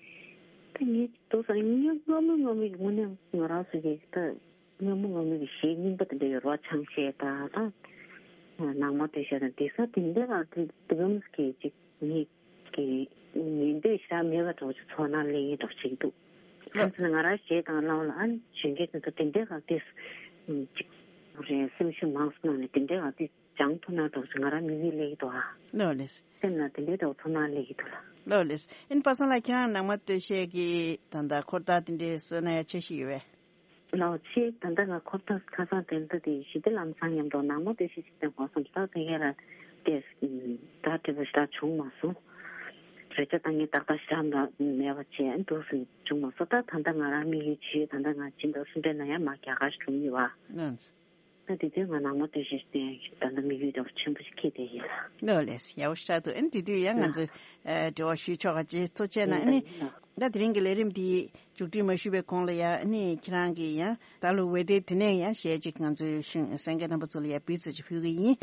ད་ངས་འདུག་ས་ངས་སྔ་མོ་སྔ་མོའི་དངོས་གནས་ང་རང་ཚོ་གི་ད། སྔ་མོ་སྔ་མོ་གི་གཞས་རྙིང་པ་དེ་འདྲ་ཡོད་རེད་བ། ཆང་གཞས་དང་ད་ནང་མ་སྟོད་གཞས་དང་དེང་སང་དེ་འདྲ་ལ་དེ་དེ་གམ་གི་ཅིག་ངེད་ཀྱི་ཉན་འདོད་ཞེ་དྲག་མེད་པ་འདྲ་བོ་ཅིག་ཚོར་སྣང་སླེབས་ཡིན་འདྲ་བོ་ཅིག་འདུག་ལགས། ཁྱེད་ཚོ་ང་རང་གཞས་དང་བླངས་ལ་ཨ་ནི་གཞོན་སྐྱེས་དེ་ཚོ་དེ་འདྲ་ལ་དེ་ཅིག་རེད་སེམས་ཤུགས་མང་སོང་ནས་དེ་འདྲ་ལ་དེ་སྦྱང་ཐུབ་ན་འདྲ་བོ་ཅིག་ང་རང་དམིགས་ཡུལ་སླེབས་ཀྱི་འདུག་ཨ། ལགས་ལགས། སེམས་ལ་དེ་འདྲ་འདྲ་བོ་ཚོར་སྣང་སླེབས་ཀྱི་འདུག་ལགས། ལགས་ལགས། ཨ་ནི་པ་སངས་ལགས་ཁྱེད་རང་ནང་མ་སྟོད་གཞས་ཀྱི་ད་ལྟ་འཁོར་ཐག་དེ་འདྲའི་བཟོས་ན་ཡ་འཆར་གཞི་ཡོད་པས། ལགས་ཆེ། ད་ལྟ་ང་འཁོར་ཐག་ཁ་སང་དེ་ལྟ་དེ་ཞི་བདེ་ལམ་བཟང་མཉམ་དུ་ནང་མ་སྟོད་གཞས་ཤིག་བཏོན་དགོས་བསམ་ད་དེ་ག་ལ་དེ་ད་དྲི་བ་ཞེ་དྲག་བྱུང་མ་སོང་། རེ་ཆ་ད་ངས་ཏག་ཏག་ཞེ་དྲག་འདྲ་མེད་པ་བྱས་འདུག་ཟིན་བྱུང་མ་སོང་། ད་ད་ལྟ་ང་རང་དམིགས་ཡུལ་བྱས་ད་ལྟ་ང་ཕྱི་ཟླ་གསུམ་པའི་ནང་ཡང་མ་རྒྱ་གར་ཞིག་འགྲོ་གི་ཡོད་པ། ལགས། ད་དེ་དུས་ང་ནང་མ་སྟོད་གཞས་ཤིག་བཏོན་ད་ལྟ་དམིགས་ཡུལ་འདྲ་བོ་ཆེན་པོ་ཞིག་འཁྱེར་བསྡད་ཡིན་ལ། ལགས་ལགས། ཡག་པོ་ཞེ་དྲག་འདུག་ཨ་ནི་དེ་དུས་ཡང་ང་ཚོས་ཨ་འབྲེལ་བ་ཞུས་ཆོག་ག་ཅེས་ཐུགས་རྗེ་གནང་། ཨ་ནི་ད་དེ་རིང་གི་ལས་རིམ་འདི་མཇུག་སྒྲིལ་མ་ཞུས་པའི་གོང་ལ་ཡ་ཨ་ནི་ཁྱེད་རང་གིས་ཡང་ད་ལོ་འོད་སྡེར་དེ་ནས་ཡང་གཞས་གཅིག་ང་ཚོའི་གཞུང་གསན་མཁན་རྣམ་པ་ཚོ་ལ་ཡ་འབུལ་ཚུལ་ཅིག་ཕུལ་གི་ཡིན།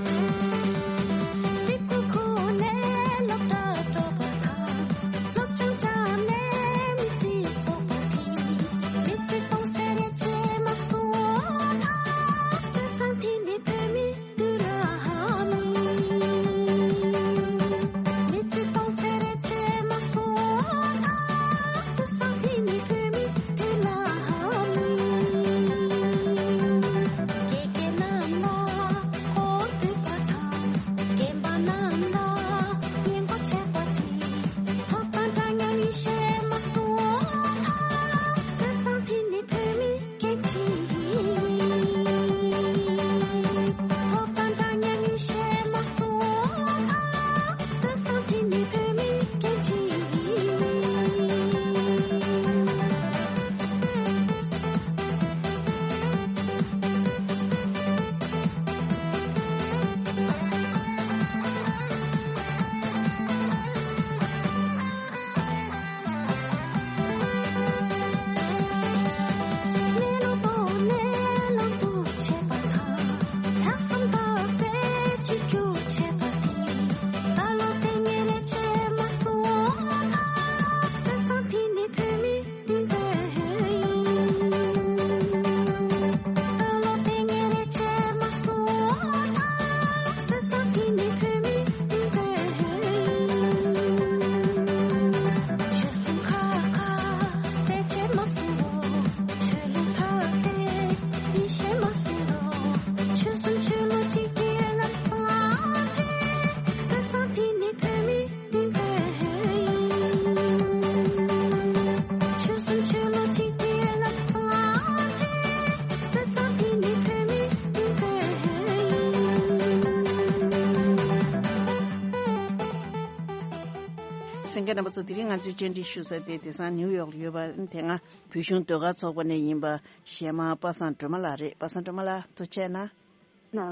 གསན་མཁན་རྣམ་པ་ཚོ། དེ་རིང་ང་ཚོའི་བཅར་འདྲི་ཞུ་ས་དེ་དེང་སང་ནིའུ་ཡོག་ལ་ཡོད་པ། དེ་སྔ་བོད་གཞུང་ཟློས་གར་ཚོགས་པ་ནས་ཡིན་པ་གཞས་མ་པ་སངས་སྒྲོལ་མ་ལགས་རེད། པ་སངས་སྒྲོལ་མ་ལགས་ཐུགས་རྗེ་གནང་།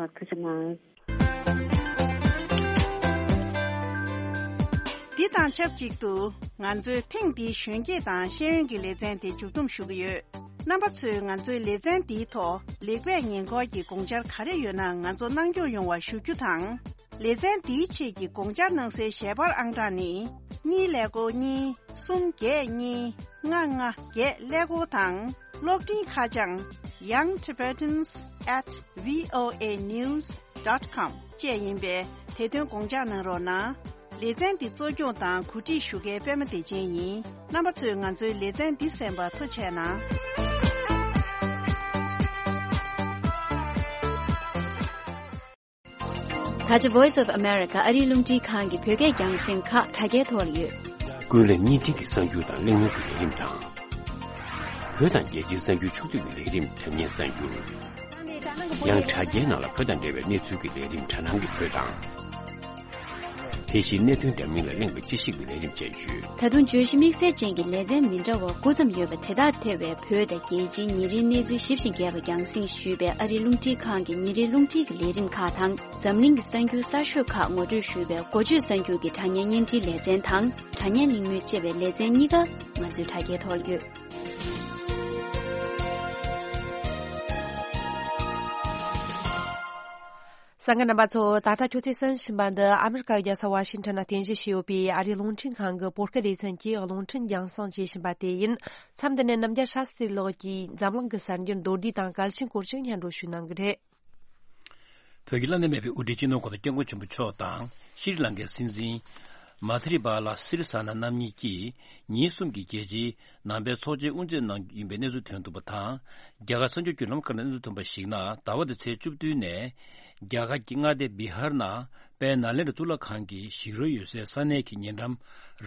ལགས་ཐུགས་རྗེ་གནང་། འདི་དང་ཆབས་ཅིག་ཏུ་ང་ཚོའི་ཐེངས་འདིའི་གཞོན་སྐྱེས་དང་ཤེས་ཡོན་གྱི་ལེ་ཚན་དེ་མཇུག་བསྡོམས་ཞུ་གི་ཡོད། རྣམ་པ་ཚོས་ང་ཚོའི་ལེ་ཚན་འདིའི་ཐོག་ལེགས་སྤེལ་ཉེ་འཁོར་གྱི་དགོངས་འཆར་ག་རེ་ཡོད་ན་ང་ཚོ་གནང་སྐྱོང་ཡོང་བ་ཞུ་རྒྱུ་དང་། ལེ་ཚན་འདིའི་ཆེད་ཀྱི་དགོངས་འཆར་གནང་སའི་ཞལ་པར་ཨང་གྲངས་ནི། གཉིས་ཀླད་ཀོར་གཉིས། གསུམ་བརྒྱད་གཉིས། ལྔ་ལྔ་བརྒྱད་ཀླད་ཀོར་དང་། གློག་འཕྲིན་ཁ་བྱང་young tibetans at voa news dot com བཅས་ཡིན་པས། དེ་དོན་དགོངས་འཇགས་གནང་རོགས་གནང་། ལེ་ཚན་འདི་གཙོ་སྐྱོང་དང་གོ་སྒྲིག་ཞུ་མཁན་པད་མ་བདེ་ཆེན་ཡིན། རྣམ་པ་ཚོས་ང་ཚོའི་ལེ་ཚན་འདི་གསན་པར་ཐུགས་རྗེ་གནང་། ད་ཆ་Voice of America ཨ་རིའི་རླུང་འཕྲིན་ཁང་གི་བོད་སྐད་རྒྱང་སྲིང་ཁག་དྲ་རྒྱའི་ཐོག་ལ་ཡོད། ཀུན་གླེང་བརྙན་འཕྲིན་གྱི་གསར་འགྱུར་དང་གླེང་མོལ་གྱི་ལས་རིམ་དང་། བོད་དང་རྒྱལ་སྤྱིའི་གསར་འགྱུར་ཕྱོགས་བསྡུས་ཀྱི་ལས་རིམ་དྲ་བརྙན་གསར་འགྱུར། ཡང་དྲ་རྒྱའི་ནང་ལ་བོད་དང་འབྲེལ་བའི་གནས་ཚུལ་གྱི་ལས་རིམ་དྲ་སྣང་གི་བོད་དང་། དེ་བཞིན་གནད་དོན་འདྲ་མིན་ལ་གླེང་བའི་དཔྱད་ཞིབ་ཀྱི་ལས་རིམ་བཅས་ཡོད། ད་དུང་བརྗོད་གཞི་དམིགས་བསལ་ཅན་གྱི་ལེ་ཚན་མི་འདྲ་བ་དགུ་ཙམ་ཡོད་པ་དེ་དག་ཐེ་བའི་བོད་དང་རྒྱལ་སྤྱིའི་ཉིན་རེའི་གནས་ཚུལ་ཞིབ་ཅིང་རྒྱས་པ་རྒྱང་སྲིང་ཞུས་པའི་ཨ་རིའི་རླུང་འཕྲིན་ཁང་གི་ཉིན་རེའི་རླུང་འཕྲིན་གྱི་ལས་རིམ་ཁག་དང་། འཛམ་གླིང་གི་གསར་འགྱུར་གསར་ཤོས་ཁག་ངོ་སྤྲོད་ཞུས་པའི་འགོ་བརྗོད་གསར་འགྱུར་གྱི་དྲ་བརྙན་བརྙན་འཕྲིན་ལེ་ཚན་དང་། དྲ་བརྙན་གླེང་མོལ་བཅས་པའི་ལེ་ཚན་གཉིས་ཀ་ང་ཚོའི་དྲ་རྒྱའི་ཐོག་ཡོད། གསན་མཁན་རྣམ་པ་ཚོ། ད་ལྟ་ཁྱོད་ཚོས་གསན་བཞིན་པ་འདི་ཨ་མི་རི་ཀའི་རྒྱལ་ས་ཝ་ཤིང་ཊོན་ན་རྟེན་གཞི་བྱས་ཡོད་པའི་ཨ་རིའི་རླུང་འཕྲིན་ཁང་གི་བོད་སྐད་ལེ་ཚན་གྱི་རླུང་འཕྲིན་རྒྱང་སྲིང་བྱེད་བཞིན་པ་དེ་ཡིན། མཚམས་འདི་ནས་རྣམ་རྒྱལ་ཤཱ་སྟི་ལགས་ཀྱིས་འཛམ་གླིང་གི་གསར་འགྱུར་མདོར་བསྡུས་དང་གལ་ཆེན་སྐོར་ཞིག་སྙན་སྒྲོན་ཞུ་གནང་གི་རེད། བོད་ཀྱི་བླ་ན་མེད་པའི་དབུ་ཁྲིད་སྤྱི་ནོར་གོང་ས་སྐྱབས་མགོན་ཆེན་པོ་མཆོག་དང་ཤྲི་ལང་ཀའི་སྲིད་འཛིན་མ་ཐི་རི་པཱ་ལ་སི་རི་སེ་ན་རྣམ་གཉིས་ཀྱིས་ཉིན་གསུམ་གྱི་རྒྱལ་སྤྱིའི་ནང་པའི་ཚོགས་ཆེན་དབུ་འབྱེད་གནང་རྒྱུ་ཡིན་པའི་གནས་ཚུལ་ཐོན་འདུག་པ་དང་། རྒྱ་གར་གསར་འགྱུར་བརྒྱུད་ལམ་ཁག་ནས་གནས་ཚུལ་ཐོན་པར་གཞིགས་ན། ཟླ་བ་འདིའི་ཚེས་བཅུ་བདུན་ནས་རྒྱ་གར་གྱི་མངའ་སྡེ་བི་ཧར་ནང་དཔལ་ནཱ་ལེནྡྲ་གཙུག་ལག་ཁང་གི་ཞིག་རོལ་ཡོད་སའི་ས་གནས་ཀྱི་ཉེ་འགྲམ་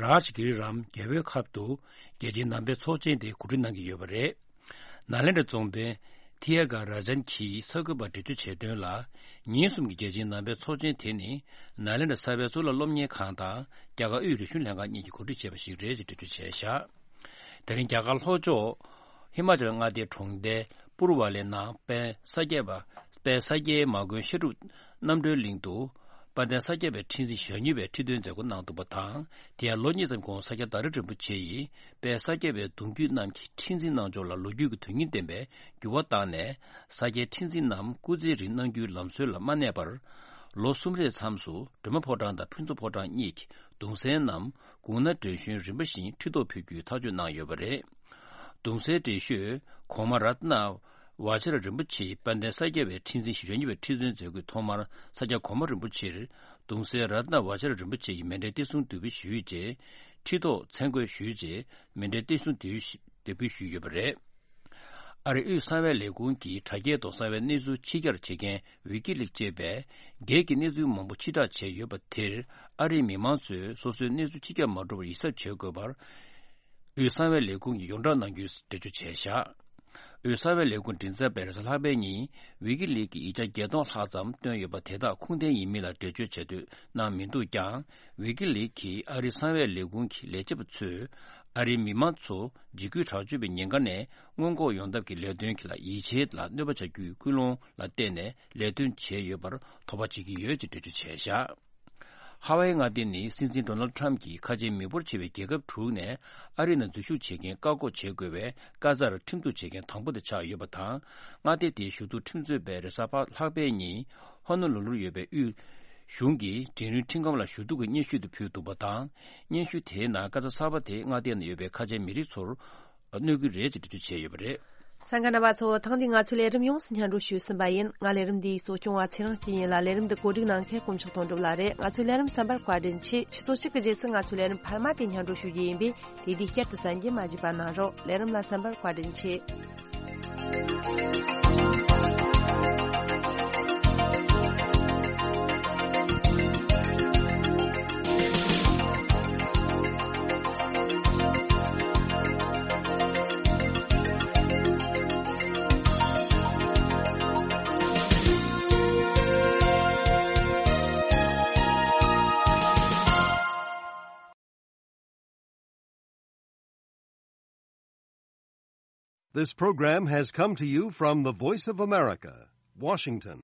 རཱཇ་གི་རི་རམ་རྒྱལ་པོའི་ཁབ་ཏུ་རྒྱལ་སྤྱིའི་ནང་པའི་ཚོགས་ཆེན་དེ་གོ་སྒྲིག་གནང་གི་ཡོད་པ་རེད། ནཱ་ལེནྡྲ་རྫོང་དཔོན་ཐི་ཡ་ག་ར་ཇན་གྱིས་གསར་འགོད་པར་འགྲེལ་བརྗོད་བྱས་དོན་ལ། ཉིན་གསུམ་གྱི་རྒྱལ་སྤྱིའི་ནང་པའི་ཚོགས་ཆེན་དེ་ནི་ནཱ་ལེནྡྲ་གསར་པའི་གཙུག་ལག་སློབ་གཉེར་ཁང་དང་རྒྱ་གར་དབུས་རིག་གཞུང་ལྷན་ཁང་གཉིས་ཀྱིས་གོ་སྒྲིག་བྱས་པ་ཞིག་རེད་ཅེས་འགྲེལ་བརྗོད་བྱས་བཞག་དེ་རིང་རྒྱ་གར་ལྷོ་ཕྱོགས་ཧི་མ་ཅལ་མངའ་སྡེའི་གྲོང་རྡལ་པུར་ཝ་ལེ་ནང་དཔལ་ས་སྐྱ་པ་དཔལ་ས་སྐྱའི་མ་དགོན་བཤད་སྒྲུབ་རྣམ་གྲོལ་གླིང་དུ་དཔལ་ལྡན་ས་སྐྱ་པའི་ཁྲི་འཛིན་ཞེ་གཉིས་པའི་ཁྲི་སྟོན་མཛད་སྒོ་གནང་འདུག་པ་དང་། དེ་ཡང་ལོ་གཉིས་ཙམ་གོང་ས་སྐྱ་བདག་ཁྲི་རིན་པོ་ཆེ་ཡིས་དཔལ་ས་སྐྱ་པའི་གདུང་རྒྱུད་རྣམས་ཀྱི་ཁྲི་འཛིན་གནང་ཕྱོགས་ལ་ལོ་རྒྱུས་ཀྱི་དོན་སྙིང་ལྡན་པའི་འགྱུར་བ་བཏང་ནས། ས་སྐྱའི་ཁྲི་འཛིན་རྣམས་སྐུ་ཚེའི་རིང་གནང་རྒྱུའི་ལམ་སྲོལ་ལ་མ་གནས་པར། ལོ་གསུམ་རེའི་མཚམས་སུ་སྒྲོལ་མ་ཕོ་བྲང་དང་ཕུན་ཚོགས་ཕོ་བྲང་གཉིས་ཀྱི་གདུང་སྲས་རྣམས་དགུང་ན་བགྲེས་གཞོན་རིམ་པ་བཞིན་ཁྲི་ཐོག་ཕེབས་རྒྱུའི་ཐག་གཅོད་གནང་ཡོད་པ་རེད། གདུང་སྲས་བགྲེས་གཞོན་གོང་མ་རཏྣ་བ་ཇ་ར་རིན་པོ་ཆེ་དཔལ་ལྡན་ས་སྐྱ་པའི་ཁྲི་འཛིན་ཞེ་གཉིས་པའི་ཁྲི་སྟོན་མཛད་སྒོའི་ཐོག་མར་ས་སྐྱ་གོང་མ་རིན་པོ་ཆེར་གདུང་སྲས་རཏྣ་བ་ཇ་ར་རིན་པོ་ཆེ་ཡིས་མཎྜལ་གཏེར་སྲུང་དེ་ཕུལ་ཞུས་རྗེས། ཁྲི་ཐོག་མཚན་བཀོད་ཞུས་རྗེས་མཎྜལ་གཏེར་སྲུང་དེ་ཕུལ་ཞུས་ཡོད་པ་རེད། ཨ་རིའི་དབུས་གསང་བའི་ལས་ཁུངས་ཀྱིས་དྲ་རྒྱའི་ཐོག་གསང་བའི་གནས་ཚུལ་ཕྱི་གྱར་བྱེད་མཁན་ཝི་ཀི་ལིག་ཅེས་པས་སྒེར་གྱི་གནས་ཚུལ་མང་པོ་ཕྱིར་བསྒྲགས་བྱས་ཡོད་པ་དེར། ཨ་རིའི་མི་མང་ཚོས་སོ་སོའི་གནས་ཚུལ་ཕྱི་གྱར་མ་འགྲོ་བར་ཡིད་གཟབ་བྱེད་དགོས་པར། དབུས་གསང་བའི་ལས་ཁུངས་ཀྱིས་ཡོངས་གྲགས་གནང་རྒྱུའི་འགྲེལ་བརྗོད་བྱས་བཞག་དབུས་གསང་བའི་ལས་ཁུངས་མགྲིན་ཚབ་པས་རེས་གཟའ་ལྷག་པའི་ཉིན་ཝི་ཀི་ལིག་གི་ཡིག་ཆ་བརྒྱད་སྟོང་ལྷག་ཙམ་བཏོན་ཡོད་པ་དེ་དག་ཁུངས་ལྡན་ཡིན་མིན་ལ་འགྲེལ་བརྗོད་བྱེད་འདོད་གནང་མི་འདུག་ཀྱང་། ཝི་ཀི་ལིག་གིས་ཨ་རིའི་གསང་བའི་ལས་ཁུངས་ཀྱི་ལས་བྱེད་པ་ཚོས་ཨ་རིའི་མི་མང་ཚོ་འཇིགས་སྐུལ་དྲག་སྤྱོད་པའི་ཉེན་ཁ་ནས་སྔོན་འགོག་ཡོང་ཐབས་ཀྱི་ལས་དོན་གྱི་ལ་ཡིད་ཆེས་ལ་གནོད་པ་བྱ་རྒྱུའི་ཀུན་སློང་ལ་བརྟེན་ནས་ལས་དོན་བྱས་ཡོད་པར་དོགས་པ་བྱེད་ཀྱི་ཡོད་ཅེས་འགྲེལ་བརྗོད་བྱས་བཞག་ཧ་ཝའི་མངའ་སྡེ་ནི་སྲིད་འཛིན་ཌོ་ནལ་ཊམ་གྱིས་ཁ་ཆེ་མི་འབོར་ཆེ་བའི་རྒྱལ་ཁབ་དྲུག་ནས་ཨ་རི་ནང་འཛུལ་ཞུགས་བྱེད་མཁན་བཀག་འགོག་བྱེད་དགོས་པའི་བཀའ་རྩར་ཁྲིམས་གཏུག་བྱེད་མཁན་དང་པོ་དེ་ཆགས་ཡོད་པ་དང་། མངའ་སྡེ་དེའི་ཞུ་གཏུག་ཁྲིམས་རྩོད་པས་རེས་གཟའ་ལྷག་པའི་ཉིན་ཧོ་ནོ་ལུ་ལུར་ཡོད་པའི་དབུས་གཞུང་གི་འབྲིང་རིམ་ཁྲིམས་ཁང་ལ་ཞུ་གཏུག་གི་སྙན་ཞུ་དེ་ཕུལ་འདུག་པ་དང་། སྙན་ཞུ་དེའི་ནང་བཀའ་རྩ་གསར་པ་དེ་མངའ་སྡེ་ནང་ཡོད་པའི་ཁ་ཆེ་མི་རིགས་ཚོར་གནོད་ཀྱི་རེད་ཅེས་འགྲེལ་བརྗོད་བྱས་ཡོད་པ་རེད། གསན་མཁན་རྣམ་པ་ཚོ། ཐེངས་འདིའི་ང་ཚོའི་ལས་རིམ་ཡོངས་སུ་སྙན་སྒྲོན་ཞུས་ཟིན་པ་ཡིན། ང་ལས་རིམ་འདིའི་གཙོ་སྐྱོང་བ་ཚེ་རིང་སྐྱིད་ཡིན་ལ། ལས་རིམ་འདི་གོ་སྒྲིག་གནང་མཁན་དཀོན་མཆོག་དོན་གྲུབ་ལགས་རེད། ང་ཚོའི་ལས་རིམ་གསན་པར་བཀའ་དྲིན་ཆེ། ཆུ་ཚོད་གཅིག་གི་རྗེས་སུ་ང་ཚོའི་ལས་རིམ་འཕར་མ་དེ་སྙན་སྒྲོན་ཞུ་རྒྱུ་ཡིན་པས། དེ་དུས་བསྐྱར་དུ་གསན་རྒྱུ་མ་བརྗེད་པ་གནང་རོགས། ལས་རིམ་ལ་གསན་པར་བཀའ་དྲིན་ཆེ། This program has come to you from the Voice of America, Washington.